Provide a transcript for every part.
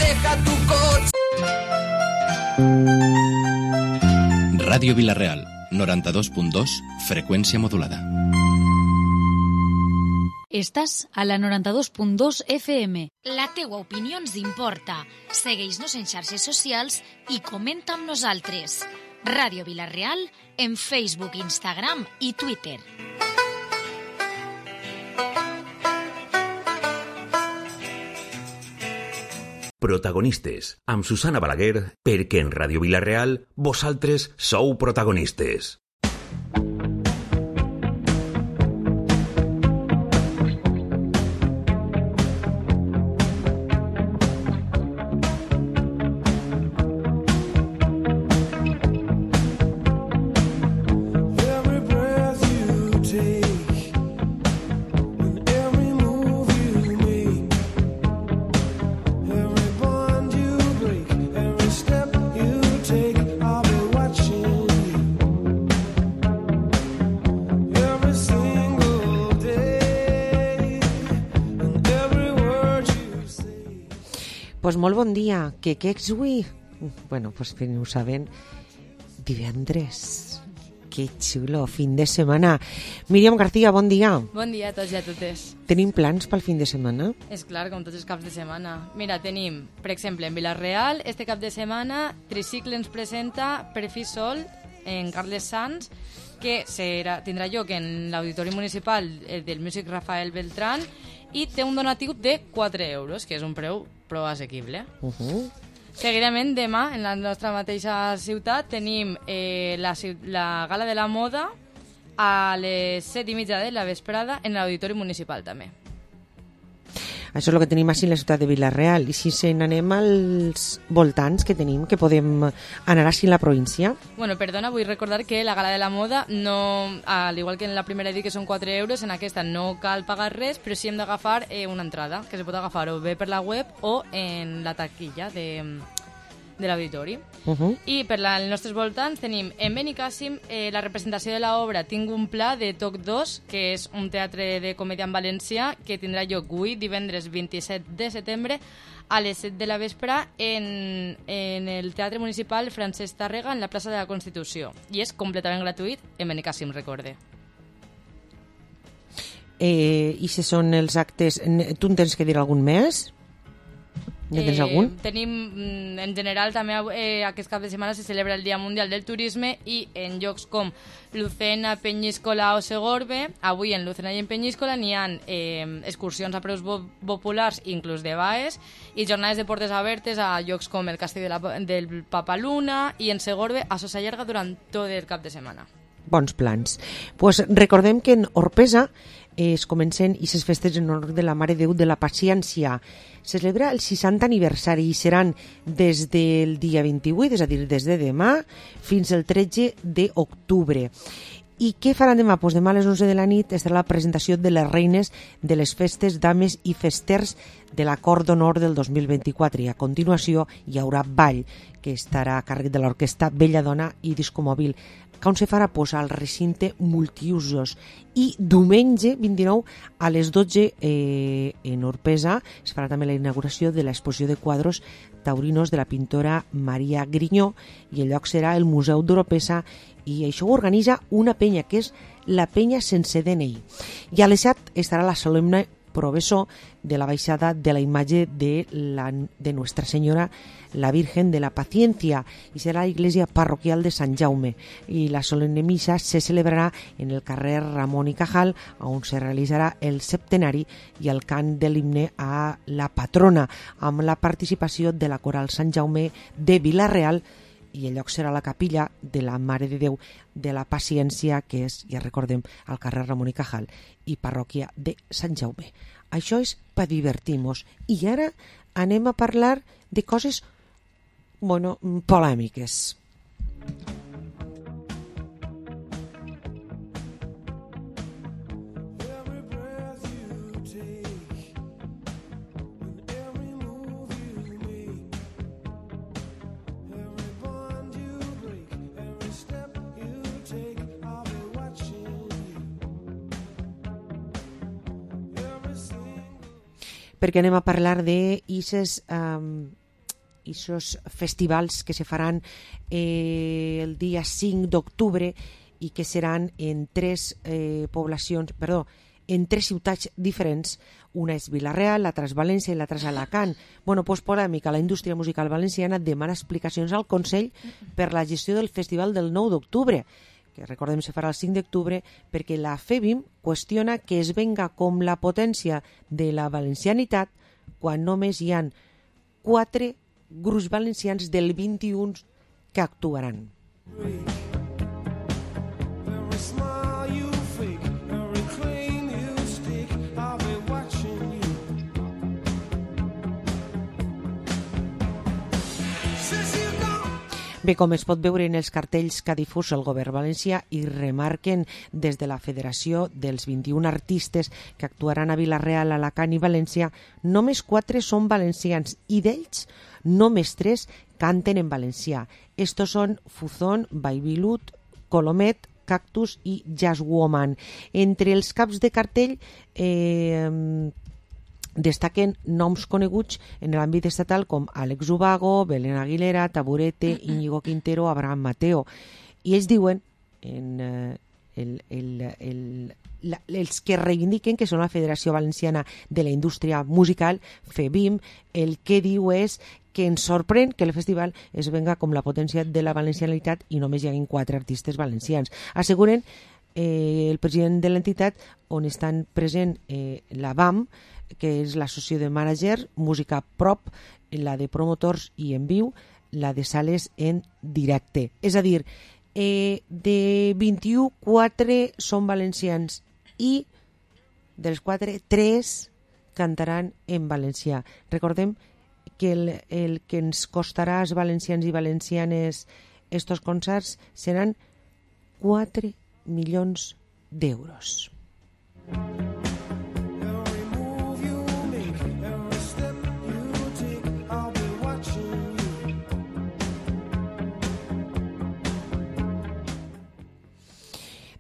deja tu coche. Ràdio Vila-real, 92.2, freqüència modulada. Estàs a la 92.2 FM. La teua opinió ens importa. Segueix-nos en xarxes socials i comenta amb nosaltres. Ràdio Vila-real en Facebook, Instagram i Twitter. Protagonistes, amb Susana Balaguer, perquè en Ràdio Vila-real vosaltres sou protagonistes. Pues molt bon dia, que és avui? Bueno, pues ho saben, divendres. Que xulo, fin de setmana. Míriam García, bon dia. Bon dia a tots i a totes. Tenim plans pel fin de setmana? És clar, com tots els caps de setmana. Mira, tenim, per exemple, en Vila-real, este cap de setmana, Tricicle ens presenta Per fi sol en Carles Sans, que tindrà lloc en l'Auditori Municipal del Músic Rafael Beltrán, i té un donatiu de 4 euros, que és un preu prou assequible. Seguidament, demà, en la nostra mateixa ciutat, tenim la Gala de la Moda a les 7:30 de la vesprada en l'Auditori Municipal, també. Això és el que tenim així en la ciutat de Vila-real. I si se n'anem als voltants que tenim, que podem anar així en la província? Bueno, perdona, vull recordar que la Gala de la Moda, no, al igual que en la primera dit que són 4 euros, en aquesta no cal pagar res, però sí hem d'agafar una entrada, que se pot agafar o bé per la web o en la taquilla de l'auditori. I per als nostres voltants tenim en Benicàssim la representació de l'obra Tinc un pla de Toc 2, que és un teatre de comèdia en valencià que tindrà lloc avui, divendres 27 de setembre, a les 7 de la vespre en el Teatre Municipal Francesc Tàrrega, en la plaça de la Constitució. I és completament gratuït en Benicàssim, recorde. I si són els actes... Tu en tens que dir algun més? Ja tens algun? Tenim, en general, també aquest cap de setmana se celebra el Dia Mundial del Turisme i en llocs com Lucena, Penyíscola o Segorbe, avui en Lucena i en Penyíscola n'hi ha excursions a preus populars, inclús de baes, i jornades de portes obertes a llocs com el Castell del Papaluna i en Segorbe a Sosa Llarga durant tot el cap de setmana. Bons plans. Pues recordem que en Orpesa es comencen aquestes festes en honor de la Mare de Déu de la Paciència. Se celebra el 60 aniversari i seran des del dia 28, és a dir, des de demà, fins al 13 d'octubre. I què faran demà? Pues demà a les 11 de la nit estarà la presentació de les reines de les festes, dames i festers de l'Acord d'Honor del 2024. I a continuació hi haurà ball, que estarà a càrrec de l'orquestra Belladona i Disco Mòbil. On se farà? Pues al recinte multiusos. I diumenge 29 a les 12 en Orpesa es farà també la inauguració de l'exposició de quadros taurinos de la pintora Maria Grinyó i el lloc serà el Museu d'Oropesa i això ho organitza una penya que és la Penya Sense DNI. I a les 7 estarà la solemne professor de la baixada de la imatge de Nuestra Senyora la Virgen de la Paciencia i serà la iglesia parroquial de Sant Jaume i la solemne missa se celebrarà en el carrer Ramon i Cajal on se realitzarà el septenari i el cant de l'himne a la patrona amb la participació de la coral Sant Jaume de Vila-real i el lloc serà la capilla de la Mare de Déu de la Paciència, que és, ja recordem, al carrer Ramon i Cajal i parròquia de Sant Jaume. Això és per divertir-nos. I ara anem a parlar de coses, polèmiques. Perquè anem a parlar de aquestes aquests festivals que se faran el dia 5 d'octubre i que seran en tres ciutats diferents. Una és Vila-real, l'altra és València i l'altra és Alacant. Bueno, doncs polèmica. La indústria musical valenciana demana explicacions al Consell per la gestió del festival del 9 d'octubre, que recordem se farà el 5 d'octubre, perquè la FEBIM qüestiona que es venga com la potència de la valencianitat quan només hi ha 4 grups valencians del 21 que actuaran. Bé, com es pot veure en els cartells que ha difús el govern valencià i remarquen des de la Federació dels 21 artistes que actuaran a Vila-real, Alacant i València, només 4 són valencians i d'ells només 3 canten en valencià. Estos són Fuzón, Baibilut, Colomet, Cactus i Jazzwoman. Entre els caps de cartell destaquen noms coneguts en l'àmbit estatal com Àlex Ubago, Belén Aguilera, Taburete, Íñigo Quintero, Abraham Mateo. I ells diuen, els que reivindiquen que són la Federació Valenciana de la Indústria Musical, FEBIM, el que diu és que ens sorprèn que el festival es venga com la potència de la valencianitat i només hi hagin 4 artistes valencians. Asseguren el president de l'entitat, on estan present la BAM, que és l'associació de mànagers, música prop, la de promotors i en viu, la de sales en directe. És a dir, de 21, 4 són valencians i dels 4, 3 cantaran en valencià. Recordem que el que ens costarà als valencians i valencianes estos concerts seran 4 milions d'euros.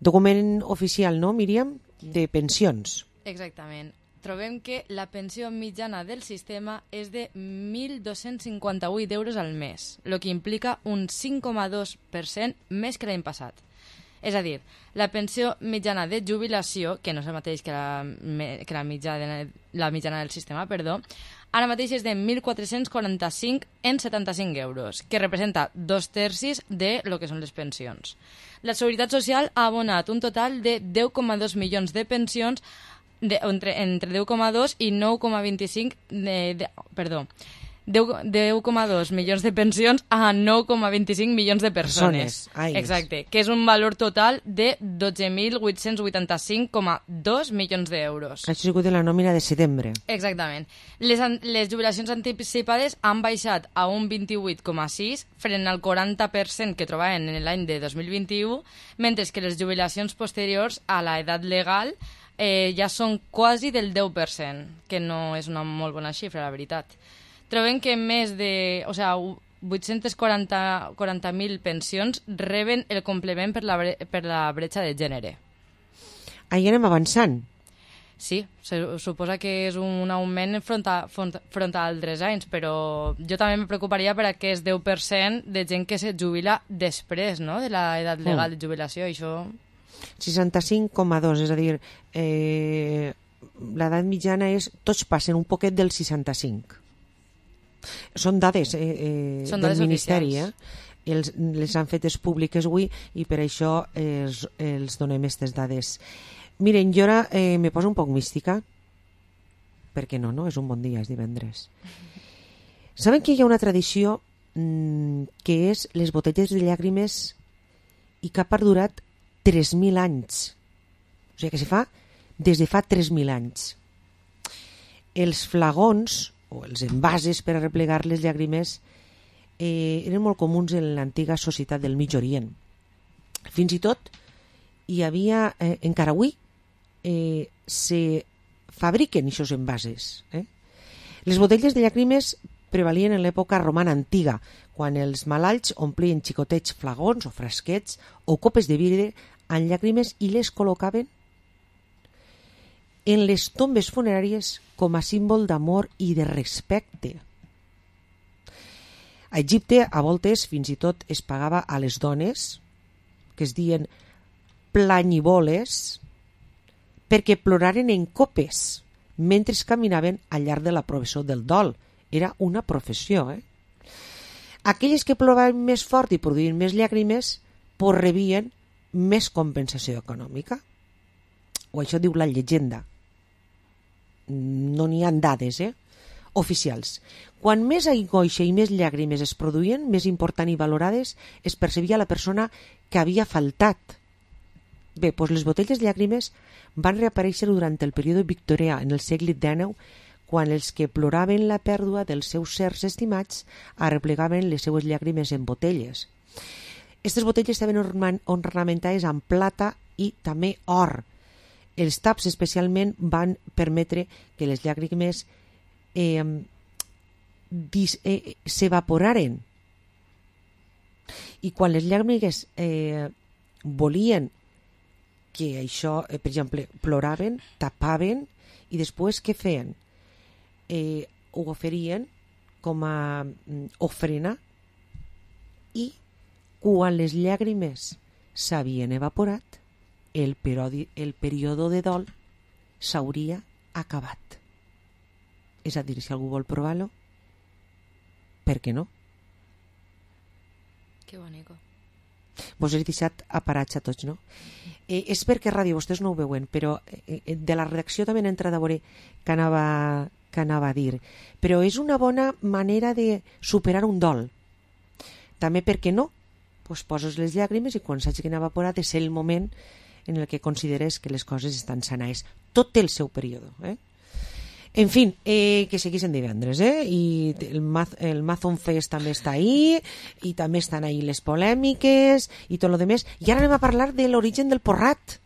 Document oficial, no, Míriam? De pensions. Exactament. Trobem que la pensió mitjana del sistema és de 1.258 euros al mes, el que implica un 5,2% més que l'any passat. És a dir, la pensió mitjana de jubilació, que no és el mateix que la mitjana del sistema, ara mateix és de 1.445,75 euros, que representa 2/3 de lo que són les pensions. La Seguretat Social ha abonat un total de 10,2 milions de pensions entre 10,2 i 9,25 10,2 milions de pensions a 9,25 milions de persones. Exacte, que és un valor total de 12.885,2 milions d'euros. Això ha sigut de la nòmina de setembre. Exactament. Les jubilacions anticipades han baixat a un 28,6 front al 40% que trobaven en l'any de 2021, mentre que les jubilacions posteriors a l'edat legal ja són quasi del 10%, que no és una molt bona xifra, la veritat. Trobem que més de 840.000 pensions reben el complement per la bretxa de gènere. Ahí anem avançant. Sí, suposa que és un augment front a altres anys, però jo també me preocuparia per aquest 10% de gent que se jubila després, no?, de l'edat legal de jubilació. Això... 65,2, és a dir, l'edat mitjana és... Tots passen un poquet del 65. Són dades del Ministeri, les han fetes públiques avui i per això els donem aquestes dades. Miren, jo ara me poso un poc mística, perquè no, és un bon dia, és divendres. Saben que hi ha una tradició que és les botelles de llàgrimes i que ha perdurat 3.000 anys. O sigui que se fa des de fa 3.000 anys. Els flagons o els envases per arreplegar les llàgrimes eren molt comuns en l'antiga societat del Mig Orient. Fins i tot hi havia, encara avui, se fabriquen aquests envases. Les botelles de llàgrimes prevalien en l'època romana antiga, quan els malalts omplien xicotets flagons o frasquets o copes de vidre amb llàgrimes i les col·locaven en les tombes funeràries com a símbol d'amor i de respecte. A Egipte, a voltes, fins i tot es pagava a les dones, que es diuen planyiboles, perquè ploraren en copes mentre caminaven al llarg de la professió del dol. Era una professió, Aquelles que ploraven més fort i produïen més llàgrimes, pues rebien més compensació econòmica. O això diu la llegenda. No n'hi ha dades, oficials. Quan més angoixa i més llàgrimes es produïen, més important i valorades es percebia la persona que havia faltat. Bé, doncs les botelles de llàgrimes van reaparèixer durant el període victorià en el segle XIX, quan els que ploraven la pèrdua dels seus sers estimats arreplegaven les seues llàgrimes en botelles. Aquestes botelles estaven ornamentades amb plata i també or. Els taps especialment van permetre que les llàgrimes s'evaporaren. I quan les llàgrimes volien que això, per exemple, ploraven, tapaven i després què feien? Ho oferien com a ofrena i quan les llàgrimes s'havien evaporat, el període de dol s'hauria acabat. És a dir, si algú vol provar-lo, per què no? Que bonico. Vos he deixat aparats a tots, no? És perquè ràdio, vostès no ho veuen, però de la redacció també n'he entrat a veure que anava a dir. Però és una bona manera de superar un dol. També, per què no? Pues poses les llàgrimes i quan s'hagin evaporat és el moment en el que consideres que les coses estan sanades. Tot té el seu període. En fin, que segueixen divendres, i el Mazon Fest també està ahí, i també estan ahí les polèmiques i tot lo demés. I ara anem a parlar de l'origen del porrat.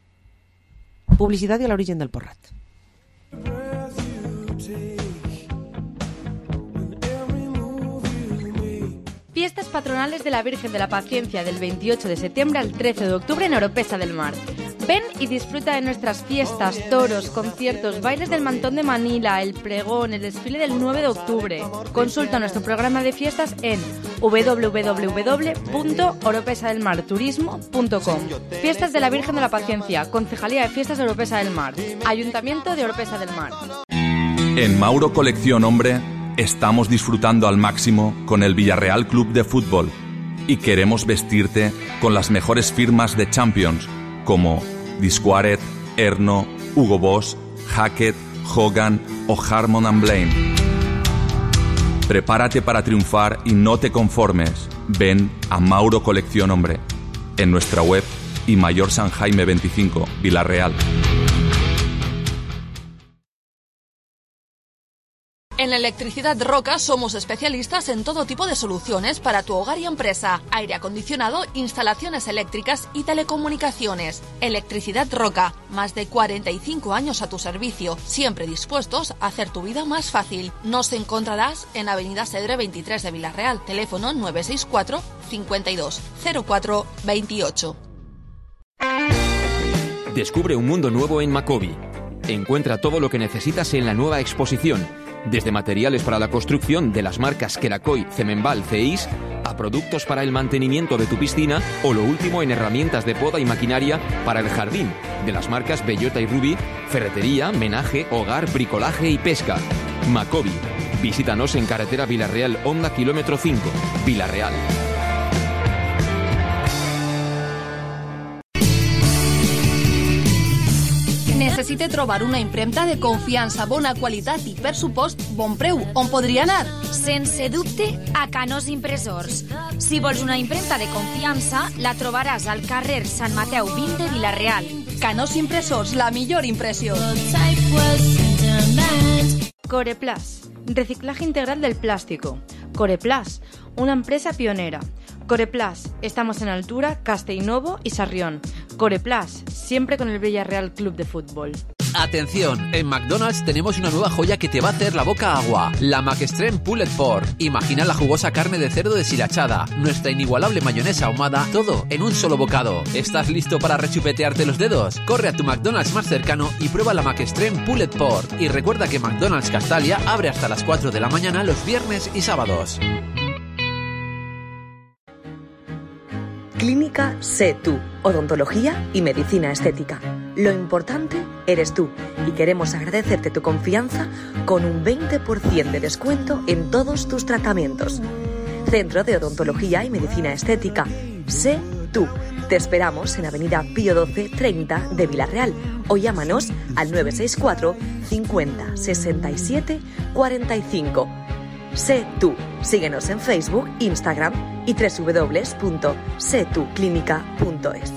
Publicitat i l'origen del porrat. Fiestas patronales de la Virgen de la Paciencia del 28 de septiembre al 13 de octubre en Oropesa del Mar. Ven y disfruta de nuestras fiestas, toros, conciertos, bailes del Mantón de Manila, el pregón, el desfile del 9 de octubre. Consulta nuestro programa de fiestas en www.oropesadelmarturismo.com. Fiestas de la Virgen de la Paciencia, Concejalía de Fiestas de Oropesa del Mar, Ayuntamiento de Oropesa del Mar. En Mauro Colección Hombre estamos disfrutando al máximo con el Villarreal Club de Fútbol y queremos vestirte con las mejores firmas de Champions como Disquaret, Erno, Hugo Boss, Hackett, Hogan o Harmon & Blaine. Prepárate para triunfar y no te conformes. Ven a Mauro Colección Hombre en nuestra web y Mayor San Jaime 25, Villarreal. En Electricidad Roca somos especialistas en todo tipo de soluciones para tu hogar y empresa. Aire acondicionado, instalaciones eléctricas y telecomunicaciones. Electricidad Roca, más de 45 años a tu servicio, siempre dispuestos a hacer tu vida más fácil. Nos encontrarás en Avenida Cedre 23 de Villarreal, teléfono 964 52 04 28. Descubre un mundo nuevo en Macobi. Encuentra todo lo que necesitas en la nueva exposición. Desde materiales para la construcción de las marcas Kerakoy, Cemenbal, Ceis, a productos para el mantenimiento de tu piscina o lo último en herramientas de poda y maquinaria para el jardín, de las marcas Bellota y Rubí, ferretería, menaje, hogar, bricolaje y pesca. Macobi. Visítanos en carretera Villarreal, Honda, kilómetro 5, Villarreal. Necessite trobar una impremta de confiança, bona qualitat i, per supost, bon preu. On podria anar? Sense dubte, a Canós Impressors. Si vols una impremta de confiança, la trobaràs al carrer Sant Mateu 20 de Vila-real. Canós Impressors, la millor impressió. Coreplas, reciclaje integral del plástico. Coreplas, una empresa pionera. Coreplas, estamos en Altura, Castellnovo y Sarrión. Coreplas, siempre con el Villarreal Club de Fútbol. Atención, en McDonald's tenemos una nueva joya que te va a hacer la boca agua. La McExtreme Pulled Pork. Imagina la jugosa carne de cerdo deshilachada, nuestra inigualable mayonesa ahumada, todo en un solo bocado. ¿Estás listo para rechupetearte los dedos? Corre a tu McDonald's más cercano y prueba la McExtreme Pulled Pork. Y recuerda que McDonald's Castalia abre hasta las 4 de la mañana los viernes y sábados. Clínica Sé Tú, odontología y medicina estética. Lo importante eres tú y queremos agradecerte tu confianza con un 20% de descuento en todos tus tratamientos. Centro de Odontología y Medicina Estética. Sé Tú. Te esperamos en Avenida Pío 12 30 de Villarreal o llámanos al 964 50 67 45. Sé Tú. Síguenos en Facebook, Instagram y www.setuclinica.es.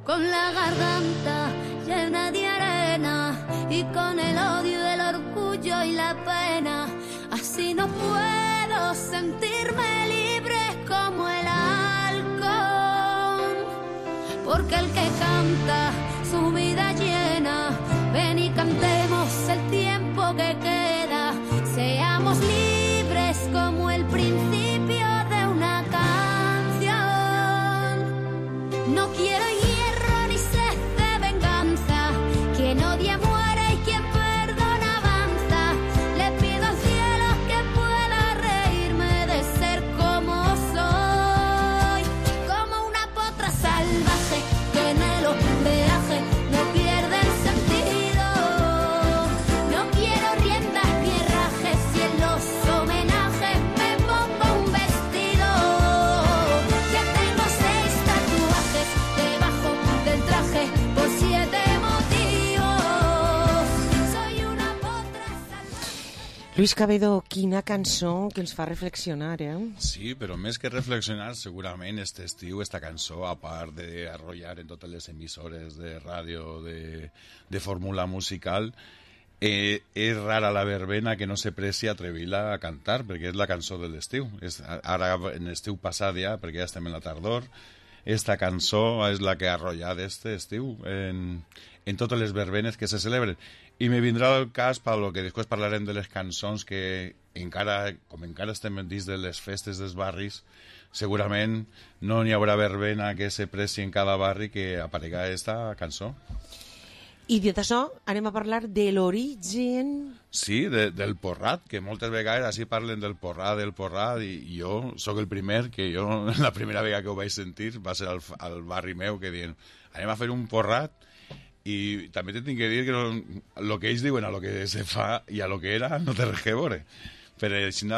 Con la garganta llena de arena y con el odio, el orgullo y la pena, así no puedo sentirme libre como el halcón, porque el que canta su vida llena, ven y cantemos el tiempo que queda, seamos libres como el principio de una canción. No quiero quien odia muere y quien perdona avanza. Le pido al cielo que pueda reírme de ser como soy, como una potra salvaje que en el oleaje no pierde el sentido. No quiero riendas ni herrajes y en los homenajes me pongo un vestido. Ya tengo 6 tatuajes debajo del traje por 7 Luis Cabedo, quina cançó que ens fa reflexionar, Sí, però més que reflexionar, segurament este estiu, esta cançó, a part d'arrollar en totes les emissores de ràdio de fórmula musical, és rara la verbena que no se presti a atrevir-la a cantar, perquè és la cançó de l'estiu. Ara, en l'estiu passat ja, perquè ja estem en la tardor, esta cançó és la que ha arrollat este estiu en totes les verbenes que se celebren. I me vindrà el cas per lo que després parlarem de les cançons que encara, com encara estem dins de les festes dels barris, segurament no n'hi haurà verbena que se presti en cada barri que aparega esta cançó. I dit això, anem a parlar de l'origen... Sí, del porrat, que moltes vegades així parlen del porrat, i jo sóc el primer, que jo la primera vegada que ho vaig sentir va ser al barri meu, que diuen, anem a fer un porrat, i també t'he de dir que el que ells diuen a lo que se fa i a lo que era no té res que veure. Però així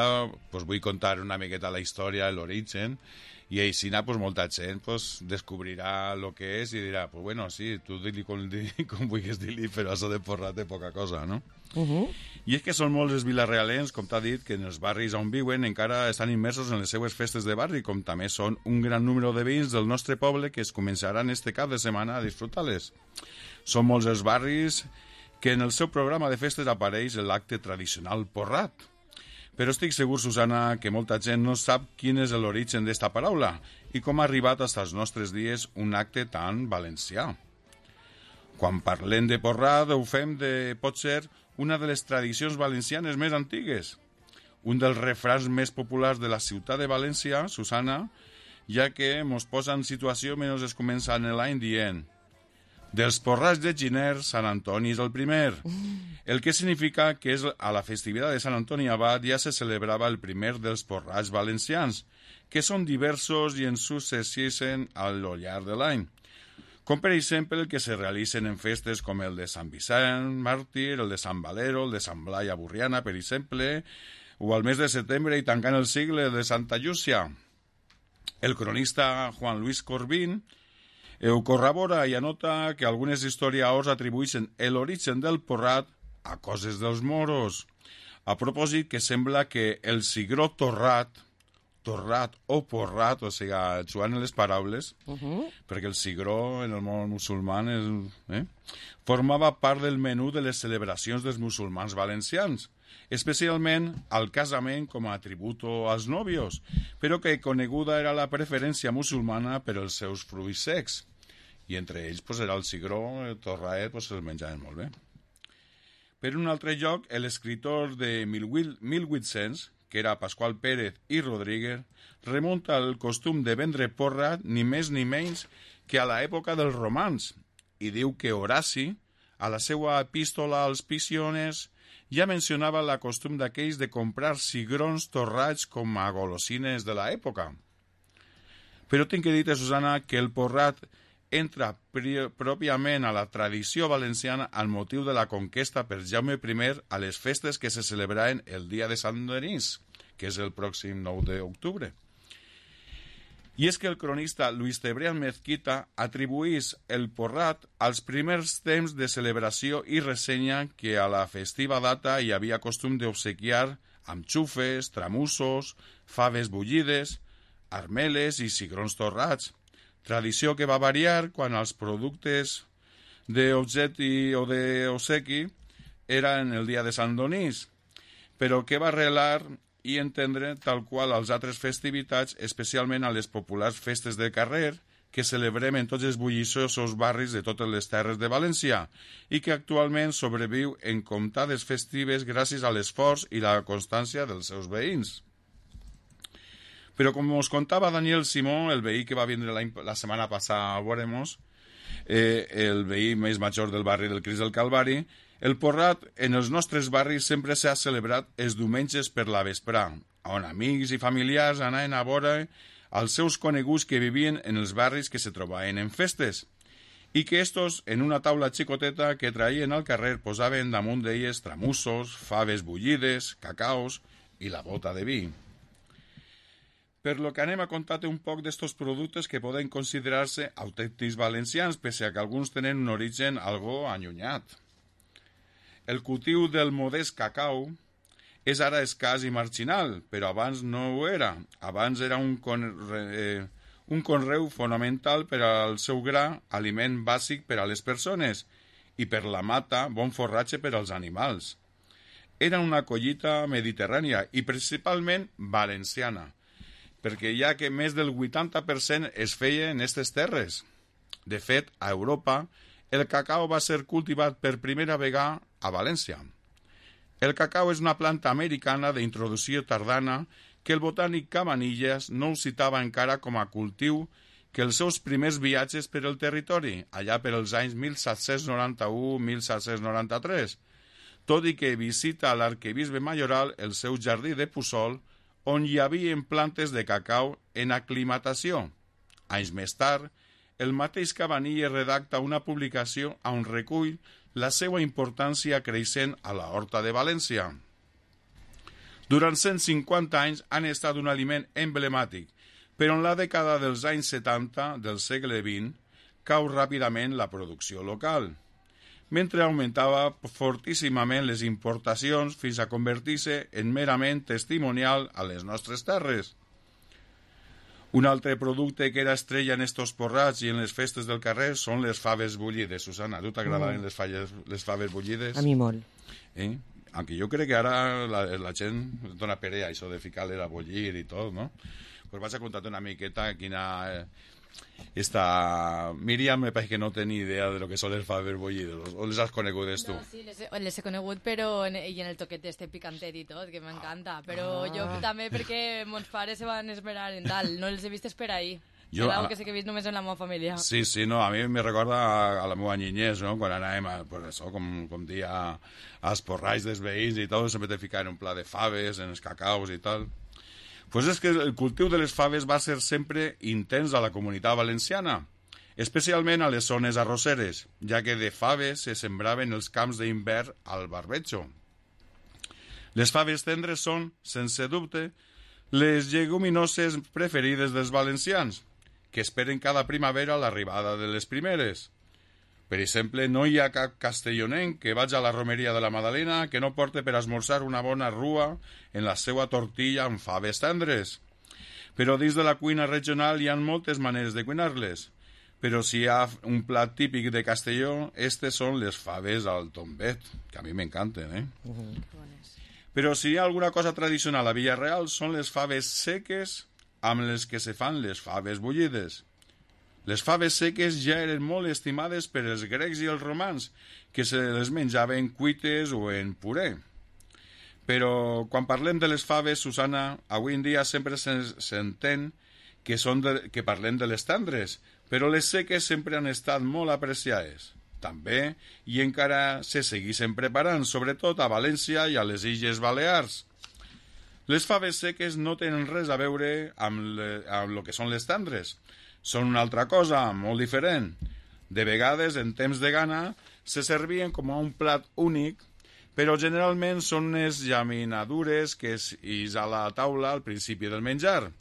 pues, vull contar una miqueta la història, l'origen, i així pues, molta gent pues, descobrirà el que és i dirà, pues bueno, sí, tu di-li com vulguis dir-li, però això de porrat té poca cosa, no? I és que són molts els vilarrealens, com t'ha dit, que en els barris on viuen encara estan immersos en les seues festes de barri, com també són un gran número de veïns del nostre poble que es començaran este cap de setmana a disfrutar-les. Són molts els barris que en el seu programa de festes apareix l'acte tradicional porrat. Però estic segur, Susana, que molta gent no sap quin és l'origen d'esta paraula i com ha arribat fins als nostres dies un acte tan valencià. Quan parlem de porrat ho fem de, potser, una de les tradicions valencianes més antigues. Un dels refrans més populars de la ciutat de València, Susana, ja que mos posa en situació menys es comença en l'any dient dels porrats de Giner, Sant Antoni és el primer. El que significa que a la festivitat de Sant Antoni Abat ja se celebrava el primer dels porrats valencians, que són diversos i en successissen al llarg de l'any. Com per exemple el que se realitzen en festes com el de Sant Vicent Màrtir, el de Sant Valero, el de Sant Blai a Burriana, per exemple, o al mes de setembre i tancant el sigle de Santa Llúcia. El cronista Juan Luis Corbín ho corrobora i anota que algunes historiadors atribueixen l'origen del porrat a coses dels moros. A propòsit que sembla que el cigró torrat o porrat, o sigui, jugant en les paraules, perquè el cigró en el món musulmà formava part del menú de les celebracions dels musulmans valencians, especialment al casament com a tributo als nòvios, però que coneguda era la preferència musulmana per als seus fruits secs. I entre ells era el cigró, el torraet, el menjaven molt bé. Per un altre lloc, l'escriptor de 1800, que era Pasqual Pérez i Rodríguez, remunta al costum de vendre porra ni més ni menys que a l'època dels romans, i diu que Horaci a la seva epístola als Pisiones, ja mencionava la costum d'aquells de comprar cigrons torrats com a golosines de l'època. Però tinc que dir-te, Susana, que el porrat entra pròpiament a la tradició valenciana al motiu de la conquesta per Jaume I a les festes que se celebraven el dia de Sant Denis, que és el pròxim 9 d'octubre. I és que el cronista Luis Cebrián Mezquita atribuís el porrat als primers temps de celebració i ressenya que a la festiva data hi havia costum d'obsequiar amb xufes, tramussos, faves bullides, armeles i cigrons torrats, tradició que va variar quan els productes d'obsequi o d'obsequi eren el dia de Sant Denis, però que va arrelar i entendre tal qual als altres festivitats, especialment a les populars festes de carrer que celebrem en tots els bulliciosos barris de totes les terres de València i que actualment sobreviu en comptades festives gràcies a l'esforç i la constància dels seus veïns. Però com us contava Daniel Simó, el veí que va vindre la setmana passada a veure-nos, el veí més major del barri del Crist del Calvari, el porrat en els nostres barris sempre s'ha celebrat els diumenges per la vesprà, on amics i familiars anaven a veure els seus coneguts que vivien en els barris que se trobaven en festes, i que estos, en una taula xicoteta que traien al carrer, posaven damunt d'elles tramussos, faves bullides, cacaos i la bota de vi. Per lo que anem a contar-te un poc d'estos productes que poden considerar-se autèntics valencians, pese a que alguns tenen un origen algo allunyat. El cultiu del modest cacau és ara escàs i marginal, però abans no ho era. Abans era un conreu fonamental per al seu gra, aliment bàsic per a les persones, i per la mata, bon forratge per als animals. Era una collita mediterrània i principalment valenciana, perquè ja que més del 80% es feia en aquestes terres. De fet, a Europa, el cacau va ser cultivat per primera vegada a València. El cacau és una planta americana d'introducció tardana que el botànic Cabanillas no ho citava encara com a cultiu que els seus primers viatges per el territori, allà per els anys 1791-1793, tot i que visita a l'arquebisbe majoral el seu jardí de Puçol, on hi havia plantes de cacau en aclimatació. Anys més tard, el mateix Cabanillas redacta una publicació on recull la seva importància creixent a la Horta de València. Durant 150 anys han estat un aliment emblemàtic, però en la dècada dels anys 70 del segle XX cau ràpidament la producció local, mentre augmentava fortíssimament les importacions fins a convertir-se en merament testimonial a les nostres terres. Un altre producte que era estrella en estos porrats i en les festes del carrer són les faves bullides. Susana, a tu t'agradaven les faves bullides? A mi molt. Aunque jo crec que ara la gent dona perea això de ficar-le a bullir i tot, no? Pues vaig a contar-te una miqueta quina... Esta Míriam me parece que no té ni idea de lo que són les faves bullides, o les has conegudes tu? No, sí, les he conegut, però en el toquet este picantet i tot, que m'encanta, però jo també perquè mons pares se van esperar en tal, no els he vist per ahí. Era algo que sé que he vist només en la meva família. Sí, no, a mi me recorda a la meva niñez, no? Quan anàvem, pues això, com dia als porrais dels veïns i tot, sempre te ficaven un pla de faves, en els cacaus i tal. Pues és que el cultiu de les faves va ser sempre intens a la comunitat valenciana, especialment a les zones arrosseres, ja que de faves se sembraven els camps d'hivern al barbecho. Les faves tendres són, sense dubte, les lleguminoses preferides dels valencians, que esperen cada primavera l'arribada de les primeres. Per exemple, no hi ha cap castellonenc que vagi a la romeria de la Madalena que no porte per esmorzar una bona rua en la seva tortilla amb faves tendres. Però dins de la cuina regional hi ha moltes maneres de cuinar-les. Però si hi ha un plat típic de Castelló, estes són les faves al tombet, que a mi m'encanten, Però si hi ha alguna cosa tradicional a Villarreal, són les faves seques amb les que se fan les faves bullides. Les faves seques ja eren molt estimades per els grecs i els romans, que se les menjaven cuites o en puré. Però quan parlem de les faves, Susana, avui en dia sempre s'entén que parlem de les tendres, però les seques sempre han estat molt apreciades. també, i encara se segueixen preparant, sobretot a València i a les Illes Balears. Les faves seques no tenen res a veure amb el que són les tendres. Són una altra cosa, molt diferent. De vegades, en temps de gana, se servien com a un plat únic, però generalment són unes llaminadures que és a la taula al principi del menjar,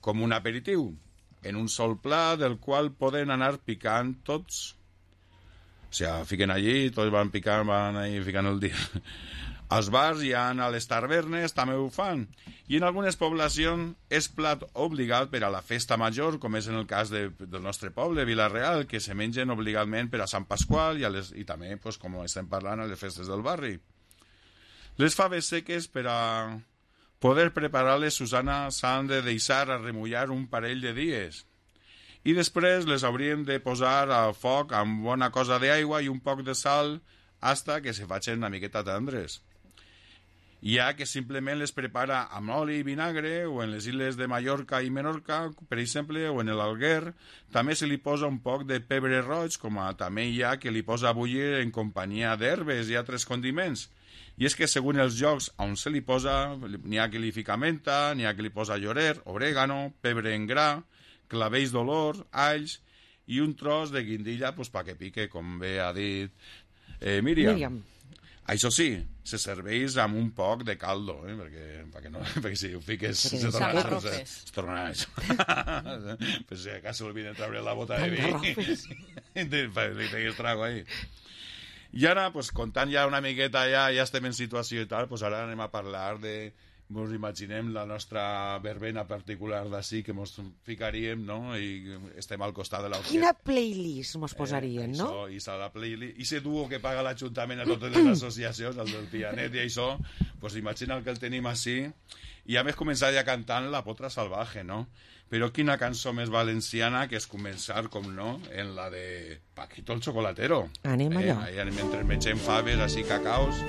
com un aperitiu, en un sol plat del qual poden anar picant tots. O sigui, fiquen allí, tots van picant, van ahí ficant el dia. Als bars i a les tavernes també ho fan. I en algunes poblacions és plat obligat per a la festa major, com és en el cas del nostre poble, Vila-real, que se mengen obligadament per a Sant Pasqual i també, pues, com estem parlant, a les festes del barri. Les faves seques, per a poder preparar-les, Susana, s'han de deixar a remullar un parell de dies. I després les hauríem de posar al foc amb bona cosa d'aigua i un poc de sal hasta que se facin una miqueta tendres. Hi ha que simplement les prepara amb oli i vinagre, o en les illes de Mallorca i Menorca, per exemple, o en l'Alguer, també se li posa un poc de pebre roig, com també hi ha que li posa a bullir en companyia d'herbes i altres condiments. I és que, segons els llocs on se li posa, n'hi ha que li fica menta, n'hi ha que li posa llorer, orégano, pebre en gra, clavells d'olor, alls i un tros de guindilla pues, perquè pique, com bé ha dit Míriam. Això sí, se serveix amb un poc de caldo, perquè si ho fiques se tornarà això. Per si acaso olviden treure la bota de vi li treguis trago ahí. I ara, pues, comptant ja una miqueta, ja estem en situació i tal, pues ara anem a parlar de... Ens imaginem la nostra verbena particular d'ací que ens ficaríem, no? I estem al costat de l'orquestra. Quina playlist ens posarien, no? Això, i la playlist, i ese duo que paga l'Ajuntament a totes les associacions, el del pianet i això, pues imagina que el tenim així, i a més començar ja cantant La Potra Salvaje, no? Però quina cançó més valenciana que és començar, com no, en la de Paquito el Chocolatero. Anem allò. Mentre mengem faves, així, cacaos...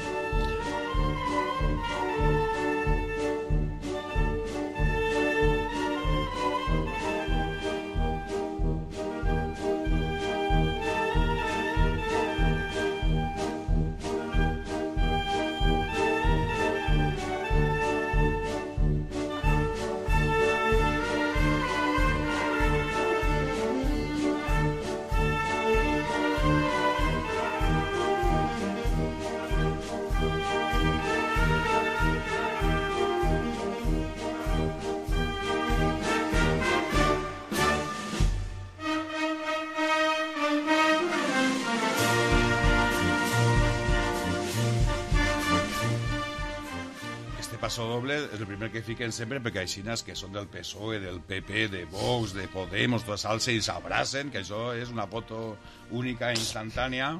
Pasodoble és el primer que fiquen sempre perquè aixines que són del PSOE, del PP, de Vox, de Podemos, totes alces i s'abracen, que això és una foto única, instantània,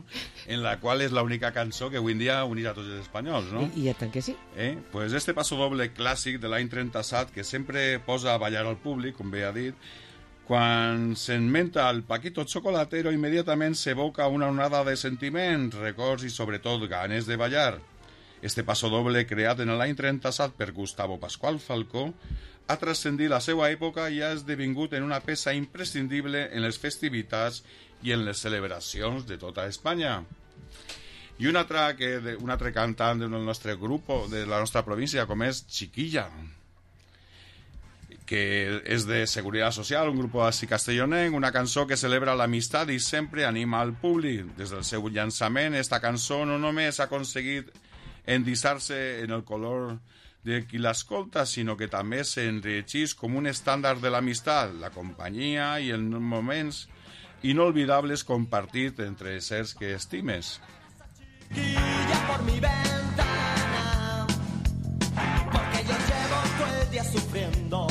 en la qual és l'única cançó que avui en dia unirà tots els espanyols, no? I tant que sí. Pues este pasodoble clàssic de l'any 37 que sempre posa a ballar al públic, com bé ha dit, quan s'enmenta el Paquito Chocolatero immediatament s'evoca una onada de sentiments, records i sobretot ganes de ballar. Este pasodoble, creat en l'any 37 per Gustavo Pascual Falcó, ha transcendit la seva època i ha esdevingut en una peça imprescindible en les festivitats i en les celebracions de tota Espanya. I un altre cantant del nostre grup, de la nostra província, com és Chiquilla, que és de Seguridad Social, un grup així castellonenc, una cançó que celebra l'amistat i sempre anima al públic. Des del seu llançament, esta cançó no només ha aconseguit endissar-se en el color de qui l'escolta, sinó que també s'enriqueix com un estàndard de l'amistat, la companyia i els moments inolvidables compartits entre éssers que estimes. Guilla por mi ventana, porque yo llevo todo el día sufriendo,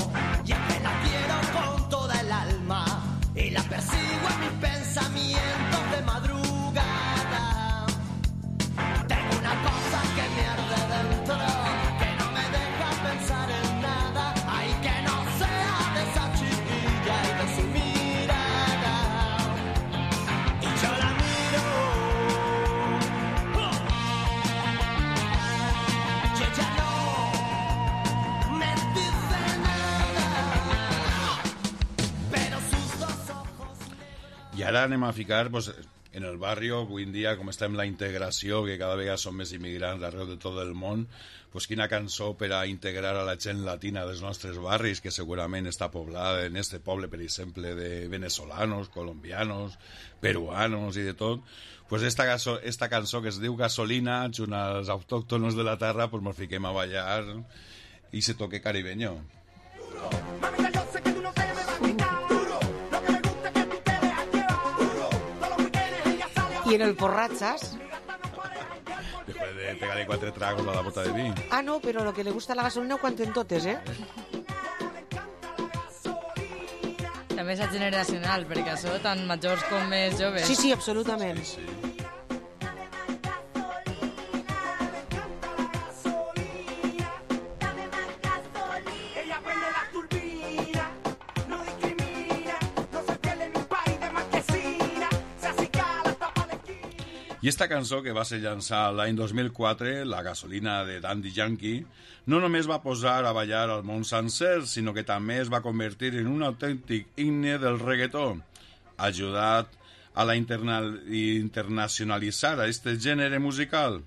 y es que la quiero con toda el alma, y la persigo en mis pensamientos de madrugada. Tengo una cosa que me arde dentro, que no me deja pensar en nada, ay, que no sea de esa chiquilla y de su mirada, y yo la miro, y ella no me dice nada, pero sus dos ojos... I ara anem a ficar, pues, en el barrio, avui en dia, com estem la integració, que cada vegada són més immigrants d'arreu de tot el món, pues quina cançó per a integrar a la gent latina dels nostres barris, que segurament està poblada en este poble, per exemple, de venezolanos, colombianos, peruanos i de tot, pues esta cançó que es diu Gasolina, junt als autòctonos de la terra, pues nos fiquem a ballar i se toque caribeño. I en el porrat, saps? Después de pegarle 4 tragos a la bota de vi. Ah, no, però lo que le gusta a la gasolina ho canten totes, eh? També és generacional, perquè això tant majors com més joves. Sí, sí, absolutament. Sí. I esta cançó, que va ser llançada l'any 2004, La gasolina de Daddy Yankee, no només va posar a ballar al món sencer, sinó que també es va convertir en un autèntic himne del reggaetó, ajudat a la internacionalitzar a este gènere musical.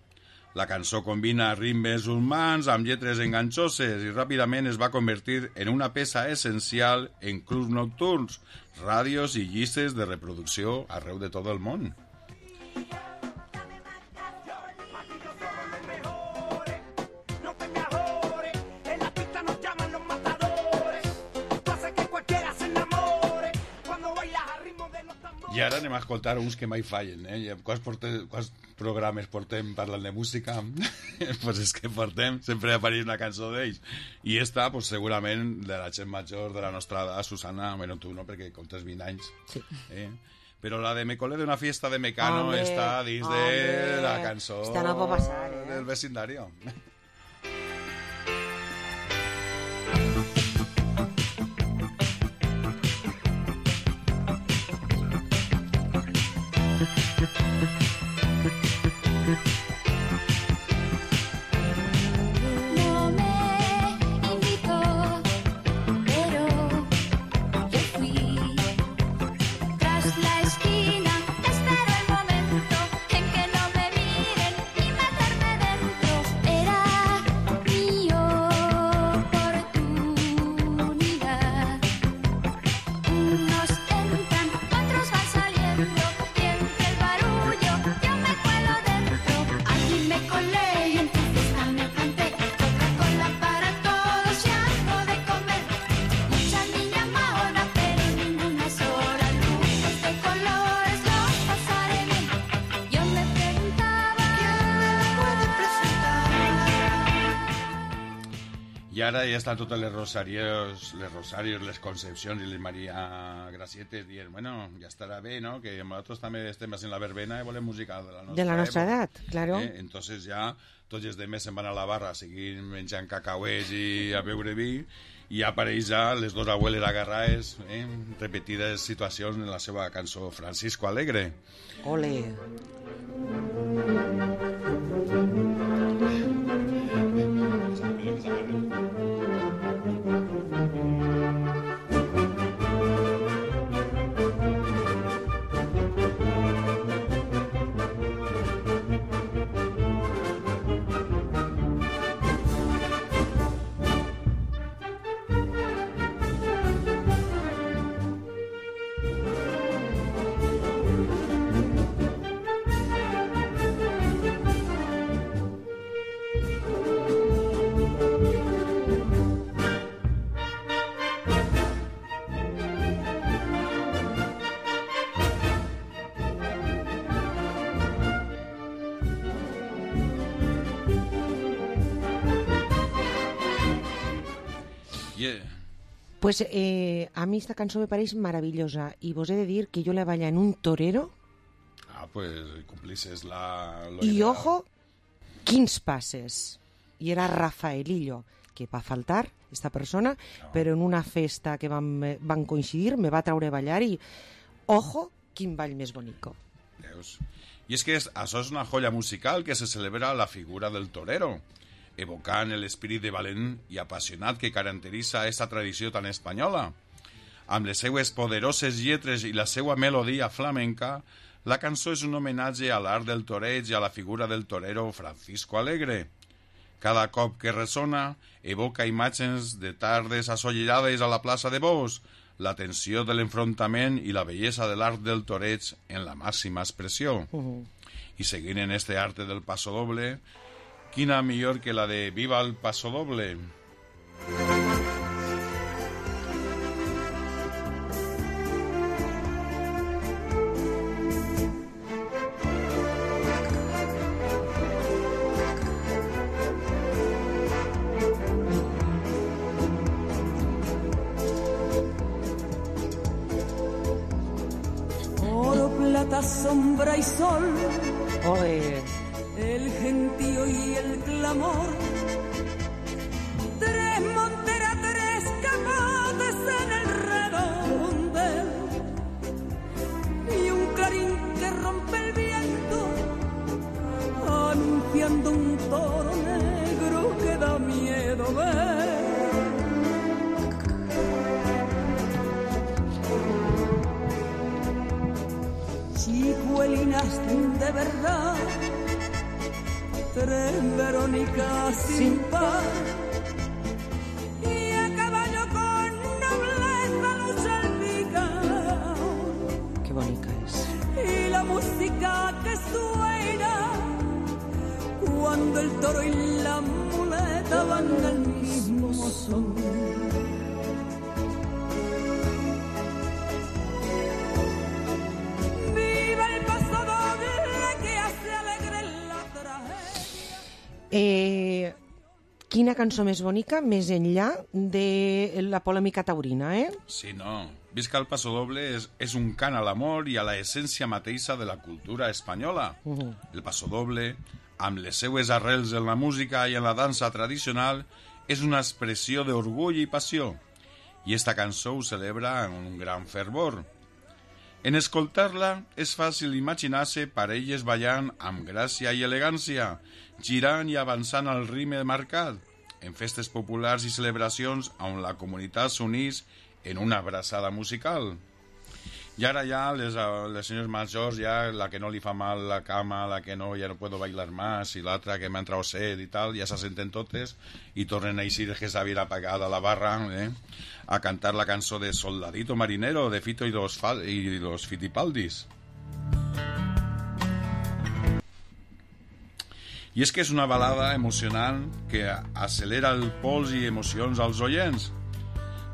La cançó combina ritmes humans amb lletres enganxoses i ràpidament es va convertir en una peça essencial en clubs nocturns, ràdios i llistes de reproducció arreu de tot el món. I ara anem a escoltar uns que mai fallen, eh? Quants programes portem parlant de música? Pues és que portem, sempre apareix una cançó d'ells. I esta, pues, segurament, de la gent major de la nostra edat, Susana, bueno, tu no, perquè comptes 20 anys. Sí. Però la de Me colé de una fiesta de Mecano està dins de la cançó del vecindario. No me invitó, pero yo fui. Tras la esquina espero el momento en que no me miren y meterme dentro. Era mi oportunidad. Unos entran, otros van saliendo. Y entre el barullo yo me cuelo dentro. Allí me colé y en tu fiesta me planté. Coca-Cola para todos y algo de comer. Muchas niñas maonas, pero ninguna sola. Luces de colores, los pasaré bien. Yo me preguntaba ¿quién me puede presentar? I ara ja estan totes les rosarios, les Concepcions i les Maria Gracietes dient, bueno, ja estarà bé, no? Que nosaltres també estem en la verbena i volem música de la nostra edat, claro. Entonces ja tots els demés se'n van a la barra a seguir menjant cacauets i a beure vi i apareix ja les dos abueles agarrades, repetides situacions en la seva cançó Francisco Alegre. Ole. Pues a mí esta cançó me pareix maravillosa i vos he de dir que jo la balla en un torero. Ah, pues cumplices I ojo, quins passes. I era Rafaelillo, que va faltar esta persona, però en una festa que van coincidir me va traure a ballar i ojo, quin ball més bonico. Veus? I és que això és una joia musical que se celebra la figura del torero, evocant l'esperit de valent i apassionat que caracteritza aquesta tradició tan espanyola. Amb les seues poderoses lletres i la seva melodia flamenca, La cançó és un homenatge a l'art del toreig i a la figura del torero Francisco Alegre. Cada cop que ressona, evoca imatges de tardes assolellades a la plaça de Bous, la tensió de l'enfrontament i la bellesa de l'art del toreig en la màxima expressió. I seguint en este arte del pasodoble, quina millor que la de Viva el pasodoble. Sombra y sol, Oye. el gentío y el clamor, tres monteras, tres capotes en el redondel y un clarín que rompe el viento anunciando un toro negro que da miedo ver. Chicuelinas de verdad, tres Verónicas sin par, y a caballo con nobleza los salpica. Qué bonita es. Y la música que suena cuando el toro y la muleta van al mismo son. Quina cançó més bonica, més enllà de la polèmica taurina, eh? Sí, no. Visca el pasodoble és un cant a l'amor i a la essència mateixa de la cultura espanyola. El pasodoble, amb les seues arrels en la música i en la dansa tradicional, és una expressió d'orgull i passió. I esta cançó ho celebra amb un gran fervor. En escoltar-la és fàcil imaginar-se parelles ballant amb gràcia i elegància, girant i avançant al ritme marcat, en festes populars i celebracions on la comunitat s'unís en una abraçada musical. I ara ja les senyors majors, ja la que no li fa mal la cama, la que no, ja no puedo bailar más, i l'altra que m'ha entrat sed i tal, ja s'assenten totes i tornen a eixir que s'havia apagat a la barra, a cantar la cançó de Soldadito Marinero de Fito y los Fitipaldis. I és que és una balada emocionant que acelera el pols i emocions als oients.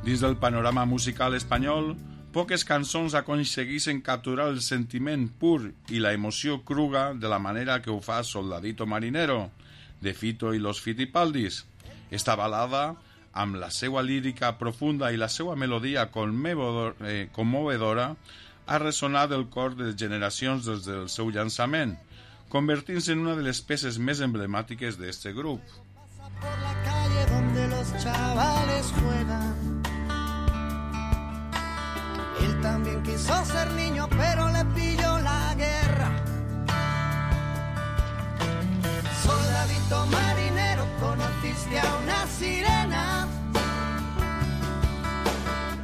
Dins del panorama musical espanyol, poques cançons aconsegueixen capturar el sentiment pur i la emoció cruga de la manera que ho fa Soldadito Marinero, de Fito y los Fitipaldis. Esta balada, amb la seva lírica profunda i la seva melodia commovedora, ha ressonat el cor de generacions des del seu llançament, convertint-se en una de les peces més emblemàtiques d'este grup. Por la calle donde los chavales juegan. Él también quiso ser niño, pero le pilló la guerra. Soldadito marinero, conociste a una sirena,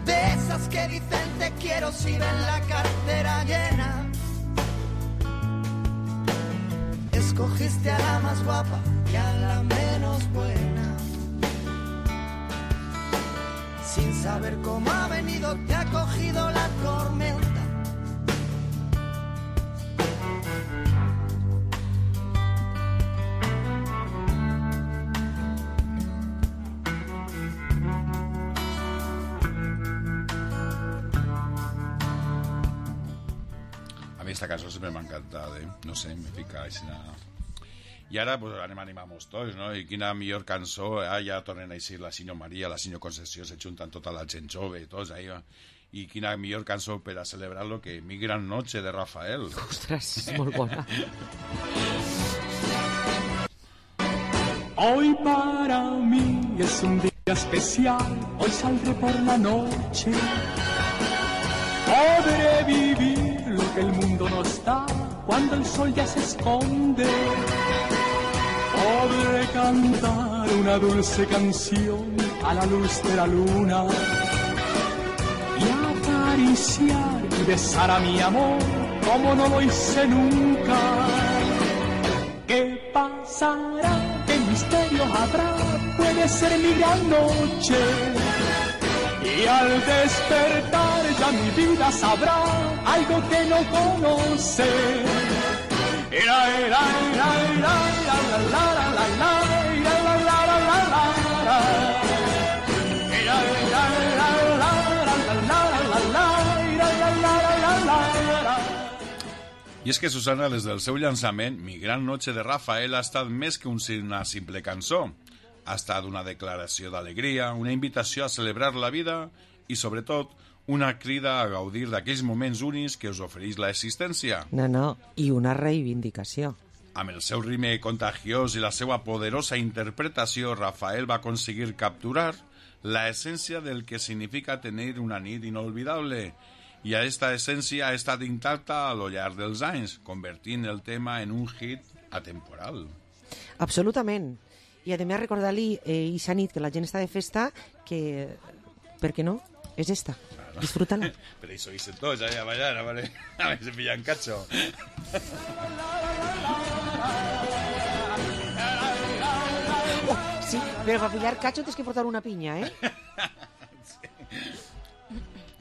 de esas que dicen te quiero si ven la cartera llena. Escogiste a la más guapa y a la menos buena. Sin saber cómo ha venido, te ha cogido la tormenta. A mi esta cançó sempre m'ha encantat, no sé, me fica així. I ara pues, anem a animar-nos tots, no? I quina millor cançó, ja tornen a eixir la Sinyo Maria, la Sinyo Concessió, se junten tota la gent jove, tots ahí, i quina millor cançó per a celebrar-lo que Mi Gran Noche de Rafael. Ostres, és molt bona. Hoy para mí es un día especial, hoy saldré por la noche. Podré vivir lo que el mundo nos da cuando el sol ya se esconde. Podré cantar una dulce canción a la luz de la luna y acariciar y besar a mi amor como no lo hice nunca. ¿Qué pasará? ¿Qué misterio habrá? Puede ser mi gran noche. Y al despertar ya mi vida sabrá algo que no conoce. I és que, Susana, des del seu llançament, Mi gran noche de Rafael ha estat més que una simple cançó. Ha estat una declaració d'alegria, una invitació a celebrar la vida i, sobretot, una crida a gaudir d'aquells moments únics que us ofereix l'existència. No, i una reivindicació. Amb el seu ritme contagiós i la seva poderosa interpretació, Rafael va aconseguir capturar la essència del que significa tenir una nit inolvidable. I aquesta essència ha estat intacta a lo llarg dels anys, convertint el tema en un hit atemporal. Absolutament. I a més recordar-li ixa nit que la gent està de festa que, per què no? És esta. Disfrútala. Pero eso dicen todos, ya a bailar, a ver si pillan cacho. Sí, però per pillar cacho tens que portar una pinya, eh?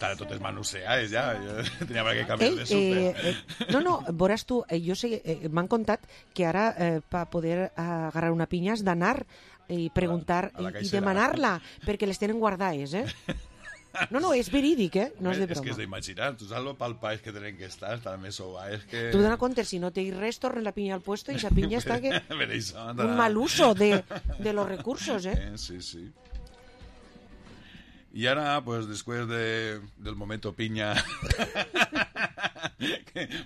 Estan totes manoseades ja, jo tenia per què canviar de súper. No, veuràs tu, jo sé, m'han contat que ara per poder agarrar una pinya has d'anar i preguntar i demanar-la, perquè les tenen guardades, eh? No, és verídic, eh? No és de broma. És que és d'imaginar, tu saps lo pel país que tenen que estar, també sou és que... Tu dona compte, si no té res, torna la pinya al puesto i esa pinya està que... un mal uso de los recursos, eh? Sí. Y ahora, pues después del momento piña,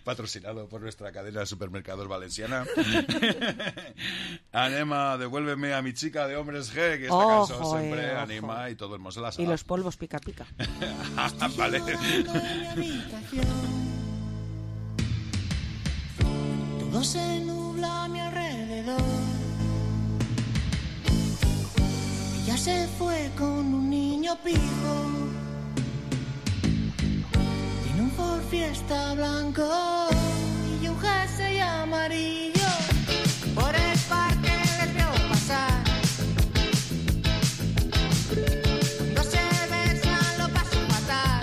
patrocinado por nuestra cadena de supermercados valenciana, anem a Devuélveme a mi chica de Hombres G, que esta canción siempre anima y todo el mundo se la sabe. Y los polvos pica. Vale. Todo se nubla a mi alrededor. Ella se fue con un niño pijo. Tiene un Ford Fiesta blanco y un jersey amarillo. Por el parque les veo pasar. Cuando se besan lo paso fatal.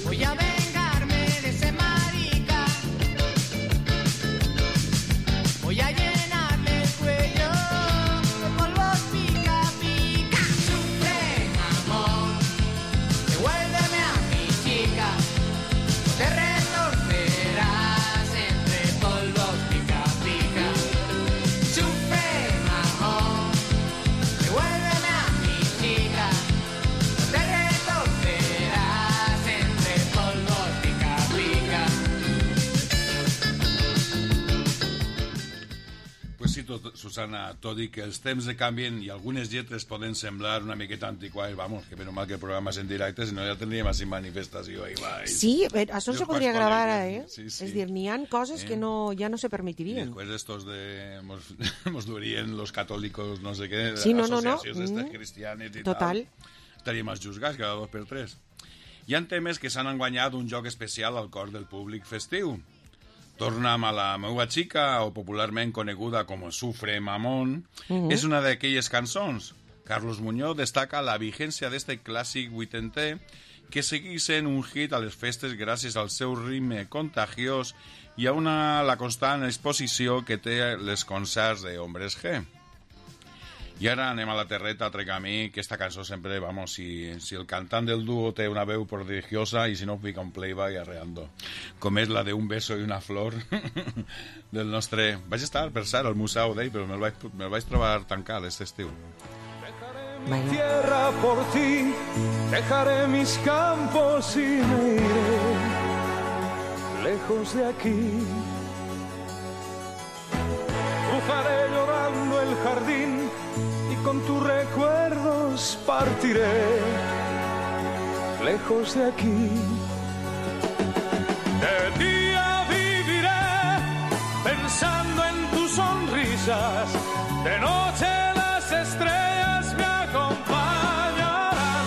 Voy a vengarme de ese marica. Voy a llenarle el cuello. Te retorcerás entre polvos pica pica. Sufre, mamón, devuélveme a mi chica. Te retorcerás entre polvos pica pica. Pues sí, Susana, tot i que els temps canvien i algunes lletres poden semblar una miqueta antiquades, vamos, que menys mal que el programa és en directe, si no ja tendríem així manifestació. Sí, això se podria gravar, eh? Sí. És dir, n'hi ha coses que ja no se permetirien. Y después de estos nos durían los católicos, no sé qué, sí, asociacions d'estes cristianes i total. Tal. Estaríem els juzgats cada 2 per 3. Hi ha temes que s'han guanyat un joc especial al cor del públic festiu. Torna'm a la meua xica, o popularment coneguda com Sufre, mamón, és una d'aquelles cançons. Carlos Muñoz destaca la vigència d'este clàssic vuitenter que segueix sent un hit a les festes gràcies al seu ritme contagiós i a la constant exposició que té les concerts de Hombres G. I ara anem a la terreta, trec a mi, que esta cançó sempre, vamos, si el cantant del dúo té una veu prodigiosa i si no fica un playback arreando, com és la de Un beso y una flor del nostre... Vaig estar, per cert, al museu d'ell, però me'l vaig trobar tancat aquest estiu. Mi tierra por ti, dejaré mis campos y me iré lejos de aquí. Cruzaré llorando el jardín y con tus recuerdos partiré lejos de aquí. De día viviré pensando en tus sonrisas, de noche las estrellas me acompañarán.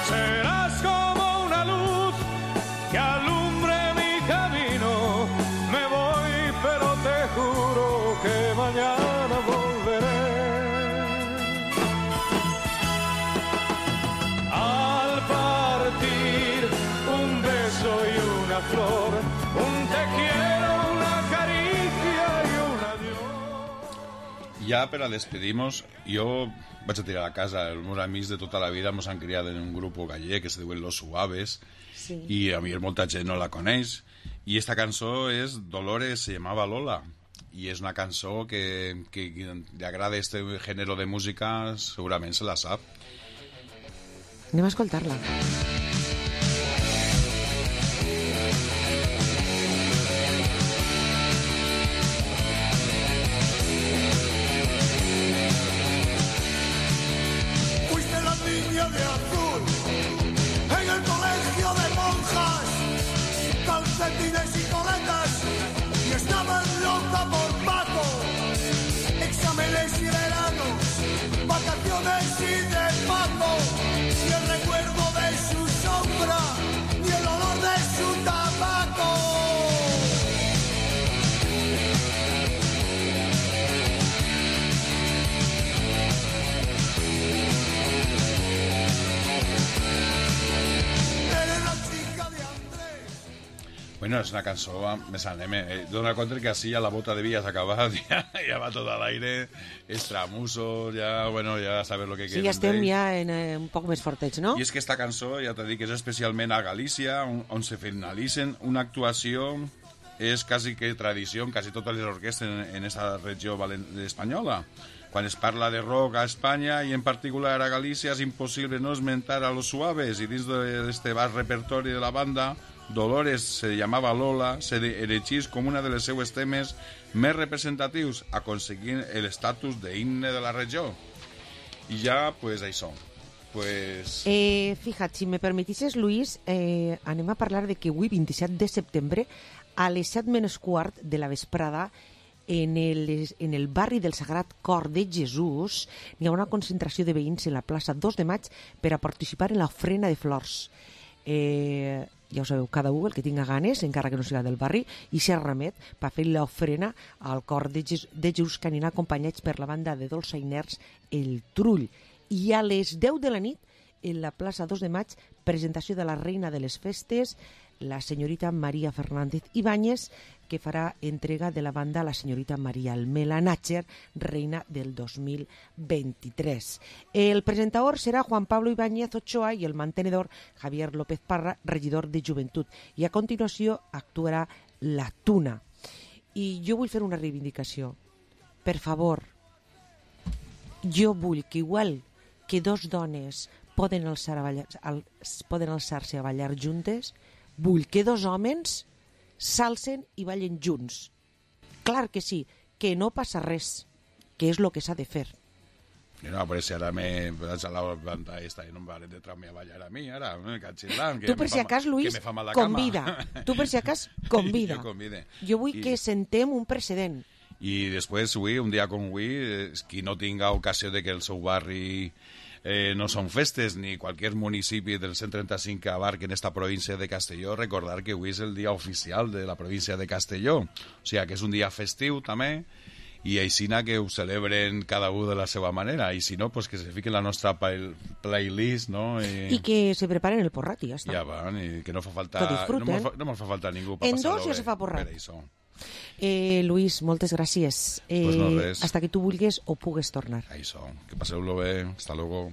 Serás como una luz una flor, un te quiero, una caricia y un adiós. Ja per a despedir-nos, jo vaig a tirar a casa. Els meus amics de tota la vida ens han criat en un grup gallec que se diuen Los Suaves, sí. I a mi molta gent no la coneix. I esta cançó és Dolores, se llamava Lola. I és una cançó que li agrada este género de música, segurament se la sap. Anem a escoltar-la. Fuiste la niña de azul en el colegio de monjas, calcetines y coletas, y estabas loca por Paco. Exámenes y veranos, vacaciones y de Paco, y el recuerdo de su sombra y el olor de su tabaco. Bueno, és una cançó més anem. Dona compte que así ya la bota de vías acabada, ya va todo al aire, extramusos, ya, bueno, ya sabes lo que Sí, quieren. ja estem ja en un poc més fortets, no? I és que esta cançó, ja t'he dit que és especialment a Galícia, on se finalitzen una actuació, és quasi que tradició, quasi totes les orquestres en esta regió espanyola. Quan es parla de rock a Espanya i en particular a Galícia és impossible no esmentar a Los Suaves, i dins d'este vast repertori de la banda, Dolores se llamava Lola, se erigís com una de les seues temes més representatius, aconseguint l'estatus d'himne de la regió. I ja, pues, això. Pues... Fíjate, si me permetisses, Luis, anem a parlar de que avui, 27 de setembre, a les 7:15 de la vesprada, en el barri del Sagrat Cor de Jesús hi ha una concentració de veïns en la plaça 2 de maig per a participar en l'ofrena de flors. Ja ho sabeu, cada un el que tinga ganes, encara que no siga del barri, i s'hi remet per fer l'ofrena al Cor de Jesús, que anirà acompanyats per la banda de dolçainers El Trull. I a les 10 de la nit, en la plaça 2 de maig, presentació de la reina de les festes, la senyorita María Fernández Ibáñez, que farà entrega de la banda a la senyorita María Almela Nácher, reina del 2023. El presentador serà Juan Pablo Ibáñez Ochoa i el mantenedor Javier López Parra, regidor de Joventut. I a continuació actuarà la Tuna. I jo vull fer una reivindicació. Per favor, jo vull que igual que dos dones poden alçar-se a ballar juntes, vull que dos homes s'alcen i ballen junts. Clar que sí, que no passa res, que és el que s'ha de fer. No, però si ara me vaig a la banda esta i no em van de traure a ballar a mi, ara, catxillant. Tu per si acas, Luis, convida. Tu per si acas, convida. Jo vull que sentem un precedent. I després, avui, un dia com avui, qui no tinga ocasió de que el seu barri no són festes, ni qualsevol municipi del 135 que abarquen esta província de Castelló, recordar que avui és el dia oficial de la província de Castelló. O sigui, que és un dia festiu també, i aixina que ho celebren cada un de la seva manera, i si no, pues que se fiquen la nostra playlist, no? I que se preparen el porrat i ja està. Ja van, i que no fa falta... Que disfruten. No ens fa falta ningú per en passar-ho dos ja se fa porrat. per això. Luis, moltes gràcies. Pues no res. Hasta que tu vulguis o pugues tornar. Això, que passeu-lo bé. Hasta luego.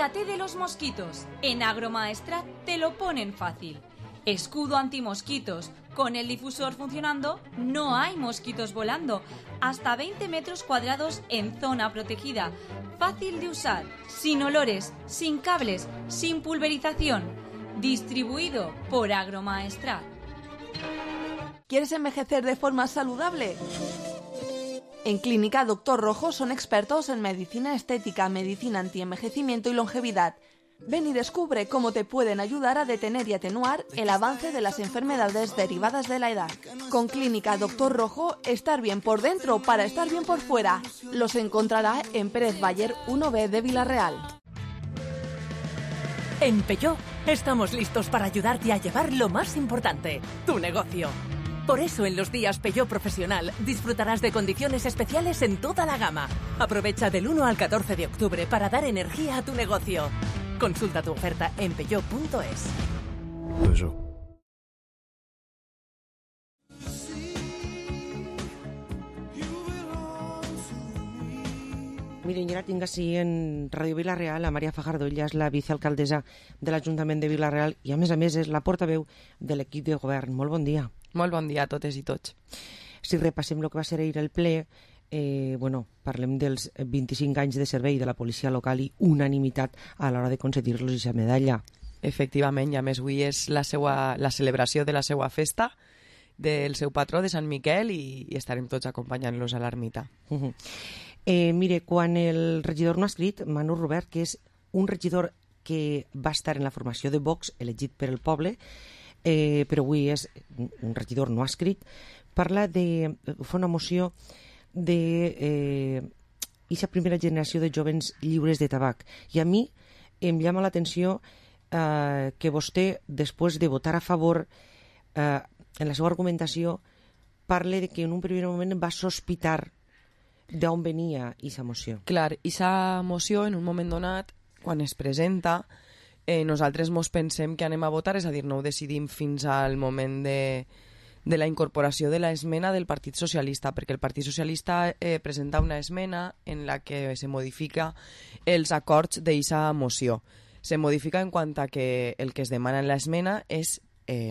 Cuídate de los mosquitos. En Agromaestrat te lo ponen fácil. Escudo antimosquitos. Con el difusor funcionando, no hay mosquitos volando. Hasta 20 metros cuadrados en zona protegida. Fácil de usar, sin olores, sin cables, sin pulverización. Distribuido por Agromaestrat. ¿Quieres envejecer de forma saludable? En Clínica Doctor Rojo son expertos en medicina estética, medicina antienvejecimiento y longevidad. Ven y descubre cómo te pueden ayudar a detener y atenuar el avance de las enfermedades derivadas de la edad. Con Clínica Doctor Rojo, estar bien por dentro para estar bien por fuera. Los encontrará en Pérez Bayer 1B de Villarreal. En Peugeot estamos listos para ayudarte a llevar lo más importante, tu negocio. Por eso en los días Peugeot Profesional disfrutarás de condiciones especiales en toda la gama. Aprovecha del 1 al 14 de octubre para dar energía a tu negocio. Consulta tu oferta en peugeot.es. Miren, ja la tinc així en Ràdio Vila-real, la Maria Fajardo, ella és la vicealcaldessa de l'Ajuntament de Vila-real i a més és la portaveu de l'equip de govern. Molt bon dia. Molt bon dia a totes i tots. Si repassem el que va ser ahir el ple, parlem dels 25 anys de servei de la policia local i unanimitat a l'hora de concedir-los aquesta medalla. Efectivament, i a més avui és la celebració de la seva festa, del seu patró, de Sant Miquel, i estarem tots acompanyant-los a l'ermita. Mire, quan el regidor no ha escrit, Manu Robert, que és un regidor que va estar en la formació de Vox, elegit per el poble, però avui és un regidor no ha escrit, fa una moció de aquesta primera generació de jovens lliures de tabac. I a mi em llama l'atenció que vostè, després de votar a favor, en la seva argumentació, parle de que en un primer moment va sospitar d'on venia aquesta moció. Clar, aquesta moció, en un moment donat, quan es presenta, nosaltres mos pensem que anem a votar, és a dir, no ho decidim fins al moment de la incorporació de l'esmena del Partit Socialista, perquè el Partit Socialista presenta una esmena en la que se modifica els acords d'aquesta moció. Se modifica en quant a que el que es demana en l'esmena és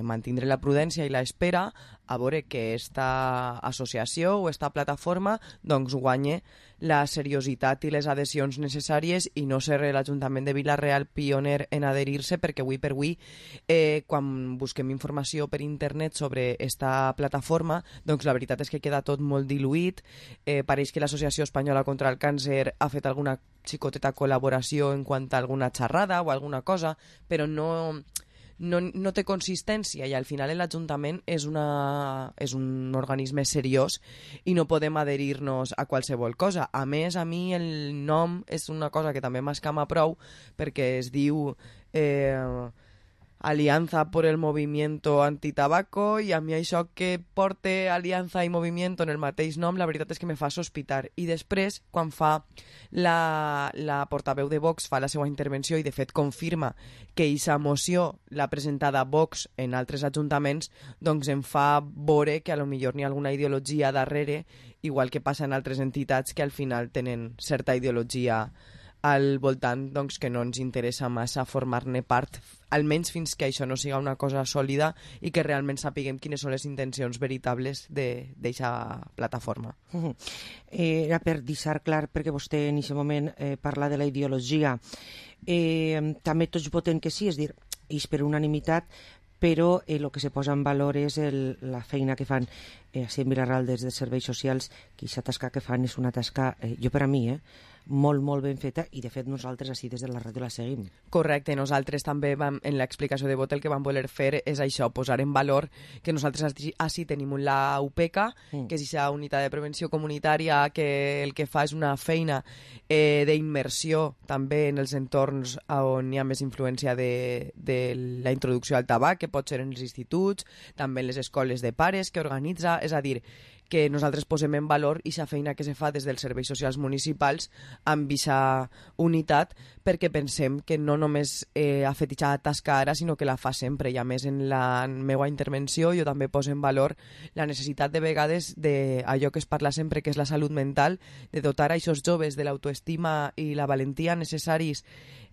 mantindre la prudència i l'espera a veure que esta associació o esta plataforma doncs guanye la seriositat i les adhesions necessàries i no ser l'Ajuntament de Vila-real pioner en adherir-se, perquè avui per avui quan busquem informació per internet sobre esta plataforma, doncs la veritat és que queda tot molt diluït. Pareix que l'Associació Espanyola contra el Càncer ha fet alguna xicoteta col·laboració en quant a alguna xerrada o alguna cosa, però no té consistència i al final l'Ajuntament és un organisme seriós i no podem adherir-nos a qualsevol cosa. A més, a mi el nom és una cosa que també m'escama prou perquè es diu Alianza por el Movimiento Antitabaco i a mi això que porte Alianza i Movimiento en el mateix nom, la veritat és que me fa sospitar. I després, quan fa la portaveu de Vox fa la seva intervenció i de fet confirma que aquesta moció l'ha presentada Vox en altres ajuntaments, doncs em fa veure que a lo millor n'hi ha alguna ideologia darrere, igual que passa en altres entitats que al final tenen certa ideologia al voltant, doncs que no ens interessa massa formar-ne part, almenys fins que això no siga una cosa sòlida i que realment sapiguem quines són les intencions veritables d'aquesta plataforma. Era per deixar clar, perquè vostè en aquest moment parla de la ideologia. També tots voten que sí, és dir, és per unanimitat, però el que se posa en valor és la feina que fan així en Vila-real des de serveis socials, que aquesta tasca que fan és una tasca, jo per a mi, molt, molt ben feta, i de fet nosaltres així des de la ràdio la seguim. Correcte, nosaltres també en l'explicació de vot el que vam voler fer és això, posar en valor que nosaltres així tenim la UPECA, que és aquesta unitat de prevenció comunitària que el que fa és una feina d'immersió també en els entorns on hi ha més influència de la introducció al tabac, que pot ser en els instituts, també en les escoles de pares que organitza, és a dir, que nosaltres posem en valor aquesta feina que se fa des dels serveis socials municipals amb aquesta unitat, perquè pensem que no només ha fet aquesta tasca ara, sinó que la fa sempre. I a més, en la meva intervenció jo també poso en valor la necessitat de vegades d'allò que es parla sempre, que és la salut mental, de dotar a aquests joves de l'autoestima i la valentia necessaris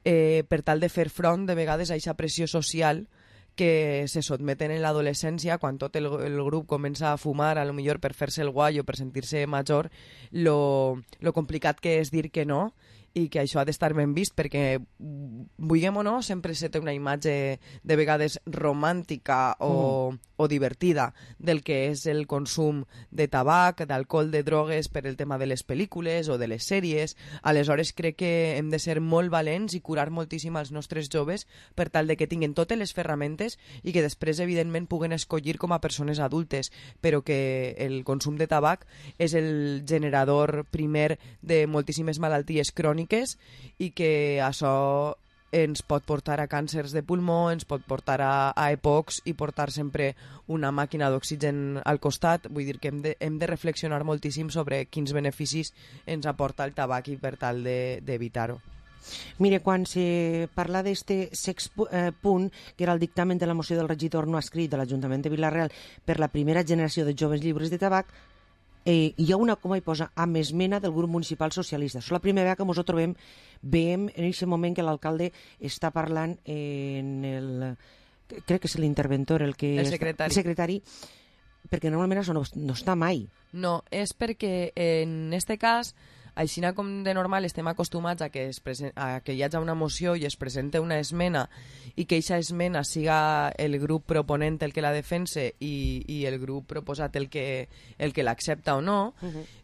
per tal de fer front de vegades a aquesta pressió social que se sotmeten en l'adolescència, quan tot el grup comença a fumar, a lo millor per fer-se el guai o per sentir-se major, lo complicat que és dir que no, i que això ha d'estar ben vist, perquè vulguem o no, sempre se té una imatge de vegades romàntica o divertida del que és el consum de tabac, d'alcohol, de drogues per el tema de les pel·lícules o de les sèries. Aleshores crec que hem de ser molt valents i curar moltíssim als nostres joves per tal de que tinguin totes les ferramentes i que després evidentment puguen escollir com a persones adultes, però que el consum de tabac és el generador primer de moltíssimes malalties cròniques i que això ens pot portar a càncers de pulmó, ens pot portar a EPOCs i portar sempre una màquina d'oxigen al costat. Vull dir que hem de reflexionar moltíssim sobre quins beneficis ens aporta el tabac i per tal d'evitar-ho. Mire, quan se parla d'este punt, que era el dictamen de la moció del regidor no escrit de l'Ajuntament de Vila-real per la primera generació de joves lliures de tabac, hi ha una coma i posa amb esmena del grup municipal socialista. És la primera vegada que ens ho veiem en aquest moment que l'alcalde està parlant en el... crec que és l'interventor, el secretari, perquè normalment això no està mai. No, és perquè en este cas, així com de normal estem acostumats a que hi hagi una moció i es presente una esmena i que aquesta esmena siga el grup proponent el que la defense i el grup proposat el que l'accepta o no.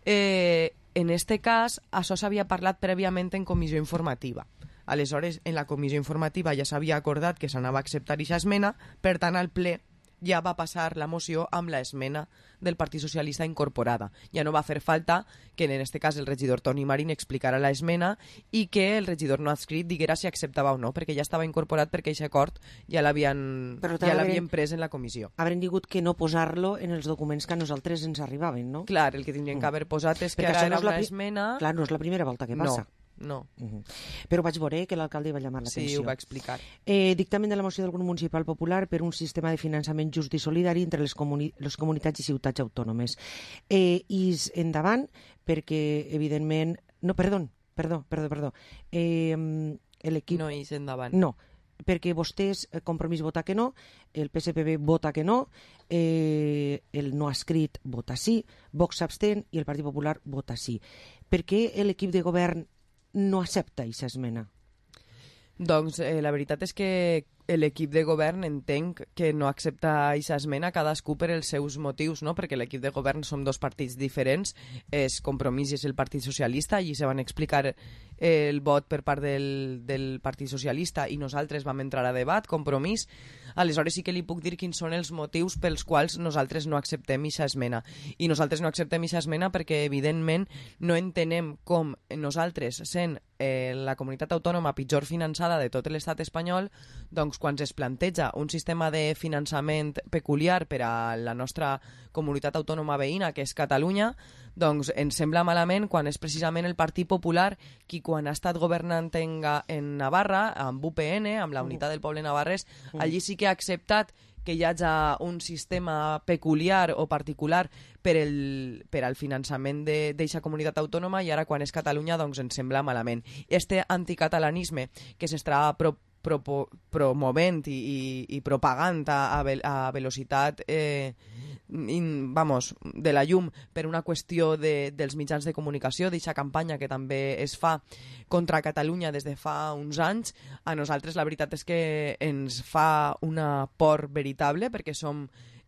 En este cas, això s'havia parlat prèviament en comissió informativa. Aleshores, en la comissió informativa ja s'havia acordat que s'anava a acceptar aquesta esmena, per tant, al ple ja va passar la moció amb l'esmena del Partit Socialista incorporada. Ja no va fer falta que en este cas el regidor Toni Marín explicara l'esmena i que el regidor no adscrit diguera si acceptava o no, perquè ja estava incorporat perquè aquest acord ja l'havien pres en la comissió. Haurem digut que no posar-lo en els documents que a nosaltres ens arribaven, no? Clar, el que tindrien que haver posat és que ara era una esmena... Clar, no és la primera volta que passa. No. Però vaig veure que l'alcalde va llamar l'atenció. Sí, ho va explicar. Dictamen de la moció del grup municipal popular per un sistema de finançament just i solidari entre les comunitats i ciutats autònomes. I endavant, perquè evidentment... No, perdó. L'equip... No, és endavant. No, perquè vostès, Compromís vota que no, el PSPB vota que no, el no escrit vota sí, Vox s'abstén i el Partit Popular vota sí. Per què l'equip de govern no accepta aquesta esmena? Doncs la veritat és que l'equip de govern entenc que no accepta aquesta esmena, cadascú per els seus motius, no? Perquè l'equip de govern som dos partits diferents, és Compromís i és el Partit Socialista, i se van explicar el vot per part del Partit Socialista i nosaltres vam entrar a debat, Compromís. Aleshores sí que li puc dir quins són els motius pels quals nosaltres no acceptem aquesta esmena. I nosaltres no acceptem aquesta esmena perquè evidentment no entenem com nosaltres, sent la comunitat autònoma pitjor finançada de tot l'estat espanyol, doncs quan es planteja un sistema de finançament peculiar per a la nostra comunitat autònoma veïna, que és Catalunya, doncs ens sembla malament quan és precisament el Partit Popular qui quan ha estat governant en Navarra, amb UPN, amb la Unitat del Poble Navarrès, allí sí que ha acceptat que hi hagi un sistema peculiar o particular per al finançament d'aquesta comunitat autònoma, i ara quan és Catalunya doncs ens sembla malament. Este anticatalanisme que s'està promovent i propagant a velocitat de la llum per una qüestió dels mitjans de comunicació, d'aquesta campanya que també es fa contra Catalunya des de fa uns anys, a nosaltres la veritat és que ens fa una por veritable, perquè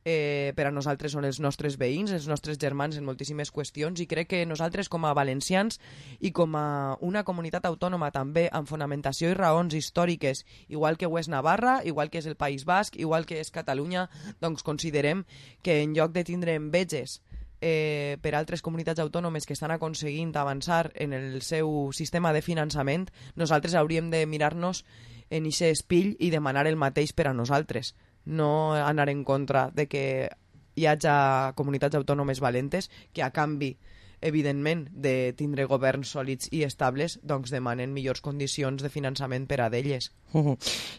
per a nosaltres són els nostres veïns, els nostres germans en moltíssimes qüestions, i crec que nosaltres com a valencians i com a una comunitat autònoma també amb fonamentació i raons històriques, igual que ho és Navarra, igual que és el País Basc, igual que és Catalunya, doncs considerem que en lloc de tindre enveges per altres comunitats autònomes que estan aconseguint avançar en el seu sistema de finançament, nosaltres hauríem de mirar-nos en aquest espill i demanar el mateix per a nosaltres, no anar en contra de que hi hagi comunitats autònomes valentes que a canvi evidentment de tindre governs sòlids i estables doncs demanen millors condicions de finançament per a d'elles.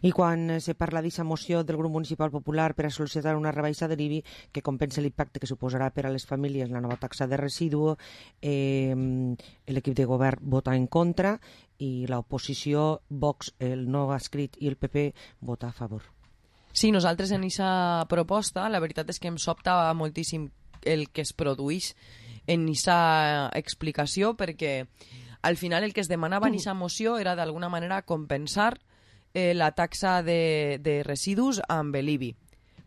I quan se parla d'aquesta moció del grup municipal popular per a sol·licitar una rebaixa de l'IBI que compensa l'impacte que suposarà per a les famílies la nova taxa de residu, l'equip de govern vota en contra i l'oposició, Vox, el no escrit i el PP vota a favor. Sí, nosaltres en aquesta proposta la veritat és que em sobta moltíssim el que es produeix en aquesta explicació, perquè al final el que es demanava en aquesta moció era d'alguna manera compensar la taxa de residus amb l'IBI.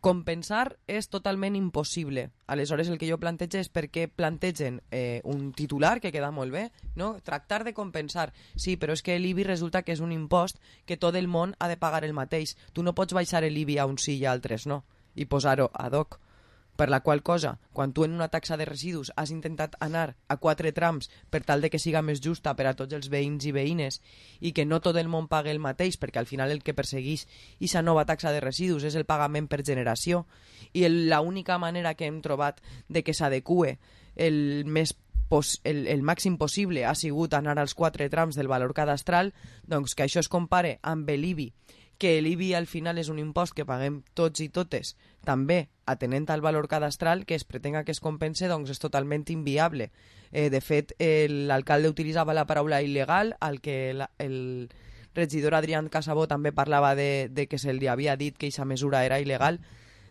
Compensar és totalment impossible. Aleshores el que jo plantejo és perquè plantegen un titular que queda molt bé, no? Tractar de compensar. Sí, però és que l'IBI resulta que és un impost que tot el món ha de pagar el mateix. Tu no pots baixar l'IBI a uns sí i a altres no, i posar-ho ad hoc. Per la qual cosa, quan tu en una taxa de residus has intentat anar a 4 trams per tal de que siga més justa per a tots els veïns i veïnes i que no tot el món pague el mateix, perquè al final el que persegueix aquesta nova taxa de residus és el pagament per generació i l'única manera que hem trobat de que s'adeqüe el màxim possible ha sigut anar als 4 trams del valor cadastral, doncs que això es compare amb l'IBI, que l'IBI al final és un impost que paguem tots i totes, també atenent al valor cadastral, que es pretenga que es compense, doncs és totalment inviable. De fet, l'alcalde utilitzava la paraula il·legal, al que el regidor Adrián Casabó també parlava de que se li havia dit que aquesta mesura era il·legal.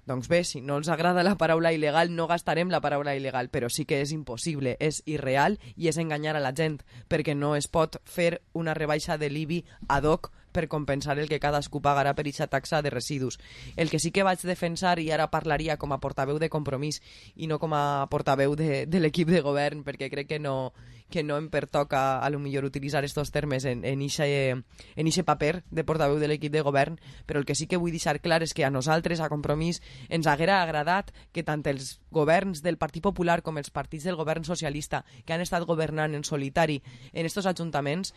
Doncs bé, si no els agrada la paraula il·legal, no gastarem la paraula il·legal, però sí que és impossible, és irreal i és enganyar a la gent, perquè no es pot fer una rebaixa de l'IBI ad hoc per compensar el que cadascú pagarà per aquesta taxa de residus. El que sí que vaig defensar, i ara parlaria com a portaveu de Compromís i no com a portaveu de l'equip de govern, perquè crec que no em pertoca a lo millor utilitzar estos termes en ixe paper de portaveu de l'equip de govern, però el que sí que vull deixar clar és que a nosaltres, a Compromís, ens haguera agradat que tant els governs del Partit Popular com els partits del govern socialista que han estat governant en solitari en estos ajuntaments,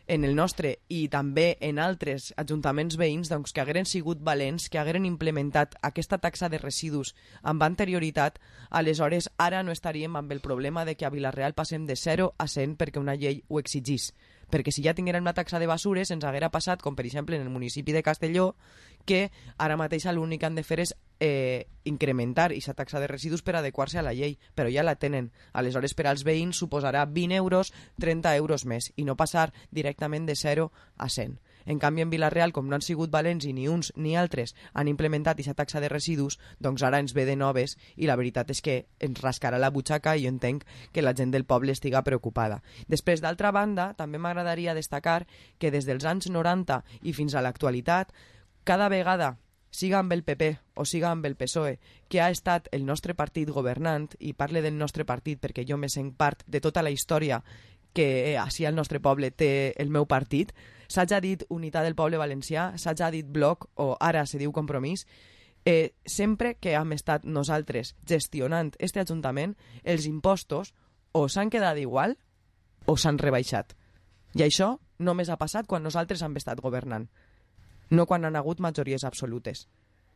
en el nostre i també en altres ajuntaments veïns, doncs que hagueren sigut valents, que hagueren implementat aquesta taxa de residus amb anterioritat, aleshores ara no estaríem amb el problema de que a Vila-real passem de 0 a 100 perquè una llei ho exigís. Perquè si ja tinguérem la taxa de basures ens haguera passat, com per exemple en el municipi de Castelló, que ara mateix l'únic que han de fer és incrementar aquesta taxa de residus per adequar-se a la llei, però ja la tenen. Aleshores per als veïns suposarà 20 euros, 30 euros més, i no passar directament de 0 a 100. En canvi, en Vila-real, com no han sigut valents i ni uns ni altres han implementat aquesta taxa de residus, doncs ara ens ve de noves i la veritat és que ens rascarà la butxaca i jo entenc que la gent del poble estiga preocupada. Després, d'altra banda, també m'agradaria destacar que des dels anys 90 i fins a l'actualitat, cada vegada, siga amb el PP o siga amb el PSOE, que ha estat el nostre partit governant, i parle del nostre partit perquè jo me sent part de tota la història que així al nostre poble té el meu partit, s'haja dit Unitat del Poble Valencià, s'haja dit Bloc o ara se diu Compromís, sempre que hem estat nosaltres gestionant este Ajuntament, els impostos o s'han quedat igual o s'han rebaixat. I això només ha passat quan nosaltres hem estat governant, no quan han hagut majories absolutes.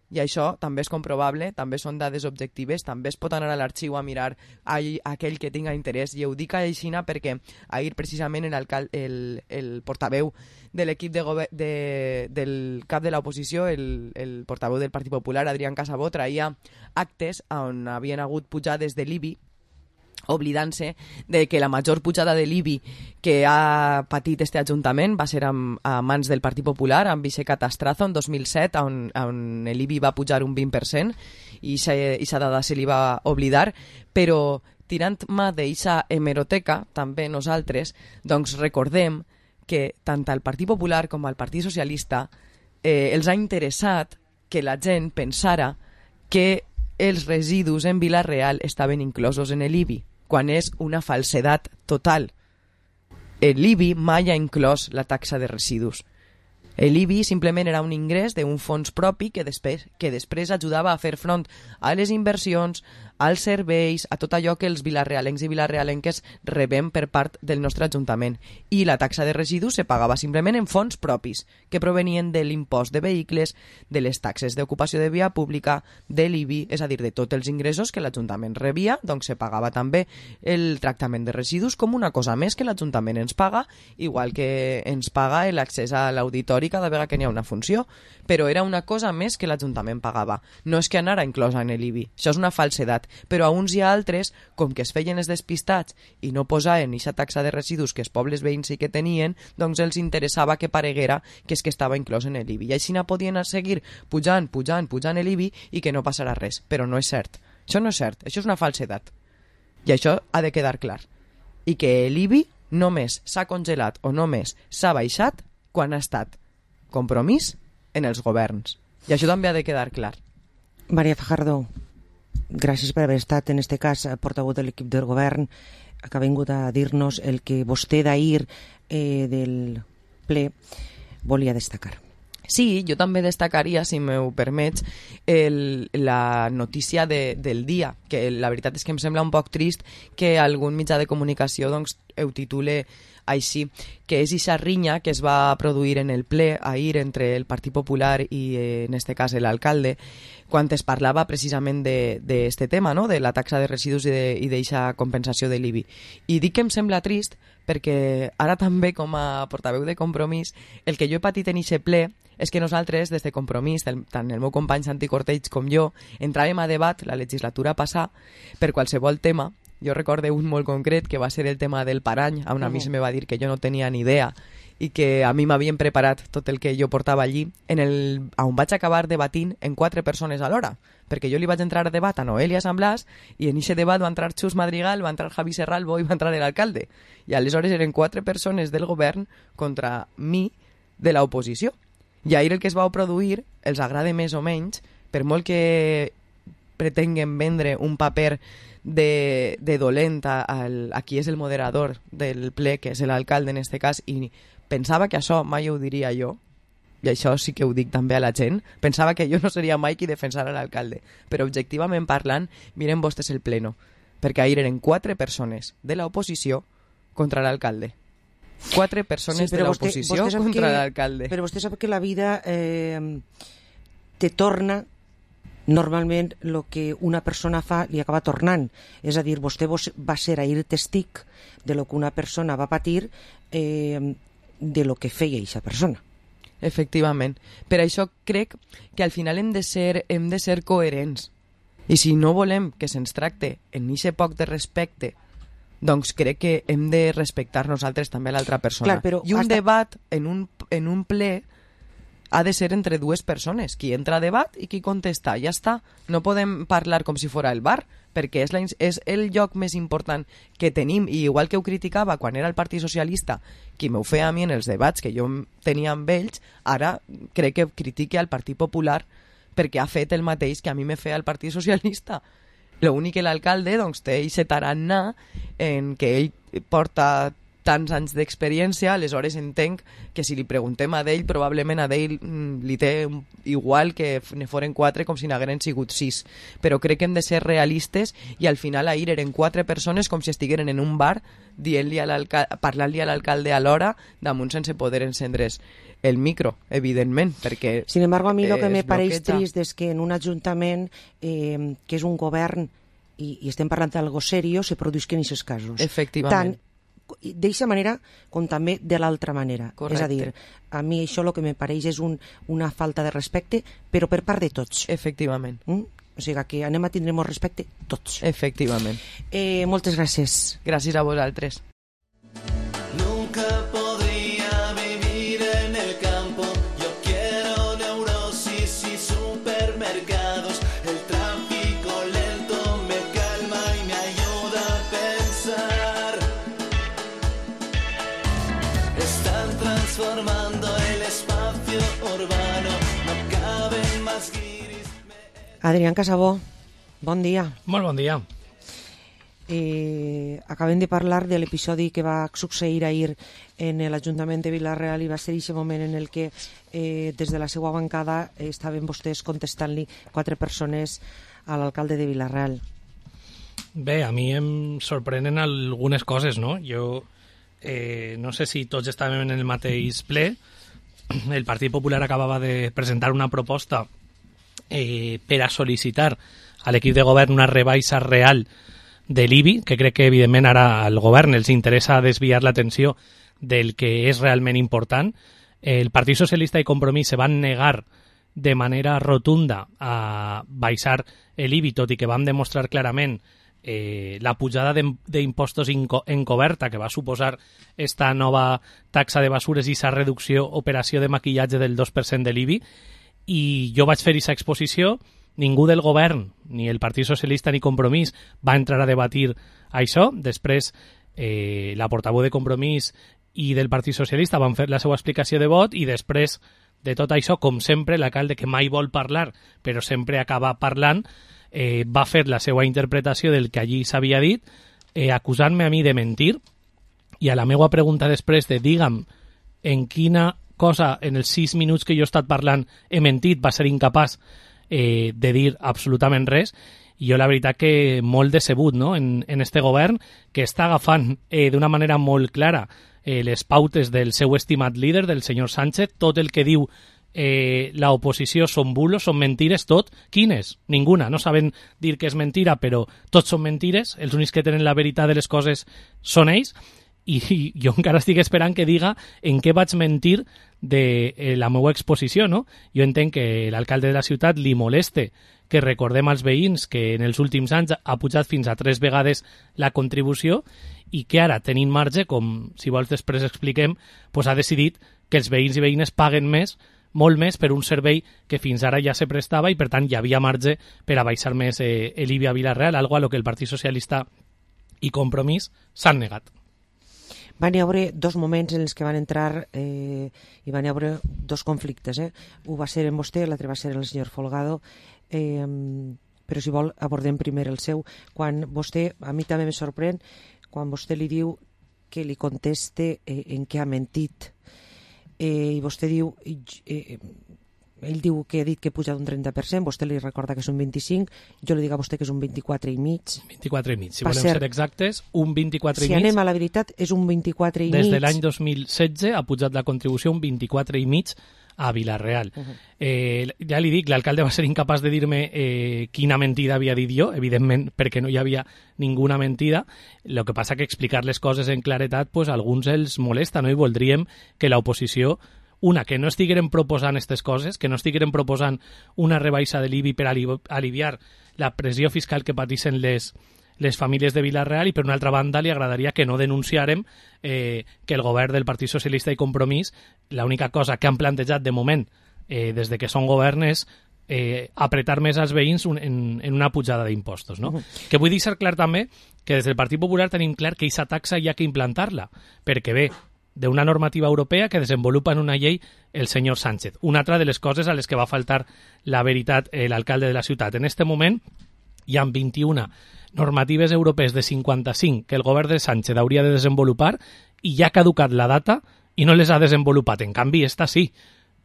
I això també és comprovable, també són dades objectives, també es pot anar a l'arxiu a mirar aquell que tinga interès, i ho dic aixina perquè ahir precisament el portaveu de l'equip del cap de l'oposició, el portaveu del Partit Popular, Adrián Casabó, traia actes on havien hagut pujades de l'IBI, oblidant-se de que la major pujada de l'IBI que ha patit este Ajuntament va ser a mans del Partit Popular, amb Vicent Catastrazo, en 2007, on l'IBI va pujar un 20%, i aquesta dada se li va oblidar, però tirant mà d'eixa hemeroteca, també nosaltres, doncs recordem que tant al Partit Popular com al Partit Socialista els ha interessat que la gent pensara que els residus en Vila-real estaven inclosos en l'IBI, quan és una falsedat total. L'IBI mai ha inclòs la taxa de residus. L'IBI simplement era un ingrés d'un fons propi que després ajudava a fer front a les inversions, als serveis, a tot allò que els vilarealencs i vilarealenques rebem per part del nostre Ajuntament. I la taxa de residus se pagava simplement en fons propis, que provenien de l'impost de vehicles, de les taxes d'ocupació de via pública, de l'IBI, és a dir, de tots els ingressos que l'Ajuntament rebia, doncs se pagava també el tractament de residus com una cosa més que l'Ajuntament ens paga, igual que ens paga l'accés a l'auditori cada vegada que n'hi ha una funció, però era una cosa més que l'Ajuntament pagava. No és que anara inclosa en l'IBI, això és una falsedat, però a uns i a altres, com que es feien els despistats i no posaven aquesta taxa de residus que els pobles veïns sí que tenien, doncs els interessava que pareguera que és que estava inclòs en l'IBI. I així no podien seguir pujant l'IBI i que no passarà res, però no és cert. Això no és cert, això és una falsedat. I això ha de quedar clar. I que l'IBI només s'ha congelat o només s'ha baixat quan ha estat compromís en els governs. I això també ha de quedar clar. Maria Fajardo, gràcies per haver estat, en este cas, portaveu de l'equip del govern, que ha vingut a dir-nos el que vostè d'ahir del ple volia destacar. Sí, jo també destacaria, si m'ho permets, la notícia del dia, que la veritat és que em sembla un poc trist que algun mitjà de comunicació doncs, ho titule així, que és ixa rinya que es va produir en el ple ahir entre el Partit Popular i, en este cas, l'alcalde, quan es parlava precisament d'este tema, no? De la taxa de residus i d'eixa compensació de l'IBI. I dic que em sembla trist perquè ara també, com a portaveu de Compromís, el que jo he patit en eixe ple és que nosaltres, des de Compromís, tant el meu company Santi Cortells com jo, entràvem a debat la legislatura passada per qualsevol tema. Jo recorde un molt concret, que va ser el tema del parany, on a mi se me va dir que jo no tenia ni idea i que a mi m'havien preparat tot el que jo portava allí, on vaig acabar debatint en 4 persones alhora, perquè jo li vaig entrar a debat a Noelia San Blas i en aquest debat va entrar Xus Madrigal, va entrar Javi Serralbo i va entrar l'alcalde. I aleshores eren 4 persones del govern contra mi de l'oposició. I ahir el que es va produir, els agrada més o menys, per molt que pretenguen vendre un paper de dolent a qui és el moderador del ple, que és l'alcalde en este cas, i pensava que això mai ho diria jo, i això sí que ho dic també a la gent, pensava que jo no seria mai qui defensara l'alcalde, però objectivament parlant, miren vostès el pleno, perquè ahir eren 4 persones de l'oposició contra l'alcalde. 4 persones de l'oposició contra l'alcalde. Però vostè sap que la vida te torna normalment el que una persona fa li acaba tornant. És a dir, vostè va ser ahir testic de lo que una persona va patir de lo que feia aquesta persona. Efectivament. Per això crec que al final hem de ser coherents. I si no volem que se'ns tracte en aquest poc de respecte, doncs crec que hem de respectar nosaltres també l'altra persona. Clar, però i un debat en un ple ha de ser entre 2 persones, qui entra a debat i qui contesta, ja està. No podem parlar com si fora el bar, perquè és el lloc més important que tenim, i igual que ho criticava quan era el Partit Socialista, qui m'ho feia a mi en els debats que jo tenia amb ells, ara crec que critique al Partit Popular perquè ha fet el mateix que a mi me feia el Partit Socialista. L'únic que l'alcalde doncs, té aquest tarannà en que ell porta tants anys d'experiència, aleshores entenc que si li preguntem a d'ell, probablement a d'ell li té igual que ne foren 4 com si n'hagueren sigut 6. Però crec que hem de ser realistes i al final ahir eren 4 persones com si estigueren en un bar parlant-li a l'alcalde alhora, damunt sense poder encendre's el micro, evidentment, perquè sin embargo, a mi el que me pareix trist és que en un ajuntament que és un govern i estem parlant d'algo serio, se produïsquen aquests casos. Efectivament. Tant d'eixa manera com també de l'altra manera. Correcte. És a dir, a mi això el que me pareix és una falta de respecte, però per part de tots. Efectivament. O sigui que anem a tindre molt respecte tots. Efectivament. Moltes gràcies. Gràcies a vosaltres. Nunca podría vivir en el campo. Yo quiero neurosis y supermercados. El tráfico lento me calma y me ayuda a pensar. Están transformando el espacio urbano. No caben más guiris. Adrián Casabó, bon dia. Molt bon dia. Acabem de parlar de l'episodi que va succeir ahir en l'Ajuntament de Vila-real i va ser aquest moment en el que des de la seva bancada estaven vostès contestant-li 4 persones a l'alcalde de Vila-real. Bé, a mi em sorprenen algunes coses, no? Jo no sé si tots estàvem en el mateix ple. El Partit Popular acabava de presentar una proposta per a sol·licitar a l'equip de govern una rebaixa real de l'IBI, que crec que evidentment ara al govern els interessa desviar l'atenció del que és realment important. El Partit Socialista i Compromís se van negar de manera rotunda a baixar l'IBI, tot i que vam demostrar clarament la pujada d'impostos encoberta que va suposar esta nova taxa de basures i aquesta reducció, operació de maquillatge del 2% de l'IBI. I jo vaig fer aquesta exposició, ningú del govern, ni el Partit Socialista ni Compromís, va entrar a debatir això. Després, la portaveu de Compromís i del Partit Socialista van fer la seva explicació de vot i després de tot això, com sempre, l'alcalde, que mai vol parlar, però sempre acaba parlant, va fer la seva interpretació del que allí s'havia dit, acusant-me a mi de mentir, i a la meva pregunta després de digue'm en quina cosa en els 6 minuts que jo he estat parlant he mentit, va ser incapaç de dir absolutament res. I jo la veritat que molt decebut, no?, en este govern, que està agafant d'una manera molt clara les pautes del seu estimat líder, del senyor Sánchez. Tot el que diu l'oposició són bulos, són mentires, tot. Quines? Ninguna. No saben dir que és mentira, però tots són mentires. Els únics que tenen la veritat de les coses són ells. I jo encara estic esperant que diga en què vaig mentir de la meva exposició, no? Jo entenc que l'alcalde de la ciutat li moleste que recordem als veïns que en els últims anys ha pujat fins a 3 vegades la contribució i que ara, tenint marge, com si vols després expliquem, doncs ha decidit que els veïns i veïnes paguen més, molt més, per un servei que fins ara ja se prestava i per tant hi havia marge per a baixar més l'IBI a Vila-real, algo a lo que el Partit Socialista i Compromís s'han negat. Van hi haver 2 moments en els que van entrar i van hi haver 2 conflictes. Un va ser en vostè, l'altre va ser el senyor Folgado, però si vol abordem primer el seu. Quan vostè, a mi també me sorprèn, quan vostè li diu que li conteste en què ha mentit, i vostè diu, ell diu que ha dit que puja d'un 30%, vostè li recorda que és un 25%, jo li dic a vostè que és un 24,5%. 24,5%, si volem ser exactes, un 24,5%. Si anem a la veritat, és un 24,5%. Des de l'any 2016 ha pujat la contribució un 24,5% a Vila-real. Ja li dic, l'alcalde va ser incapaç de dir-me quina mentida havia dit jo, evidentment perquè no hi havia ninguna mentida. El que passa que explicar les coses en claretat pues, a alguns els molesta, no? I voldríem que l'oposició, que no estigueren proposant aquestes coses, que no estigueren proposant una rebaixa de l'IBI per aliviar la pressió fiscal que pateixen les famílies de Vila-real, i per una altra banda li agradaria que no denunciarem que el govern del Partit Socialista i Compromís, l'única cosa que han plantejat de moment des de que són govern és apretar més als veïns en una pujada d'impostos, no? Que vull deixar clar també que des del Partit Popular tenim clar que aquesta taxa hi ha que implantar-la, perquè ve d'una normativa europea que desenvolupa en una llei el senyor Sánchez. Una altra de les coses a les que va faltar la veritat l'alcalde de la ciutat. En este moment hi ha 21 normatives europees de 55 que el govern de Sánchez hauria de desenvolupar i ja ha caducat la data i no les ha desenvolupat. En canvi, esta sí.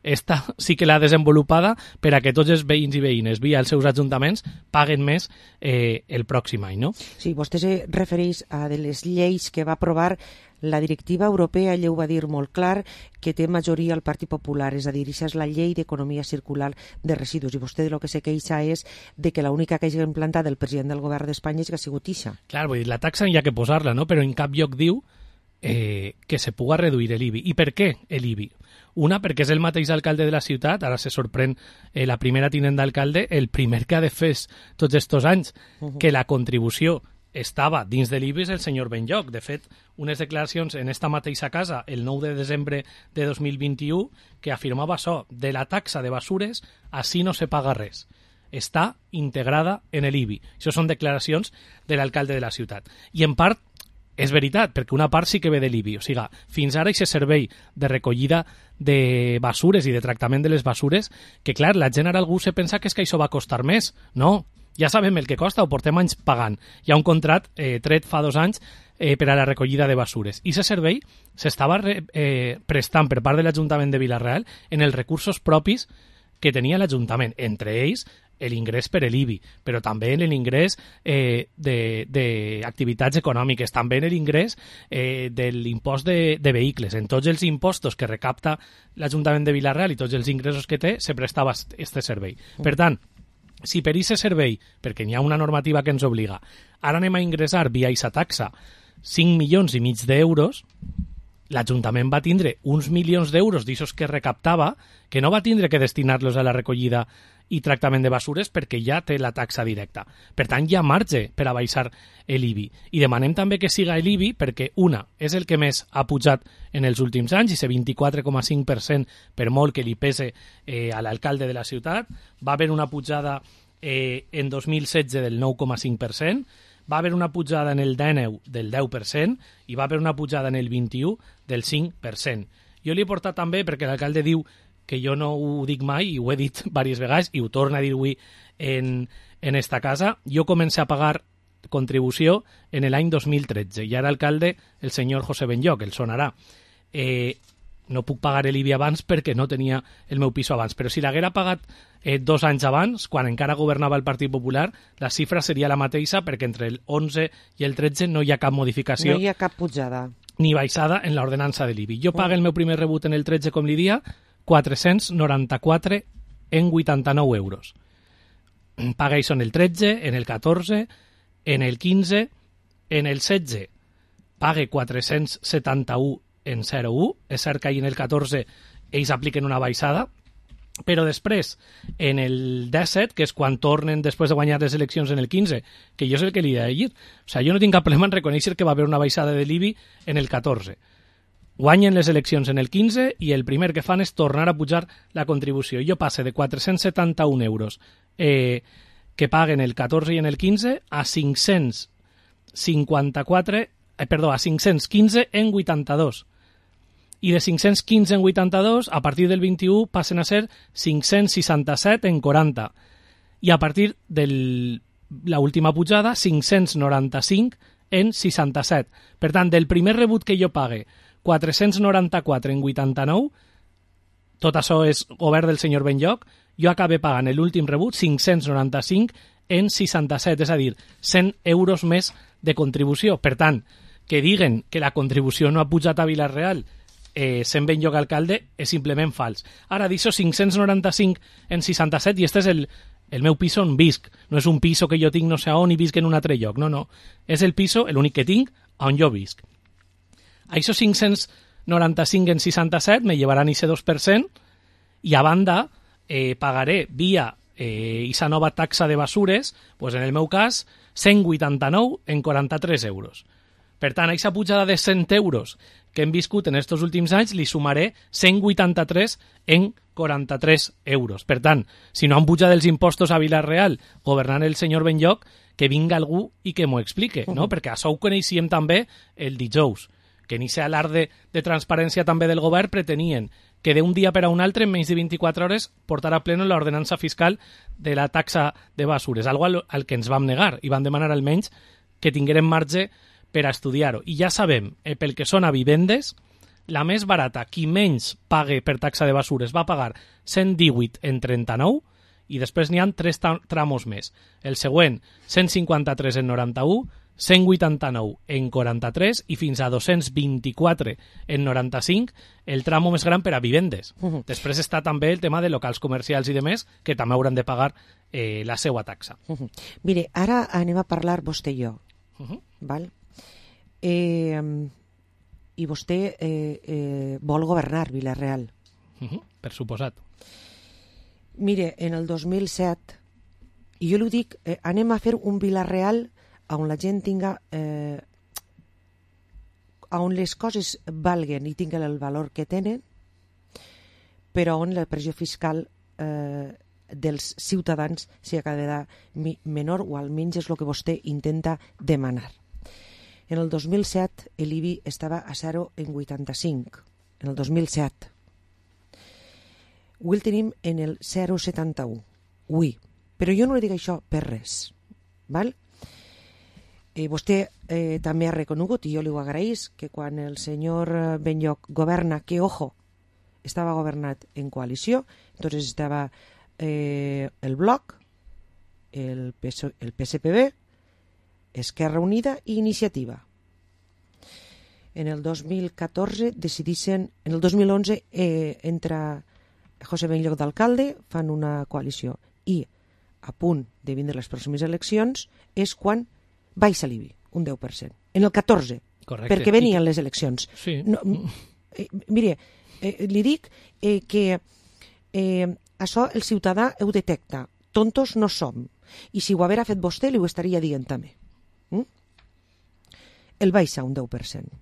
Esta sí que l'ha desenvolupada per a que tots els veïns i veïnes via els seus ajuntaments paguen més el pròxim any, no? Sí, vostè se refereix a de les lleis que va aprovar la directiva europea. Ella ho va dir molt clar, que té majoria el Partit Popular, és a dir, això és la llei d'economia circular de residus, i vostè de lo que se queixa és de que l'única que hagi implantat el president del govern d'Espanya és que ha sigut ixa. Clar, vull dir, la taxa hi ha que posar-la, no? Però en cap lloc diu que se puga reduir l'IBI. I per què l'IBI? Una, perquè és el mateix alcalde de la ciutat, ara se sorprèn la primera tinent d'alcalde, el primer que ha de fer tots estos anys que la contribució estava dins de l'IBI és el senyor Benlloch. De fet, unes declaracions en esta mateixa casa el 9 de desembre de 2021 que afirmava això, de la taxa de basures així no se paga res. Està integrada en l'IBI. Això són declaracions de l'alcalde de la ciutat. I en part és veritat, perquè una part sí que ve de l'IBI. O sigui, fins ara aquest servei de recollida de basures i de tractament de les basures, que clar, la gent ara algú se pensa que és que això va costar més. No, ja sabem el que costa, ho portem anys pagant. Hi ha un contrat tret fa 2 anys per a la recollida de basures. I aquest servei s'estava prestant per part de l'Ajuntament de Vila-real en els recursos propis que tenia l'Ajuntament, entre ells l'ingrés per l'IBI, però també en l'ingrés d'activitats econòmiques, també en l'ingrés de l'impost de vehicles. En tots els impostos que recapta l'Ajuntament de Vila-real i tots els ingressos que té, se prestava aquest servei. Per tant, si per aquest servei, perquè n'hi ha una normativa que ens obliga, ara anem a ingressar via aquesta taxa 5,5 milions d'euros, l'Ajuntament va tindre uns milions d'euros d'aixòs que recaptava, que no va tindre que destinar-los a la recollida i tractament de basures perquè ja té la taxa directa. Per tant, hi ha marge per a baixar l'IBI. I demanem també que siga l'IBI perquè, una, és el que més ha pujat en els últims anys, i ese 24,5% per molt que li pese a l'alcalde de la ciutat. Va haver una pujada en 2016 del 9,5%, va haver una pujada en el 19 del 10% i va haver una pujada en el 21 del 5%. Jo li he portat també, perquè l'alcalde diu que jo no ho dic mai, i ho he dit diverses vegades, i ho torna a dir avui en esta casa, jo comencé a pagar contribució en l'any 2013, i ara alcalde el senyor José Benlloc, el sonarà. No puc pagar l'IBI abans perquè no tenia el meu piso abans, però si l'haguera pagat 2 anys abans, quan encara governava el Partit Popular, la xifra seria la mateixa, perquè entre el 11 i el 13 no hi ha cap modificació. No hi ha cap pujada. Ni baixada en l'ordenança de l'IBI. Jo pago el meu primer rebut en el 13, com li dia, 494,89 euros. Paga això en el 13, en el 14, en el 15, en el 16 pague 471,01. És cert que ahir en el 14 ells apliquen una baixada, però després, en el 17, que és quan tornen després de guanyar les eleccions en el 15, que jo és el que li he de dir, o sigui, jo no tinc cap problema en reconèixer que va haver una baixada de l'IBI en el 14. Guanyen les eleccions en el 15 i el primer que fan és tornar a pujar la contribució. Jo passe de 471 euros que paguen el 14 i en el 15 a 515 en 82. I de 515 en 82, a partir del 21 passen a ser 567 en 40. I a partir de l'última pujada, 595 en 67. Per tant, del primer rebut que jo pague, 494 en 89, tot això és govern del senyor Benlloc, jo acabé pagant l'últim rebut 595 en 67, és a dir, 100 euros més de contribució. Per tant, que diguen que la contribució no ha pujat a Vila-real sent Benlloc alcalde és simplement fals. Ara, d'això 595 en 67, i este és el meu piso on visc. No és un piso que jo tinc no sé on i visc en un altre lloc, no. És el piso, l'únic que tinc, on jo visc. Això 595 en 67 me llevaran ese 2% i a banda pagaré via esa nova taxa de basures, pues en el meu cas 189 en 43 euros. Per tant, a aquesta pujada de 100 euros que hem viscut en aquests últims anys li sumaré 183 en 43 euros. Per tant, si no han pujat els impostos a Vila-real governant el senyor Benlloc, que vinga algú i que m'ho explique, no? Perquè això ho coneixíem també el dijous, que en aquest alarde de transparència també del govern pretenien que d'un dia per a un altre, en menys de 24 hores, portar a pleno l'ordenança fiscal de la taxa de basures, algo al que ens vam negar i vam demanar almenys que tinguérem marge per a estudiar-ho. I ja sabem, pel que són a vivendes, la més barata, qui menys pague per taxa de basures, va pagar 118 en 39 i després n'hi ha 3 tramos més. El següent, 153 en 91, 189 en 43 i fins a 224 en 95, el tramo més gran per a vivendes. Després està també el tema de locals comercials i demés, que també hauran de pagar la seva taxa. Mire, ara anem a parlar vostè i jo, val? I vostè vol governar Vila-real. Per suposat. Mire, en el 2007, i jo li dic, anem a fer un Vila-real on la gent tinga, on les coses valguen i tinguen el valor que tenen, però on la pressió fiscal dels ciutadans sigui cada vegada menor, o almenys és el que vostè intenta demanar. En el 2007 l'IBI estava a 0,85, en el 2007. Avui el tenim en el 0,71, avui. Però jo no li dic això per res, val? Vostè també ha reconegut, i jo li ho agraïs, que quan el senyor Benlloc governa, que, ojo, estava governat en coalició, entonces estava el Bloc, el PSPB, Esquerra Unida i Iniciativa. En el 2014 decidixen, en el 2011 entra José Benlloc d'alcalde, fan una coalició i a punt de vindre les pròximes eleccions és quan baixa l'IBI, un 10%. En el 14, correcte, perquè venien les eleccions. Sí. No, mire, li dic que això el ciutadà ho detecta. Tontos no som. I si ho haguera fet vostè, li ho estaria dient també. El baixa un 10%.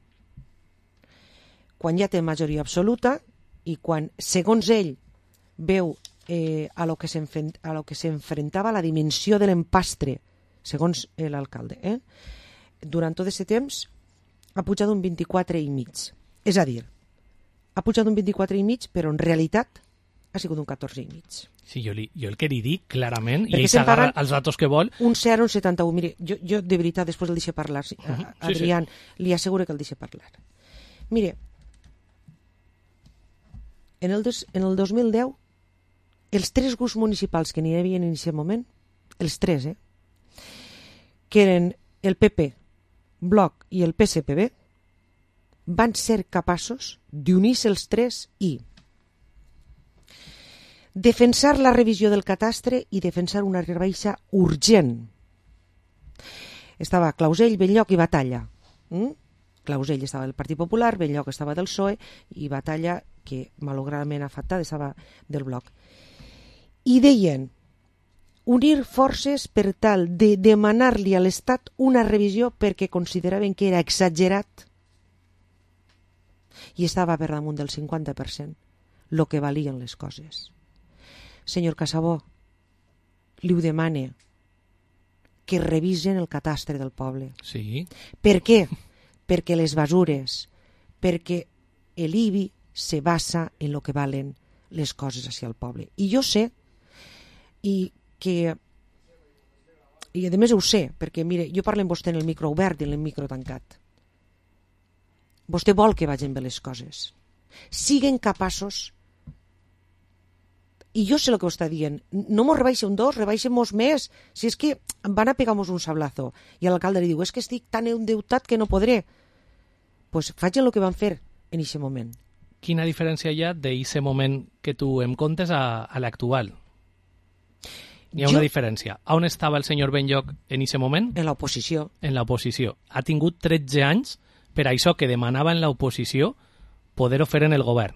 Quan ja té majoria absoluta i quan, segons ell, veu a lo que s'enfrentava la dimensió de l'empastre, segons l'alcalde, durant tot aquest temps ha pujat un 24,5. És a dir, ha pujat un 24,5, però en realitat ha sigut un 14,5. Sí, jo el que li dic clarament, Perquè i ell s'agarra els datos que vol. Un 0, un 71. Mire, jo de veritat, després el deixo parlar. Adrián, li asseguro que el deixo parlar. Mire, en el 2010, els 3 grups municipals que n'hi havia en aquest moment, els 3, que eren el PP, Bloc i el PSPB, van ser capaços d'unir-se els 3 i defensar la revisió del catastre i defensar una rebaixa urgent. Estava Clausell, Benlloc i Batalla. Clausell estava del Partit Popular, Benlloc estava del PSOE i Batalla, que malauradament afectada, estava del Bloc. I deien unir forces per tal de demanar-li a l'Estat una revisió perquè consideraven que era exagerat i estava per damunt del 50% el que valien les coses. Senyor Casabó, li ho demane que revisen el catastre del poble. Sí. Per què? Perquè les basures, perquè l'IBI se basa en el que valen les coses hacia el poble. I jo sé, i a més ho sé, perquè mire, jo parlo amb vostè en el micro obert i en el micro tancat. Vostè vol que vagin bé les coses. Siguen capaços, i jo sé el que ho està dient, no mos rebaixa un 2, rebaixem-mos més, si és que van a pegar-nos un sablazo. I l'alcalde li diu, és que estic tan endeutat que no podré. Pues facin el que van fer en aquest moment. Quina diferència hi ha d'aquest moment que tu em contes a l'actual? Hi ha una diferència. On estava el senyor Benlloc en aquest moment? En l'oposició. En l'oposició. Ha tingut 13 anys per això que demanava en l'oposició poder-ho fer en el govern.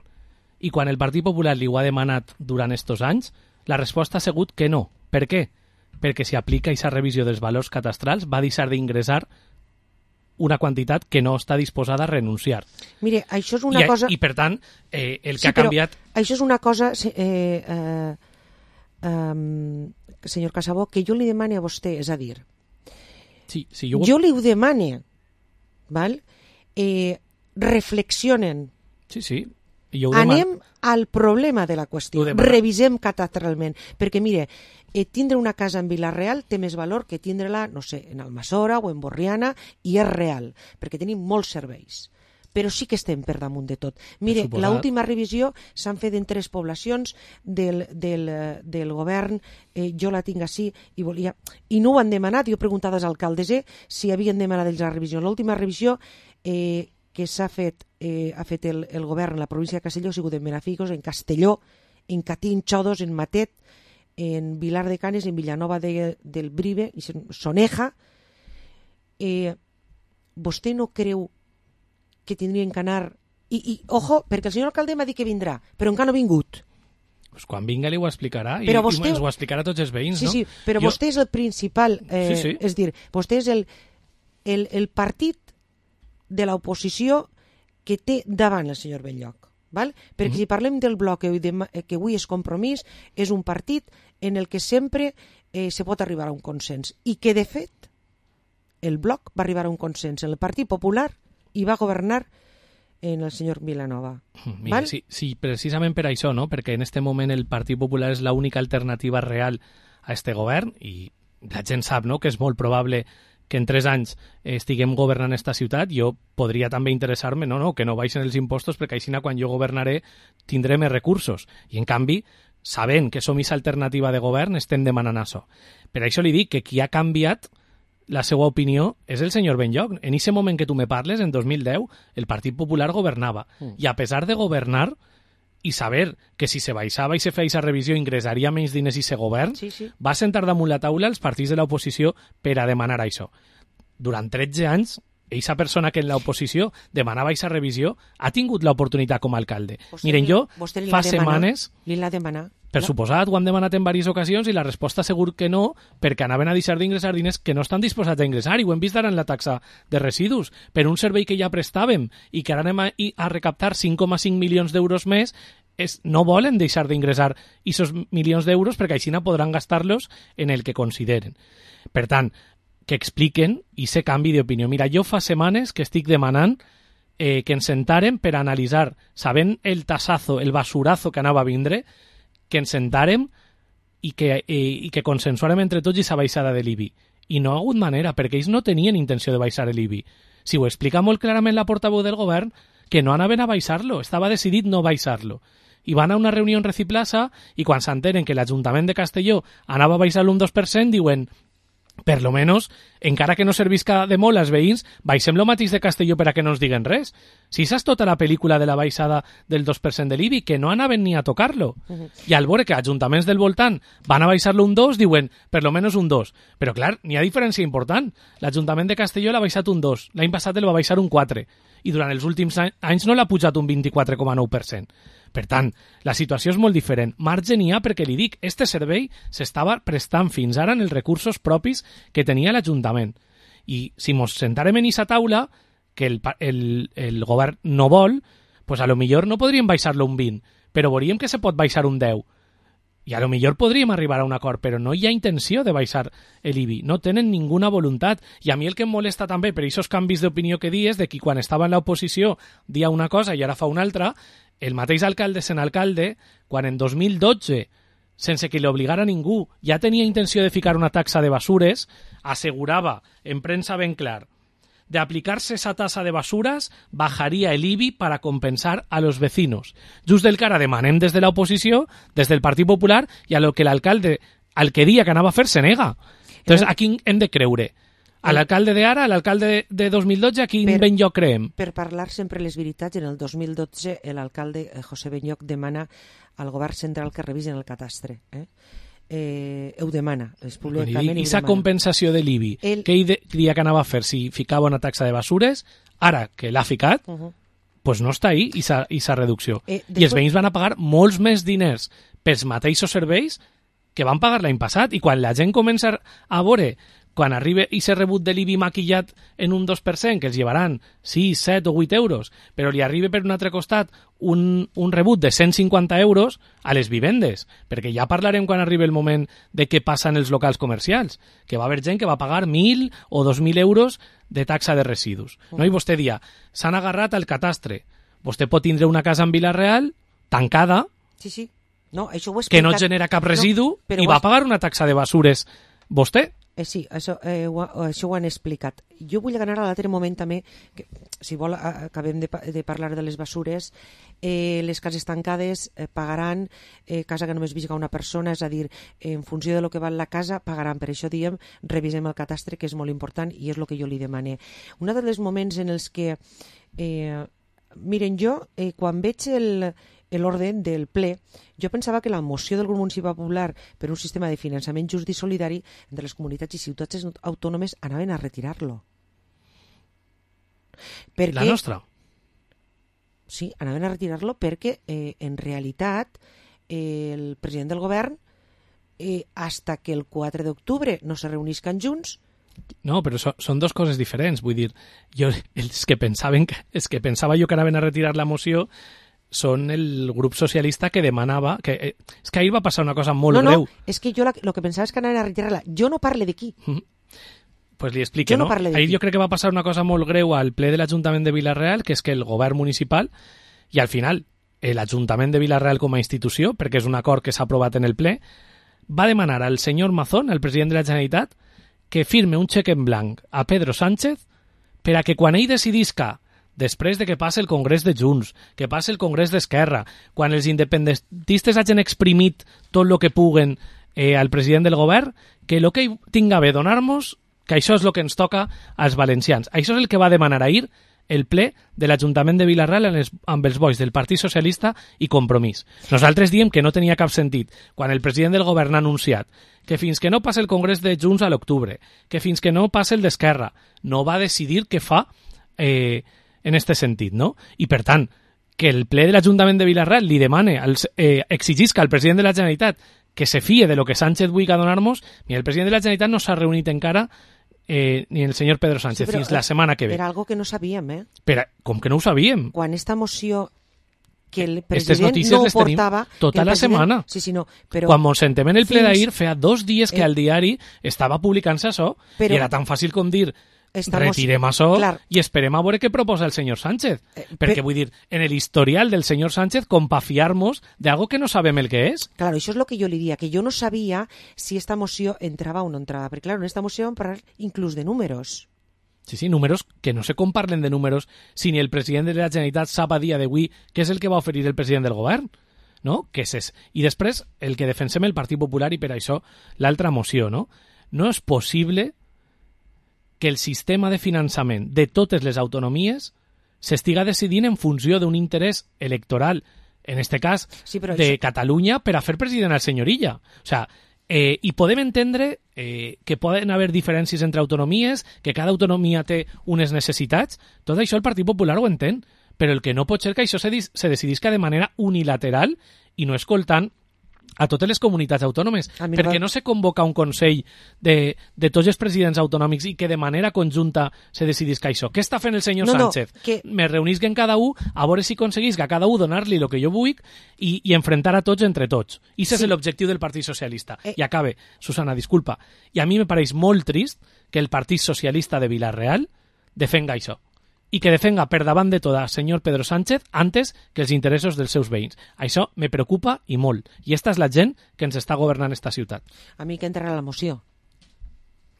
I quan el Partit Popular li ho ha demanat durant estos anys, la resposta ha sigut que no. Per què? Perquè si aplica aquesta revisió dels valors catastrals va deixar d'ingressar una quantitat que no està disposada a renunciar. Mire, això és una cosa... I per tant, el que ha canviat... Això és una cosa, senyor Casabó, que jo li demane a vostè, és a dir, sí, jo li ho demane, val? Reflexionen. Sí. Anem al problema de la qüestió, revisem catastralment, perquè mire, tindre una casa en Vila-real té més valor que tindre-la, no sé, en Almassora o en Borriana, i és real, perquè tenim molts serveis, però sí que estem per damunt de tot. Mire, l'última revisió s'han fet en 3 poblacions del govern, jo la tinc així, i no ho han demanat, jo he preguntat als alcaldes si havien demanat ells la revisió. L'última revisió que ha fet el govern en la província de Castelló ha sigut en Benafigos, en Castelló, en Catín, Xodos, en Matet, en Vilar de Canes, en Villanova del Brive, en Soneja. Vostè no creu que tindrien que anar... I ojo, perquè el senyor alcalde m'ha dit que vindrà, però encara no ha vingut. Pues quan vinga li ho explicarà i vostè... ens ho explicarà a tots els veïns, no? Sí, però vostè és el principal... Sí. És dir, vostè és el partit de l'oposició que té davant el senyor Benlloc. Val? Perquè si parlem del bloc que avui és Compromís, és un partit en el que sempre se pot arribar a un consens. I que, de fet, el bloc va arribar a un consens en el Partit Popular i va governar en el senyor Vilanova. Mira, sí, precisament per això, no? Perquè en aquest moment el Partit Popular és l'única alternativa real a este govern i la gent sap, no?, que és molt probable que en 3 anys estiguem governant esta ciutat. Jo podria també interessar-me, que no baixen els impostos, perquè així quan jo governaré tindré més recursos. I en canvi, sabent que som aquesta alternativa de govern, estem demanant això. Per això li dic que qui ha canviat la seva opinió és el senyor Benlloch. En aquest moment que tu me parles, en 2010, el Partit Popular governava. I a pesar de governar i saber que si se baixava i se feia revisió ingressaria menys diners i se govern, va sentar damunt la taula els partits de l'oposició per a demanar això. Durant 13 anys, aquesta persona que en l'oposició demanava aquesta revisió ha tingut l'oportunitat com a alcalde. Miren, jo fa setmanes... Li l'ha demanat? Per suposat, ho han demanat en diverses ocasions i la resposta segur que no, perquè anaven a deixar d'ingressar diners que no estan disposats a ingressar, i ho hem vist ara en la taxa de residus. Per un servei que ja prestàvem i que ara anem a recaptar 5,5 milions d'euros més, no volen deixar d'ingressar aquests milions d'euros perquè així podran gastar-los en el que consideren. Per tant, que expliquen i se canvi d'opinió. Mira, jo fa setmanes que estic demanant que ens sentàrem per analitzar, sabent el tassazo, el basurazo que anava a vindre, que ens sentàrem i que consensuàrem entre tots aquesta baixada de l'IBI. I no ha hagut manera, perquè ells no tenien intenció de baixar l'IBI. Si ho explica molt clarament la portaveu del govern, que no anaven a baixar-lo, estava decidit no baixar-lo. I van a una reunió en Reciplaza i quan s'entenen que l'Ajuntament de Castelló anava a baixar-lo un 2%, diuen, per lo menos, encara que no servisca de molt als veïns, baixem lo mateix de Castelló per a que no ens diguen res. Si saps tota la pel·lícula de la baixada del 2% de l'IBI, que no anaven ni a tocar-lo. I al veure que ajuntaments del voltant van a baixar-lo un 2, diuen, per lo menos un 2. Però clar, n'hi ha diferència important. L'Ajuntament de Castelló l'ha baixat un 2, l'any passat el va baixar un 4, i durant els últims anys no l'ha pujat un 24,9%. Per tant, la situació és molt diferent. Marge n'hi ha perquè li dic, este servei s'estava prestant fins ara en els recursos propis que tenia l'Ajuntament. I si mos sentarem en aquesta taula, que el govern no vol, pues a lo millor no podríem baixar-lo un 20, però veuríem que se pot baixar un 10. I a lo millor podríem arribar a un acord, però no hi ha intenció de baixar l'IBI. No tenen ninguna voluntat. I a mi el que em molesta també per aquests canvis d'opinió que dies, de que quan estava en l'oposició dia una cosa i ara fa una altra, el mateix alcalde sent alcalde, quan en 2012, sense que li obligara ningú, ja tenia intenció de ficar una taxa de basures, assegurava en premsa ben clar, de aplicarse esa tasa de basuras, bajaría el IBI para compensar a los vecinos. Just del que ara demanem des de l'oposició, des del Partit Popular, i a lo que l'alcalde, al que dia que anava a fer, se nega. Entonces, a qui hem de creure? A l'alcalde d'ara, a l'alcalde de 2012, a quin Benlloch creem? Per parlar sempre les veritats, en el 2012 l'alcalde José Benlloch demana al govern central que revisen el catastre. Ho demana, és públicament. I aquesta compensació de l'IBI, què dia que anava a fer si ficava una taxa de basures, ara que l'ha ficat, pues no està ahí aquesta reducció. I els veïns van a pagar molts més diners pels mateixos serveis que van pagar l'any passat, i quan la gent comença a veure, quan arriba i s'ha rebut de l'IBI maquillat en un 2%, que els llevaran 6, 7 o 8 euros, però li arriba per un altre costat un rebut de 150 euros a les vivendes, perquè ja parlarem quan arribi el moment de què passa en els locals comercials, que va haver gent que va pagar 1.000 o 2.000 euros de taxa de residus. No? I vostè dia, s'han agarrat al catastre. Vostè pot tindre una casa en Vila-real tancada, sí. No, això ho que no genera cap residu, i va pagar una taxa de basures vostè. Sí, això ho han explicat. Jo vull anar a l'altre moment també, que, si vol acabem de parlar de les basures. Les cases tancades pagaran, casa que només visca una persona, és a dir, en funció de lo que val la casa, pagaran. Per això diem, revisem el catastre, que és molt important, i és el que jo li demane. Un dels moments en els que, miren, jo, quan veig l'ordre del ple, jo pensava que la moció del grup municipal popular per un sistema de finançament just i solidari entre les comunitats i ciutats autònomes anaven a retirar-lo. La nostra? Sí, anaven a retirar-lo perquè en realitat el president del govern hasta que el 4 d'octubre no se reunisquen junts. No, però són dues coses diferents. Vull dir, els que pensava jo que anaven a retirar la moció són el grup socialista que demanava... És que ahir va passar una cosa molt greu. No, és que jo el que pensava és que anaven a retirar-la. Jo no parle d'aquí. Pues li explique, no? Ahir jo crec que va passar una cosa molt greu al ple de l'Ajuntament de Vila-real, que és que el govern municipal, i al final l'Ajuntament de Vila-real com a institució, perquè és un acord que s'ha aprovat en el ple, va demanar al senyor Mazón, el president de la Generalitat, que firme un xec en blanc a Pedro Sánchez per a que quan ell decidisca després de que passe el Congrés de Junts, que passe el Congrés d'Esquerra, quan els independentistes hagin exprimit tot el que puguen al president del govern, que el que tinga bé donar-nos, que això és el que ens toca als valencians. Això és el que va demanar ahir el ple de l'Ajuntament de Vila-real amb els vots del Partit Socialista i Compromís. Nosaltres diem que no tenia cap sentit quan el president del govern ha anunciat que fins que no passi el Congrés de Junts a l'octubre, que fins que no passi el d'Esquerra, no va decidir què fa en aquest sentit, no? I per tant, que el ple de l'Ajuntament de Vila-real li demane, exigisca al president de la Generalitat que se fie de lo que Sánchez vulgui donar-nos, mira, el president de la Generalitat no s'ha reunit encara ni el senyor Pedro Sánchez, fins la setmana que ve. Era algo que no sabíem, Però, com que no ho sabíem? Quan esta moció que el Aquestes president notícies no les tenim portava... tota la setmana. Sí, no, però... Quan mos sentem en el ple d'ahir, feia 2 dies que al diari estava publicant-se això, i era tan fàcil com dir retirem això i esperem a veure què proposa el senyor Sánchez. Perquè vull dir, en l'historial del senyor Sánchez, com pa fiar-nos d'algo que no sabem el que és. Claro, això és el que jo li diria, que jo no sabia si esta moció entrava o no entrava, perquè claro, en esta moció vam parlar inclús de números. Sí, números que no sé com parlen de números si ni el president de la Generalitat sap a dia d'avui què és el que va oferir el president del govern, no? Què és? I després, el que defensem el Partit Popular i per això l'altra moció, no? No és possible que el sistema de finançament de totes les autonomies s'estiga decidint en funció d'un interès electoral, en este cas de Catalunya, per a fer president al senyor Illa. O sea, i podem entendre que poden haver diferències entre autonomies, que cada autonomia té unes necessitats, tot això el Partit Popular ho entén, però el que no pot ser que això se decidisca de manera unilateral i no escoltant a totes les comunitats autònomes, perquè no se convoca un Consell de tots els presidents autonòmics i que de manera conjunta se decidisca això. Què està fent el senyor Sánchez? Me reunisquen cada un a veure si aconseguís a cada un donar-li el que jo vull i enfrentar a tots entre tots. I aquest és l'objectiu del Partit Socialista. I acabe, Susana, disculpa. I a mi me pareix molt trist que el Partit Socialista de Vila-real defenga això. I que defenga per davant de tot el senyor Pedro Sánchez antes que els interessos dels seus veïns. Això me preocupa i molt. I esta és la gent que ens està governant esta ciutat. A mi que entrarà la moció.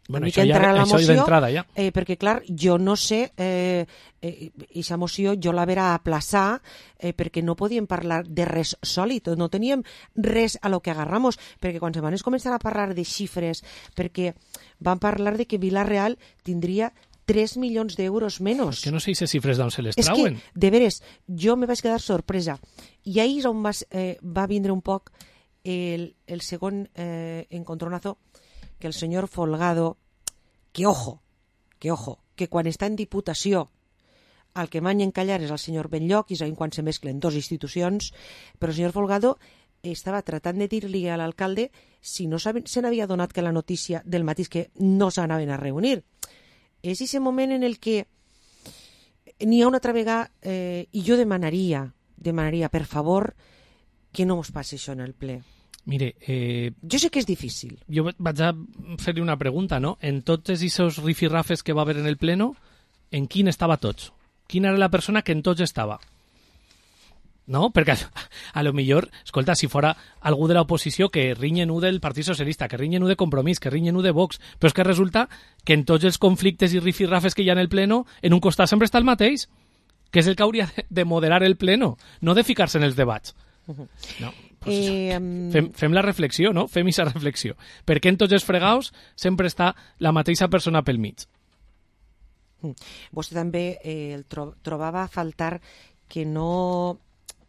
Bueno, això d'entrada ja. Perquè, clar, jo no sé, aquesta moció jo la verà aplaçar perquè no podíem parlar de res sòlid, no teníem res a lo que agarramos, perquè quan se van començar a parlar de xifres, perquè van parlar de que Vila-real tindria 3 milions d'euros menys. És que no sé si xifres d'on se les trauen. És que, de veres, jo me vaig quedar sorpresa. I ahir és on va vindre un poc el segon encontronazo que el senyor Folgado, que ojo, que quan està en Diputació el que manya encallar és el senyor Benlloc, i és quan se mesclen dues institucions, però el senyor Folgado estava tratant de dir-li a l'alcalde si no se n'havia donat que la notícia del matí que no s'anaven a reunir. És aquest moment en el que n'hi ha una altra vegada i jo demanaria, per favor, que no mos passi això en el ple. Mire, jo sé que és difícil. Jo vaig a fer-li una pregunta, no? En tots aquests rifirrafes que va haver en el pleno, en quin estava tots? Quina era la persona que en tots estava? No? Perquè a lo millor, escolta, si fora algú de l'oposició que rinyen u del Partit Socialista, que rinyen u de Compromís, que rinyen u de Vox, però és que resulta que en tots els conflictes i rifirrafes que hi ha en el pleno, en un costat sempre està el mateix, que és el que hauria de moderar el pleno, no de ficar-se en els debats. No, fem la reflexió, no? Fem aquesta reflexió. Perquè en tots els fregaus sempre està la mateixa persona pel mig. Vostè també trobava a faltar que no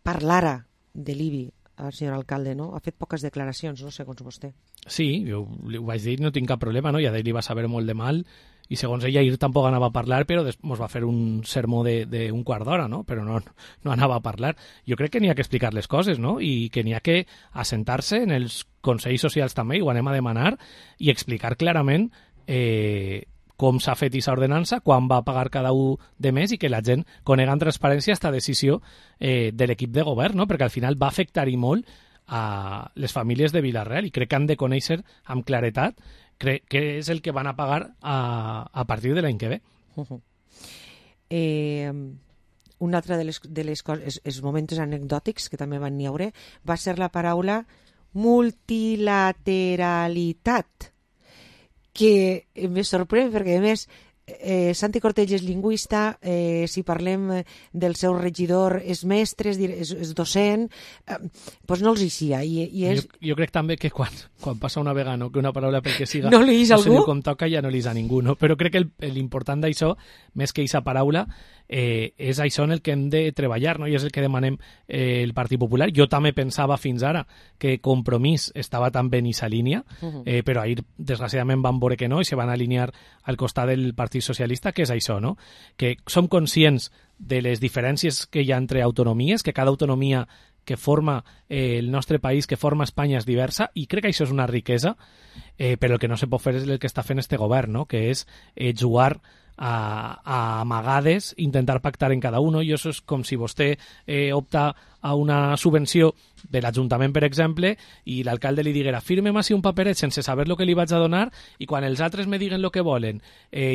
parlara de l'IBI al senyor alcalde, no? Ha fet poques declaracions, no? Segons vostè. Sí, jo ho vaig dir, no tinc cap problema, no? I a d'ell li va saber molt de mal, i segons ella ahir tampoc anava a parlar, però ens va fer un sermó d'un quart d'hora, no? Però no anava a parlar. Jo crec que n'hi ha que explicar les coses, no? I que n'hi ha que assentar-se en els consells socials també, i ho anem a demanar, i explicar clarament com s'ha fet aquesta ordenança, quan va pagar cada un de més i que la gent conega en transparència esta decisió de l'equip de govern, no? Perquè al final va afectar-hi molt a les famílies de Vila-real i crec que han de conèixer amb claretat què és el que van a pagar a partir de l'any que ve. Un altre de les coses, els moments anecdòtics que també van n'hi haure, va ser la paraula multilateralitat, que me sorprèn perquè, a més, Santi Cortells és lingüista, si parlem del seu regidor és mestre, és docent, doncs no els hi sia. Jo crec també que quan passa una vegada, no, que una paraula perquè siga no li no se diu com toca, ja no li és a ningú, no? Però crec que l'important d'això, més que aquesta paraula, és això en el que hem de treballar, no? I és el que demanem el Partit Popular. Jo també pensava fins ara que Compromís estava també en aquesta línia, però ahir desgraciadament van veure que no i se van alinear al costat del Partit Socialista, que és això, no? Que som conscients de les diferències que hi ha entre autonomies, que cada autonomia que forma el nostre país, que forma Espanya, és diversa, i crec que això és una riquesa, però el que no se pot fer és el que està fent este govern, no? Que és jugar a amagades, intentar pactar en cada uno, i això és com si vostè opta a una subvenció de l'Ajuntament, per exemple, i l'alcalde li diguera firmem així un paperet sense saber el que li vaig a donar, i quan els altres me diguen el que volen,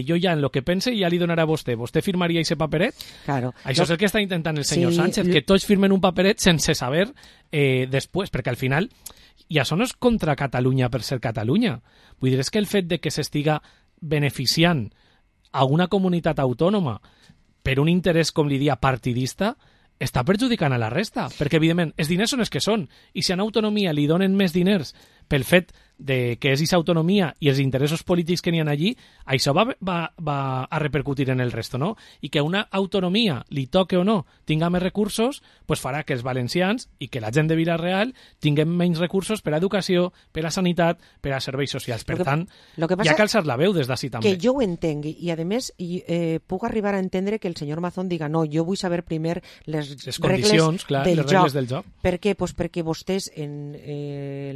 jo ja en el que pense ja li donaré a vostè. Vostè firmaria aquest paperet? Claro. Això és el que està intentant el senyor Sánchez, que tots firmen un paperet sense saber després, perquè al final, i això no és contra Catalunya per ser Catalunya. Vull dir, és que el fet de que s'estiga beneficiant a una comunitat autònoma per un interès, com li dia, partidista, està perjudicant a la resta, perquè, evidentment, els diners són els que són, i si a una autonomia li donen més diners pel fet de que és aquesta autonomia i els interessos polítics que n'hi ha allí, això va a repercutir en el resto, no? I que una autonomia, li toque o no, tinga més recursos, pues farà que els valencians i que la gent de Vila-real tinguem menys recursos per a educació, per a sanitat, per a serveis socials. Per tant, hi ha que alçar la veu des d'ací també. Que jo ho entenc, i a més puc arribar a entendre que el senyor Mazón diga no, jo vull saber primer les condicions, clar, les regles del joc. Per què? Pues perquè vostès en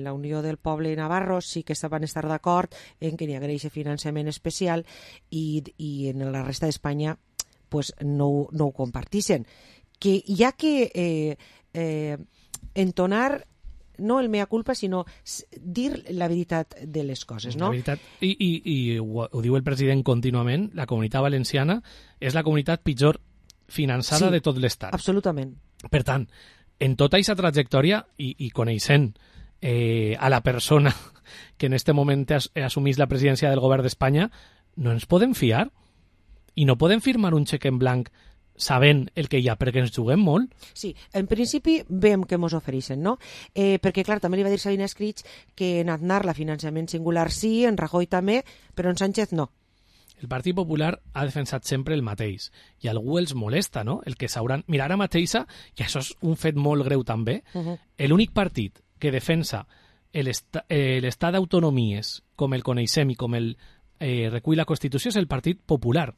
la Unió del Poble Navarro sí que van estar d'acord en que n'hi hagués aquest finançament especial i en la resta d'Espanya pues, no ho compartissin. Que hi ha que entonar no el mea culpa, sinó dir la veritat de les coses, no? La veritat, i ho diu el president contínuament, la Comunitat Valenciana és la comunitat pitjor finançada de tot l'Estat. Absolutament. Per tant, en tota aquesta trajectòria i coneixent a la persona que en este moment assumís la presidència del govern d'Espanya, no ens podem fiar i no podem firmar un xec en blanc sabent el que hi ha, perquè ens juguem molt. Sí, en principi veiem que ens ofereixen, no? Perquè, clar, també li va dir Sabina Escrits que en Aznar la finançament singular sí, en Rajoy també, però en Sánchez no. El Partit Popular ha defensat sempre el mateix i a algú els molesta, no? El que s'hauran... Mira, ara mateixa, i això és un fet molt greu també, l'únic partit que defensa l'estat d'autonomies com el coneixem i com el recull la Constitució és el Partit Popular.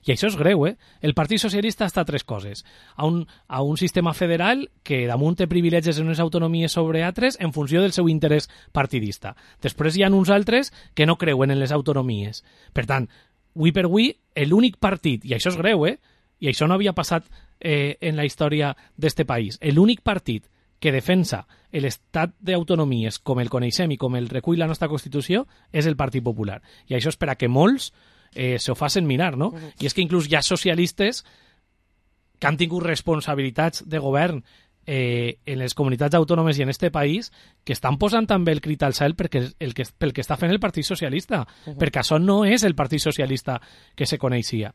I això és greu, El Partit Socialista està a tres coses. A un sistema federal que damunt té privilegis en unes autonomies sobre altres en funció del seu interès partidista. Després hi ha uns altres que no creuen en les autonomies. Per tant, avui per avui, l'únic partit, i això és greu, i això no havia passat en la història d'este país, l'únic partit que defensa l'estat d'autonomies com el coneixem i com el recull la nostra Constitució és el Partit Popular. I això és per a que molts s'ho facin mirar, no? I és que inclús hi ha socialistes que han tingut responsabilitats de govern en les comunitats autònomes i en este país que estan posant també el crit al cel pel que està fent el Partit Socialista, perquè això no és el Partit Socialista que se coneixia.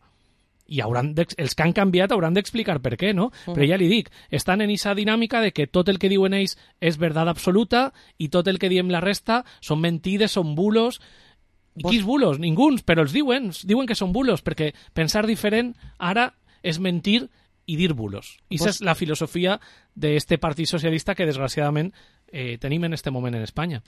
I els que han canviat hauran d'explicar per què, no? Però ja li dic, estan en aquesta dinàmica de que tot el que diuen ells és veritat absoluta i tot el que diem la resta són mentides, són bulos. I quins bulos? Ninguns, però els diuen que són bulos, perquè pensar diferent ara és mentir i dir bulos. I aquesta és la filosofia d'este Partit Socialista que, desgraciadament, tenim en este moment en Espanya.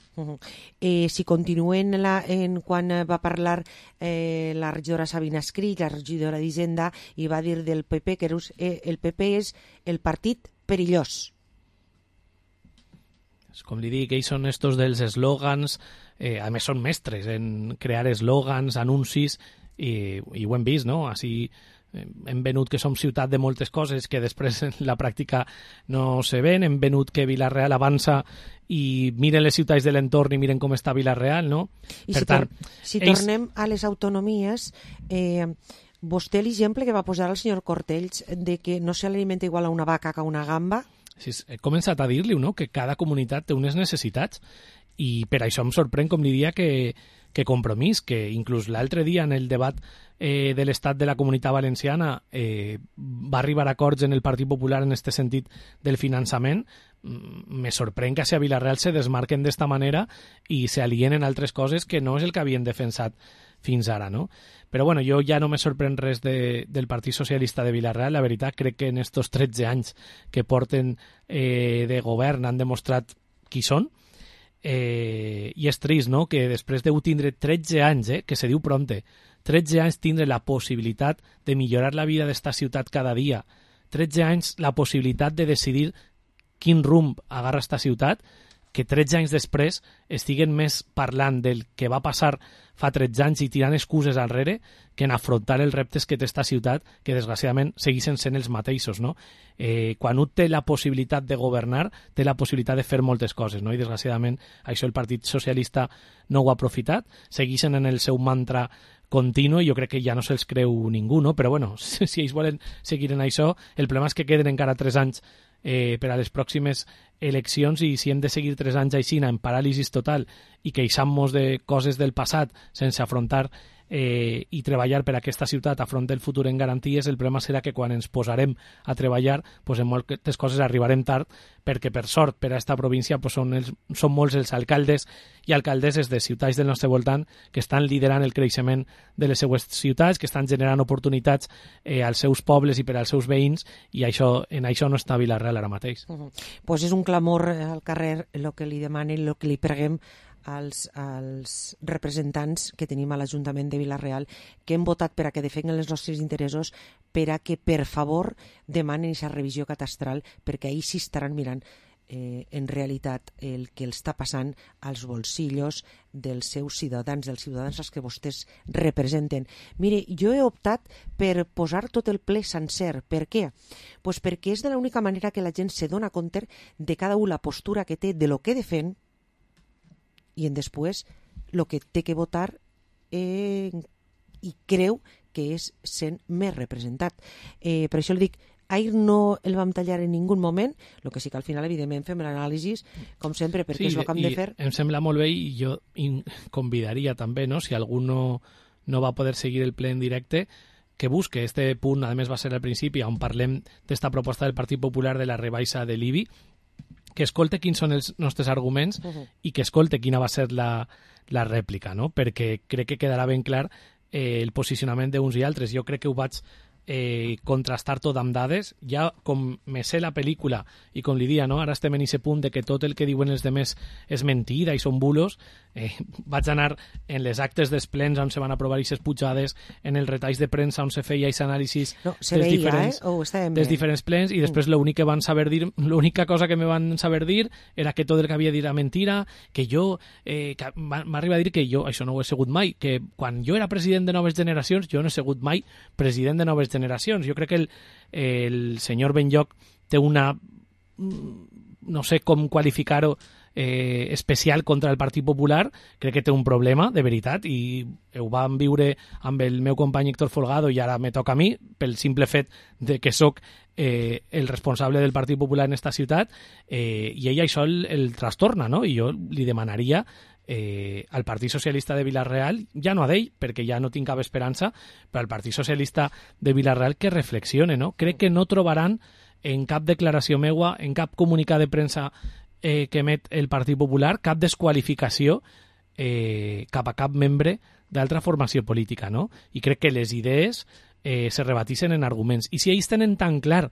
Si continuem en quan va parlar la regidora Sabina Escrits, la regidora d'Hisenda, i va dir del PP que el PP és el partit perillós. Com li dic, ells són estos dels eslògans, a més són mestres en crear eslògans, anuncis, i ho hem vist, no? Així hem venut que som ciutat de moltes coses que després en la pràctica no se ven, hem venut que Vila-real avança i miren les ciutats de l'entorn i miren com està Vila-real, no? I si tornem a les autonomies, vostè l'exemple que va posar el senyor Cortells de que no se l'alimenta igual a una vaca que a una gamba. Sí, he començat a dir-li, no?, que cada comunitat té unes necessitats i per això em sorprèn, com li dia, que que Compromís, que inclús l'altre dia en el debat de l'estat de la Comunitat Valenciana va arribar a acords en el Partit Popular en este sentit del finançament. Me sorprèn que a Vilareal se desmarquen d'esta manera i se alien en altres coses que no és el que havien defensat fins ara, no? Però bueno, jo ja no me sorprèn res del Partit Socialista de Vilareal. La veritat, crec que en estos 13 anys que porten de govern han demostrat qui són. I és trist, no?, que després deu tindre 13 anys, que se diu prompte, 13 anys tindre la possibilitat de millorar la vida d'esta ciutat cada dia, 13 anys la possibilitat de decidir quin rumb agarra esta ciutat, que 13 anys després estiguen més parlant del que va passar fa 13 anys i tirant excuses enrere que en afrontar els reptes que té esta ciutat, que desgraciadament segueixen sent els mateixos, no? Quan un té la possibilitat de governar, té la possibilitat de fer moltes coses, no? I desgraciadament això el Partit Socialista no ho ha aprofitat, segueixen en el seu mantra continu i jo crec que ja no se'ls creu ningú, no? Però bueno, si ells volen seguir en això, el problema és que queden encara 3 anys per a les pròximes eleccions i si hem de seguir 3 anys així en paràlisis total i queixant-nos de coses del passat sense afrontar i treballar per a aquesta ciutat afront del futur en garanties, el problema serà que quan ens posarem a treballar pues en moltes coses arribarem tard perquè per sort per a esta província pues són molts els alcaldes i alcaldesses de ciutats del nostre voltant que estan liderant el creixement de les seues ciutats, que estan generant oportunitats als seus pobles i per als seus veïns i en això no està Vilareal ara mateix. Pues és un clamor al carrer el que li demanen, el que li preguem als representants que tenim a l'Ajuntament de Vilareal que hem votat per a que defenguen els nostres interessos, per a que per favor demanen aquesta revisió catastral, perquè ahir sí estaran mirant en realitat el que els està passant als bolsillos dels seus ciutadans, dels ciutadans als que vostès representen. Mire, jo he optat per posar tot el ple sencer. Per què? Pues perquè és de l'única manera que la gent se dona compte de cada un la postura que té de lo que defèn i en després el que té que votar i creu que és sent més representat. Per això li dic, ahir no el vam tallar en ningú moment, el que sí que al final evidentment fem l'anàlisi com sempre perquè és el que hem de fer. Em sembla molt bé i jo convidaria també, no? Si algú no va poder seguir el ple en directe, que busque este punt, a més va ser al principi on parlem d'esta proposta del Partit Popular de la rebaixa de l'IBI, que escolte quins són els nostres arguments i que escolte quina va ser la rèplica, no? Perquè crec que quedarà ben clar el posicionament d'uns i altres. Jo crec que ho vaig contrastar tot amb dades. Ja com me sé la pel·lícula i com li dia, no? Ara estem en aquest punt de que tot el que diuen els demés és mentida i són bulos. Vaig anar en les actes dels plens on se van aprovar aquestes pujades, en els retalls de premsa on se feia aquest anàlisis dels diferents plens i després l'únic que van saber dir, l'única cosa que me van saber dir era que tot el que havia dit era mentira, que jo m'arriba a dir que jo això no ho he sigut mai, que quan jo era president de Noves Generacions jo no he sigut mai president de Noves Generacions. Jo crec que el senyor Benlloch té una, no sé com qualificar-ho, especial contra el Partit Popular. Crec que té un problema, de veritat, i ho vam viure amb el meu company Héctor Folgado i ara me toca a mi, pel simple fet de que sóc el responsable del Partit Popular en esta ciutat, i ell això el trastorna, no? I jo li demanaria al Partit Socialista de Vilareal, ja no a d'ell, perquè ja no tinc cap esperança, però al Partit Socialista de Vilareal que reflexione, no? Crec que no trobaran en cap declaració meua, en cap comunicat de premsa que emet el Partit Popular, cap desqualificació cap a cap membre d'altra formació política, no? I crec que les idees se rebatixen en arguments. I si ells tenen tan clar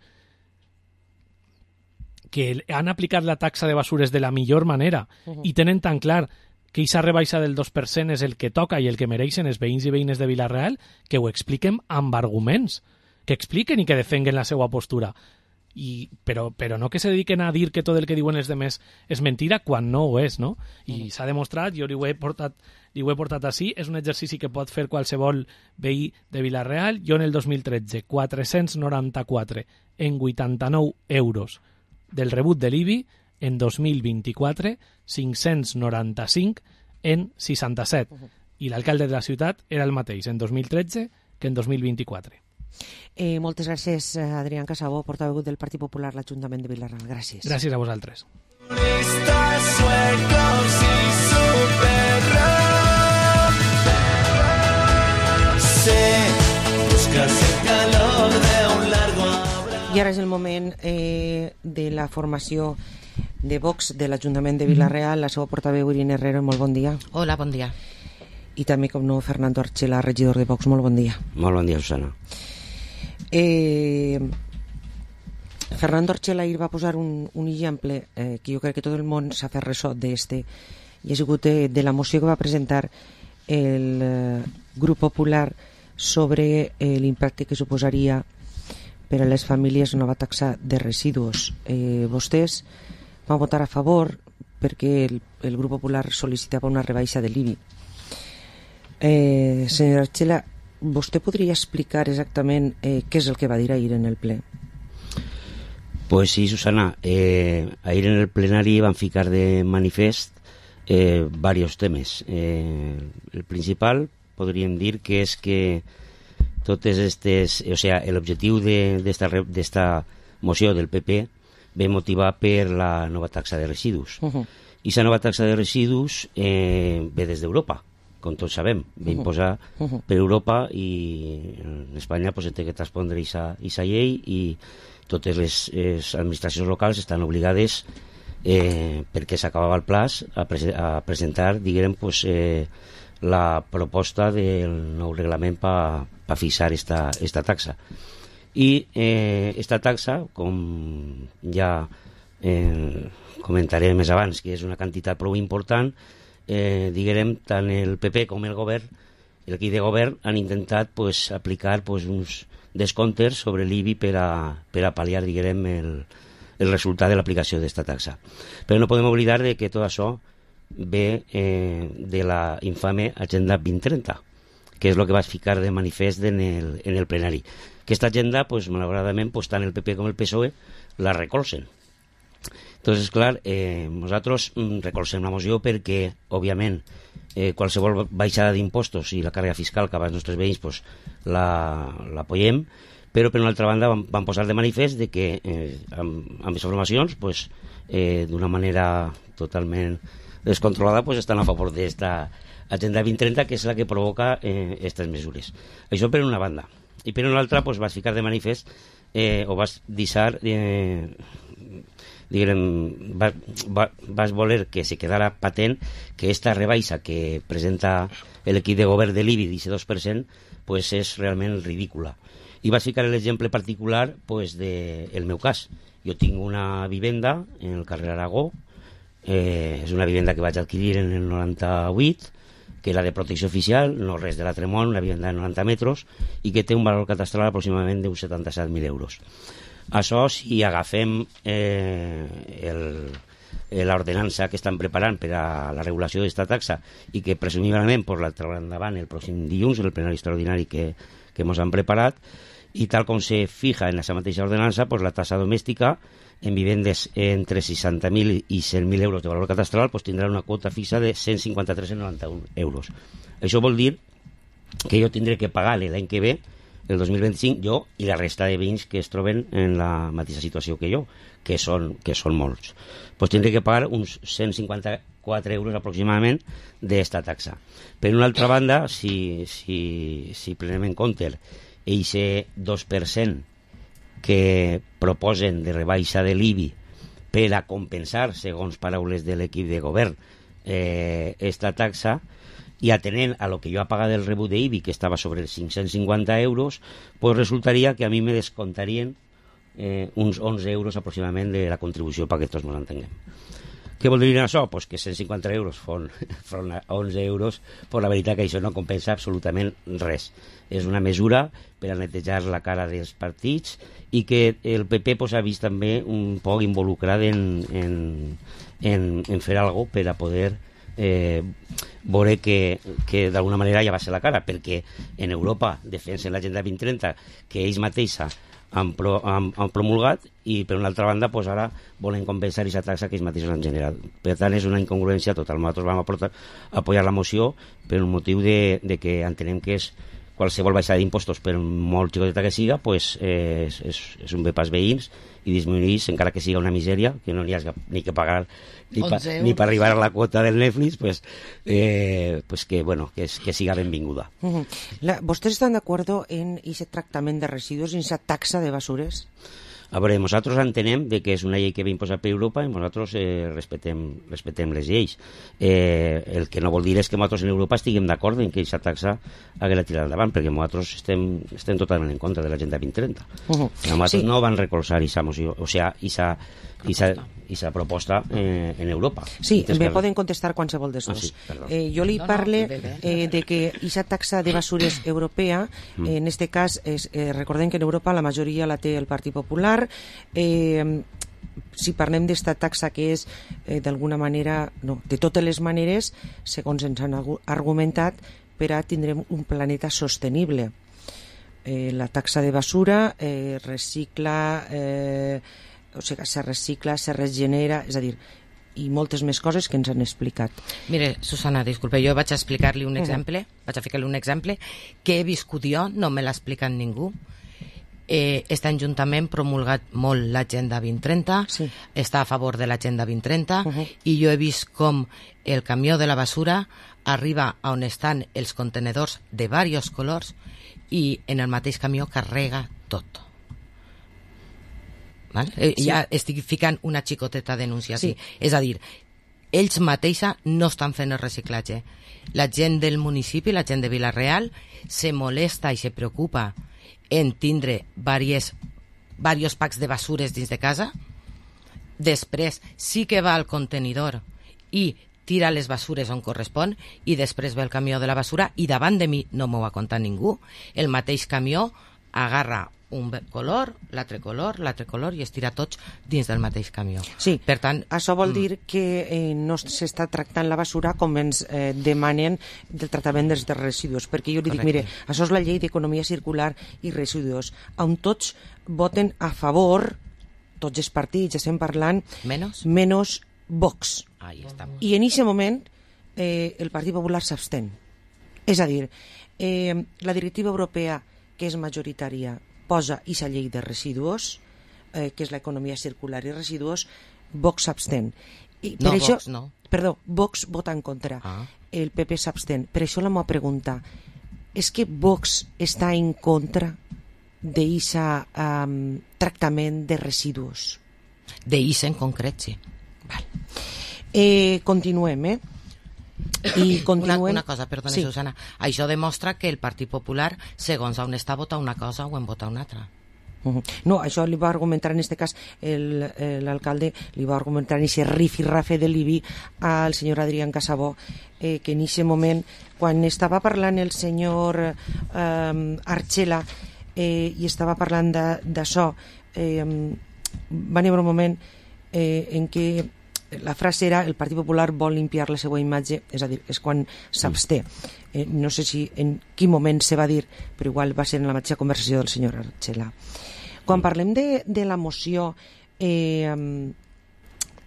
que han aplicat la taxa de basures de la millor manera i tenen tan clar que aquesta rebaixa del 2% és el que toca i el que mereixen els veïns i veïnes de Vilareal, que ho expliquen amb arguments, que expliquen i que defenguen la seva postura. Però no que se dediquen a dir que tot el que diuen els demés és mentira quan no ho és, no? I s'ha demostrat, jo li ho he portat així, és un exercici que pot fer qualsevol veí de Vilareal. Jo en el 2013, 494 en 89 euros del rebut de l'IBI, en 2024, 595 en 67. I l'alcalde de la ciutat era el mateix en 2013 que en 2024. Moltes gràcies, Adrián Casabó, portaveu del Partit Popular a l'Ajuntament de Vilareal. Gràcies. Gràcies a vosaltres. Suecos y super ara és el moment de la formació de Vox de l'Ajuntament de Vila-real. La seva portaveu, Irene Herrero, molt bon dia. Hola, bon dia. I també, com no, Fernando Archela, regidor de Vox, molt bon dia. Molt bon dia, Susana. Fernando Archela ahir va posar un exemple que jo crec que tot el món s'ha fet ressò d'este, i ha sigut de la moció que va presentar el Grup Popular sobre l'impacte que suposaria per a les famílies nova taxa de residus. Vostès van votar a favor perquè el Grup Popular sol·licitava una rebaixa de l'IBI. Senyora Archela, vostè podria explicar exactament què és el que va dir ahir en el ple? Pues sí, Susana. Ahir en el plenari van ficar de manifest varios temes. El principal podríem dir que és que totes estes, o sea, l'objectiu d'esta moció del PP ve motivat per la nova taxa de residus. I aquesta nova taxa de residus ve des d'Europa, com tots sabem, ve imposar per Europa, i en Espanya pues, té que transpondre aquesta llei, i totes les administracions locals estan obligades, perquè s'acabava el plaç, a presentar, diguem, pues, la proposta del nou reglament per fixar esta taxa. I esta taxa, com ja comentaré més abans, que és una quantitat prou important, diguem, tant el PP com el govern, l'equip de govern, han intentat pues, aplicar pues, uns descomptes sobre l'IBI per a pal·liar, diguem, el resultat de l'aplicació d'esta taxa. Però no podem oblidar de que tot això ve de la infame Agenda 2030, que és el que vas ficar de manifest en el plenari. Aquesta agenda, pues, malauradament, pues, tant el PP com el PSOE la recolzen. Entonces, clar, nosaltres recolzem la moció perquè, òbviament, qualsevol baixada d'impostos i la càrrega fiscal que als nostres veïns pues, l'apoyem, però per una altra banda vam posar de manifest de que amb les formacions pues, d'una manera totalment descontrolada pues, estan a favor d'esta Agenda 2030, que és la que provoca aquestes mesures. Això per una banda. I per una altra pues, vas ficar de manifest o vas deixar vas voler que se quedara patent que esta rebaixa que presenta l'equip de govern de l'IBI d'aquest 2% pues és realment ridícula. I vas ficar l'exemple particular pues, del meu cas. Jo tinc una vivenda en el carrer Aragó, és una vivenda que vaig adquirir en el 98, que era de protecció oficial, no res de la Tremont, una vivenda de 90 metres, i que té un valor catastral aproximadament d'uns 77.000 euros. Això, si agafem l'ordenança que estan preparant per a la regulació d'esta taxa i que presumiblement la trauran endavant el pròxim dilluns en el plenari extraordinari que ens han preparat, i tal com se fija en aquesta mateixa ordenança, pues, la tassa domèstica en vivendes entre 60.000 i 100.000 euros de valor catastral pues, tindrà una quota fixa de 153,91 euros. Això vol dir que jo tindré que pagar l'any que ve, el 2025, jo i la resta de veïns que es troben en la mateixa situació que jo, que són molts. Pues tindré que pagar uns 154 euros aproximadament d'esta taxa. Per una altra banda, si prenem en compte eixe 2% que proposen de rebaixa de l'IBI per a compensar, segons paraules de l'equip de govern, esta taxa, i atenent a lo que jo ha pagat del rebut d'IBI, que estava sobre els 550 euros, pues resultaria que a mi me descontarien uns 11 euros aproximadament de la contribució perquè tots ens entenguem. Què vol dir això? Pues que 150 euros front a 11 euros, pues la veritat que això no compensa absolutament res. És una mesura per a netejar la cara dels partits i que el PP pues, ha vist també un poc involucrat en fer alguna cosa per a poder veure que d'alguna manera ja va ser la cara, perquè en Europa defensen l'Agenda 2030 que ells mateixa han promulgat, i per una altra banda pues, ara volen compensar aquesta taxa que ells mateixos han generat. Per tant és una incongruència total. Nosaltres vam apoyar la moció per un motiu de que entenem que és qualsevol baixada d'impostos, per molt xicoteta que siga, pues, és un bé pels veïns i disminueix, encara que siga una misèria, que no n'hi ha ni que pagar ni per arribar a la quota del Netflix, pues que siga benvinguda. ¿Vostès estan d'acord en ese tractament de residus, en esa taxa de basures? A veure, nosaltres entenem de que és una llei que ve imposada per Europa i nosaltres respectem les lleis. El que no vol dir és que nosaltres en Europa estiguem d'acord en que aquesta taxa hagués de tirar endavant, perquè nosaltres estem totalment en contra de l'Agenda 2030. Nosaltres no van recolzar aquesta moció, o sigui, aquesta proposta en Europa. Sí, me poden contestar qualsevol dels dos. Jo li parle de que aquesta taxa de basures europea, en este cas, recordem que en Europa la majoria la té el Partit Popular. Si parlem d'esta taxa que és d'alguna manera, no, de totes les maneres, segons ens han argumentat, per a tindrem un planeta sostenible. La taxa de basura recicla, o sigui, se recicla, se regenera, és a dir, i moltes més coses que ens han explicat. Mire, Susana, disculpe, jo vaig a explicar-li un exemple, vaig a ficar-li un exemple que he viscut jo, no me l'ha explicat ningú. Este Ajuntament promulgat molt l'Agenda 2030, està a favor de l'Agenda 2030, i jo he vist com el camió de la basura arriba a on estan els contenedors de diversos colors i en el mateix camió carrega tot. Ja estic ficant una xicoteta denúncia aquí. És a dir, ells mateixa no estan fent el reciclatge. La gent del municipi, la gent de Vila-real, se molesta i se preocupa en tindre diversos packs de basures dins de casa. Després sí que va al contenidor i tira les basures on correspon, i després ve el camió de la basura i davant de mi no m'ho ha contat ningú. El mateix camió agarra un color, l'altre color i es tira tots dins del mateix camió. Sí, per tant, això vol dir que no s'està tractant la basura com ens demanen del tractament dels residus, perquè jo li dic, mire, això és la llei d'economia circular i residus, on tots voten a favor, tots els partits, estem parlant, menys Vox. I en aquest moment el Partit Popular s'abstén. És a dir, la directiva europea, que és majoritària, posa aquesta llei de residus, que és l'economia circular i residus, Vox s'abstén. Vox no. Perdó, Vox vota en contra. El PP s'abstén. Per això la meva pregunta és que Vox està en contra d'aquest tractament de residus? D'aquest en concret, sí. Continuem, I continuem... Una cosa, perdona, Susana. Això demostra que el Partit Popular, segons on està, vota una cosa o en vota una altra. No, això li va argumentar en aquest cas l'alcalde, li va argumentar en aquest rifirrafe de l'IBI al senyor Adrián Casabó, que en aquest moment, quan estava parlant el senyor Archela i estava parlant d'això, va haver un moment en què la frase era el Partit Popular vol limpiar la seva imatge, és a dir, és quan s'absté. No sé si en quin moment se va dir, però igual va ser en la mateixa conversació del senyor Archela. Quan parlem de la moció de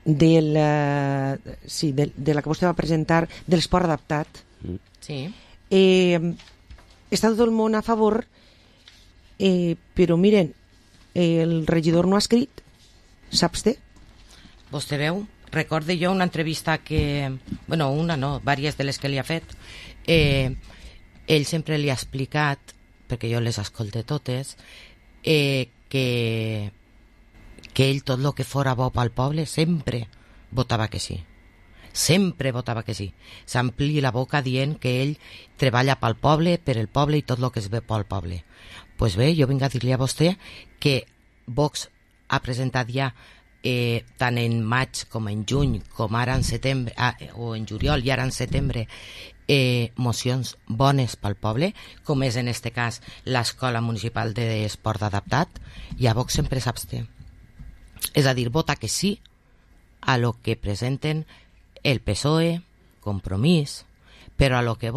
la que vostè va presentar de l'esport adaptat, està tot el món a favor, però miren, el regidor no ha escrit, s'absté. Vostè veu? Recorde jo una entrevista que... Bueno, una no, diverses de les que li ha fet. Ell sempre li ha explicat, perquè jo les escolte totes, que ell tot el que fora bo pel poble sempre votava que sí. Sempre votava que sí. S'ampli la boca dient que ell treballa pel poble, per el poble i tot el que es ve pel poble. Doncs bé, jo vinc a dir-li a vostè que Vox ha presentat ja tant en maig com en juny, com ara en setembre, o en juliol i ara en setembre, mocions bones pel poble, com és en este cas l'Escola Municipal d'Esport Adaptat, i a Vox sempre s'absté. És a dir, vota que sí a lo que presenten el PSOE, Compromís, però a lo que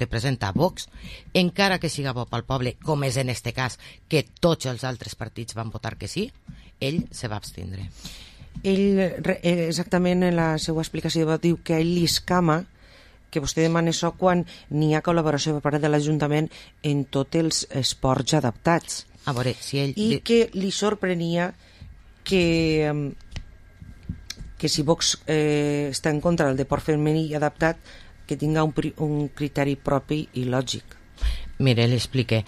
presenta Vox, encara que siga bo pel poble, com és en este cas que tots els altres partits van votar que sí, ell se va abstindre. Ell, exactament en la seva explicació, diu que a ell li escama que vostè demana això quan n'hi ha col·laboració per part de l'Ajuntament en tots els esports adaptats. A veure, si ell... I que li sorprenia que si Vox està en contra del deport femení adaptat, que tinga un criteri propi i lògic. Mire, l'explique.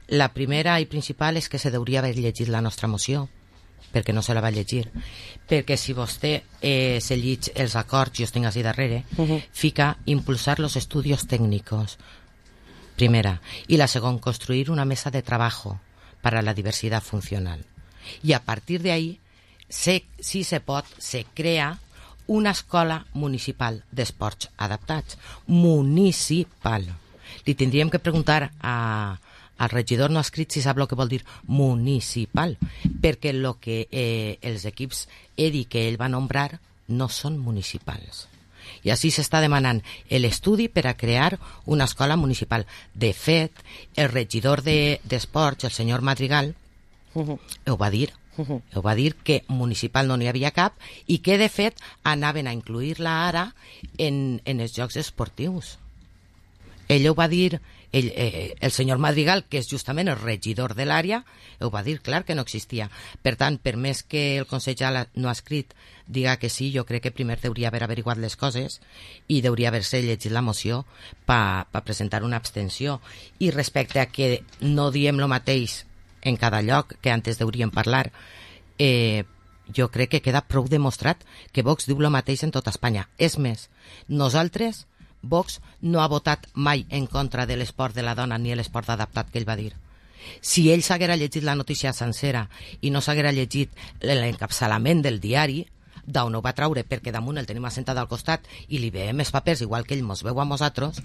La primera i principal és que se deuria haver llegit la nostra moció, perquè no se la va llegir. Perquè si vostè se llig els acords, jo els tinc així darrere, fica impulsar los estudios técnicos, primera. Y la segunda, construir una mesa de trabajo para la diversidad funcional. Y a partir de ahí, si se pot, se crea una escola municipal d'esports adaptats. Municipal. Li tindríem que preguntar al regidor no escrit si sap el que vol dir municipal, perquè el que els equips EDI que ell va nombrar no són municipals. I així s'està demanant l'estudi per a crear una escola municipal. De fet, el regidor d'esports, el senyor Madrigal, ho va dir. Ho va dir que municipal no n'hi havia cap i que, de fet, anaven a incluir-la ara en els jocs esportius. Ell ho va dir, el senyor Madrigal, que és justament el regidor de l'àrea, ho va dir clar que no existia. Per tant, per més que el Consell no ha escrit diga que sí, jo crec que primer hauria haver averiguat les coses i hauria haver-se llegit la moció per presentar una abstenció. I respecte a que no diem el mateix en cada lloc que antes hauríem parlar, jo crec que queda prou demostrat que Vox diu el mateix en tota Espanya. És més, nosaltres, Vox no ha votat mai en contra de l'esport de la dona ni l'esport adaptat que ell va dir. Si ell s'haguera llegit la notícia sencera i no s'haguera llegit l'encapçalament del diari, d'on ho va traure, perquè damunt el tenim assentat al costat i li veiem els papers igual que ell mos veu a nosaltres,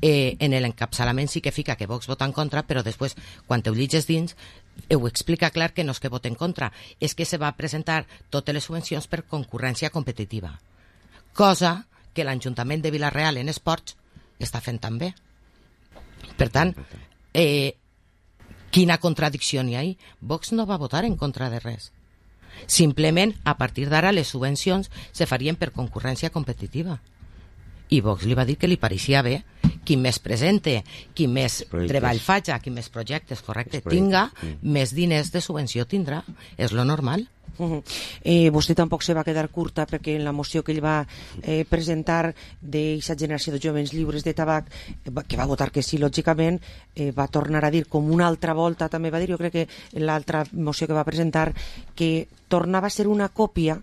en l'encapçalament sí que fica que Vox vota en contra, però després, quan ho llitges dins, ho explica clar que no és que vota en contra, és que se va presentar totes les subvencions per concurrència competitiva. Cosa que l'Ajuntament de Vila-real en esports està fent també. Per tant, quina contradicció n'hi ha ahí? Vox no va votar en contra de res. Simplement, a partir d'ara, les subvencions se farien per concurrència competitiva. I Vox li va dir que li pareixia bé qui més presente, qui més treball faja, qui més projectes, correcte, tinga, més diners de subvenció tindrà. És lo normal. Vostè tampoc se va quedar curta perquè en la moció que ell va presentar d'aquesta generació de jovens lliures de tabac, que va votar que sí, lògicament, va tornar a dir com una altra volta, també va dir, jo crec que en l'altra moció que va presentar, que tornava a ser una còpia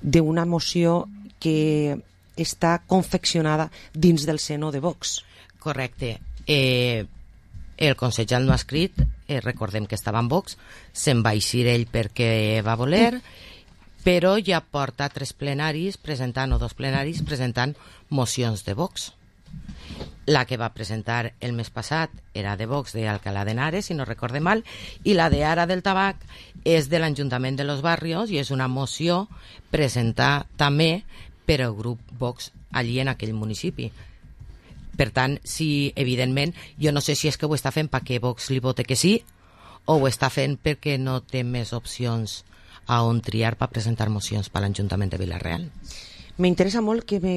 d'una moció que està confeccionada dins del seno de Vox. Correcte. El consellal no ha escrit, recordem que estava en Vox, se'n va eixir ell perquè va voler, però ja porta 3 plenaris presentant, o 2 plenaris presentant mocions de Vox. La que va presentar el mes passat era de Vox d'Alcalá de Henares, si no recorde mal, i la de ara del tabac és de l'Ajuntament de los Barrios i és una moció presentada també per el grup Vox allí en aquell municipi. Per tant, sí, evidentment, jo no sé si és que ho està fent perquè Vox li vote que sí o ho està fent perquè no té més opcions a on triar per presentar mocions per l'Ajuntament de Vila-real. M'interessa molt que me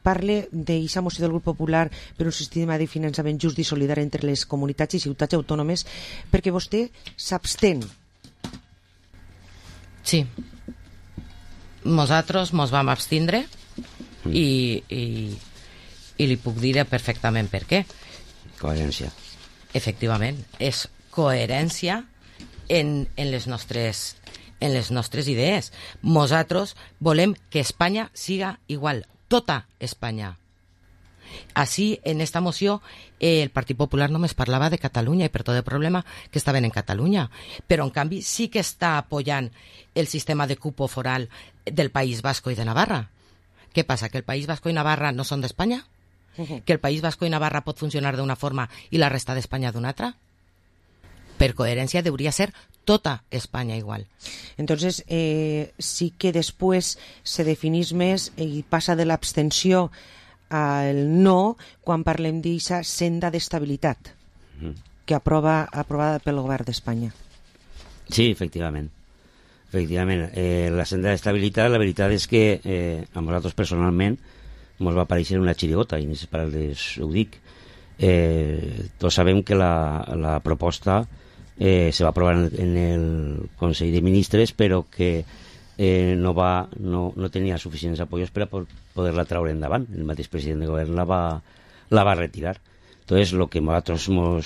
parle d'aquesta moció del grup popular per un sistema de finançament just i solidari entre les comunitats i ciutats autònomes, perquè vostè s'abstén. Sí. Nosaltres mos vam abstindre i li puc dir perfectament per què. Coherència. Efectivament, és coherència en les nostres idees. Nosaltres volem que Espanya siga igual, tota Espanya. Així, en esta moció, el Partit Popular només parlava de Catalunya i per tot el problema que estaven en Catalunya. Però, en canvi, sí que està apoyant el sistema de cupo foral del País Vasco i de Navarra. Què passa, que el País Vasco i Navarra no són d'Espanya? Que el País Vasco i Navarra pot funcionar d'una forma i la resta d'Espanya d'una altra? Per coherència hauria ser tota Espanya igual. Entonces, sí que després se definís més i passa de l'abstenció al no quan parlem d'aquesta senda d'estabilitat que aprovada pel govern d'Espanya. Sí, efectivament. La senda d'estabilitat, la veritat és que a nosaltres personalment ens va aparèixer una xirigota, i per ho dic. Tots sabem que la proposta se va aprovar en el Consell de Ministres, però que no tenia suficients apoyos per a poder-la traure endavant. El mateix president de govern la va retirar. Entonces, lo que nosaltres no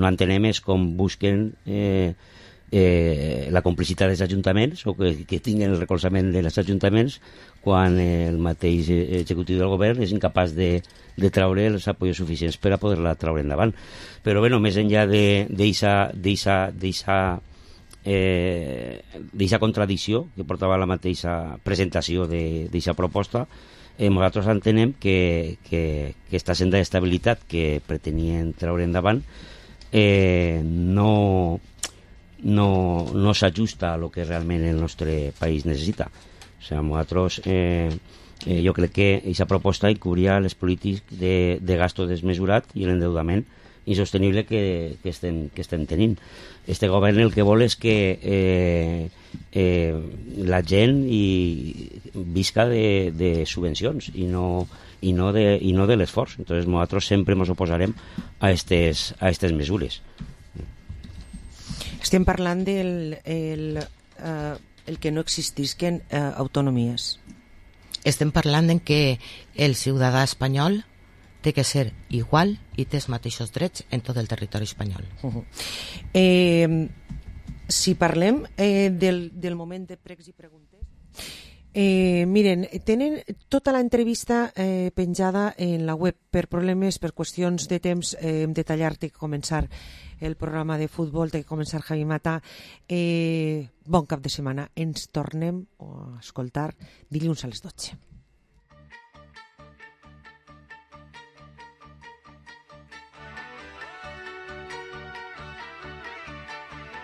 entenem és com busquen la complicitat dels ajuntaments o que tinguin el recolzament dels ajuntaments quan el mateix executiu del govern és incapaç de traure els apoyos suficients per a poder-la traure endavant. Però bé, més enllà d'eixa contradicció que portava la mateixa presentació d'eixa proposta, nosaltres entenem que aquesta senda d'estabilitat que pretenien treure endavant no s'ajusta a lo que realment el nostre país necessita. O sigui, nosaltres jo crec que aquesta proposta encobria les polítiques de gasto desmesurat i l'endeudament insostenible que estem tenint. Este govern el que vol és que la gent visca de subvencions i no de l'esforç. Entonces nosaltres sempre ens oposarem a aquestes mesures. Estem parlant del que no existisquen autonomies. Estem parlant en que el ciutadà espanyol té que ser igual i té els mateixos drets en tot el territori espanyol. Si parlem del moment de pregs i preguntes, miren, tenen tota l'entrevista penjada en la web. Per problemes, per qüestions de temps, hem de tallar, té que començar el programa de futbol, té que començar Javi Mata. Bon cap de setmana. Ens tornem a escoltar dilluns a les 12.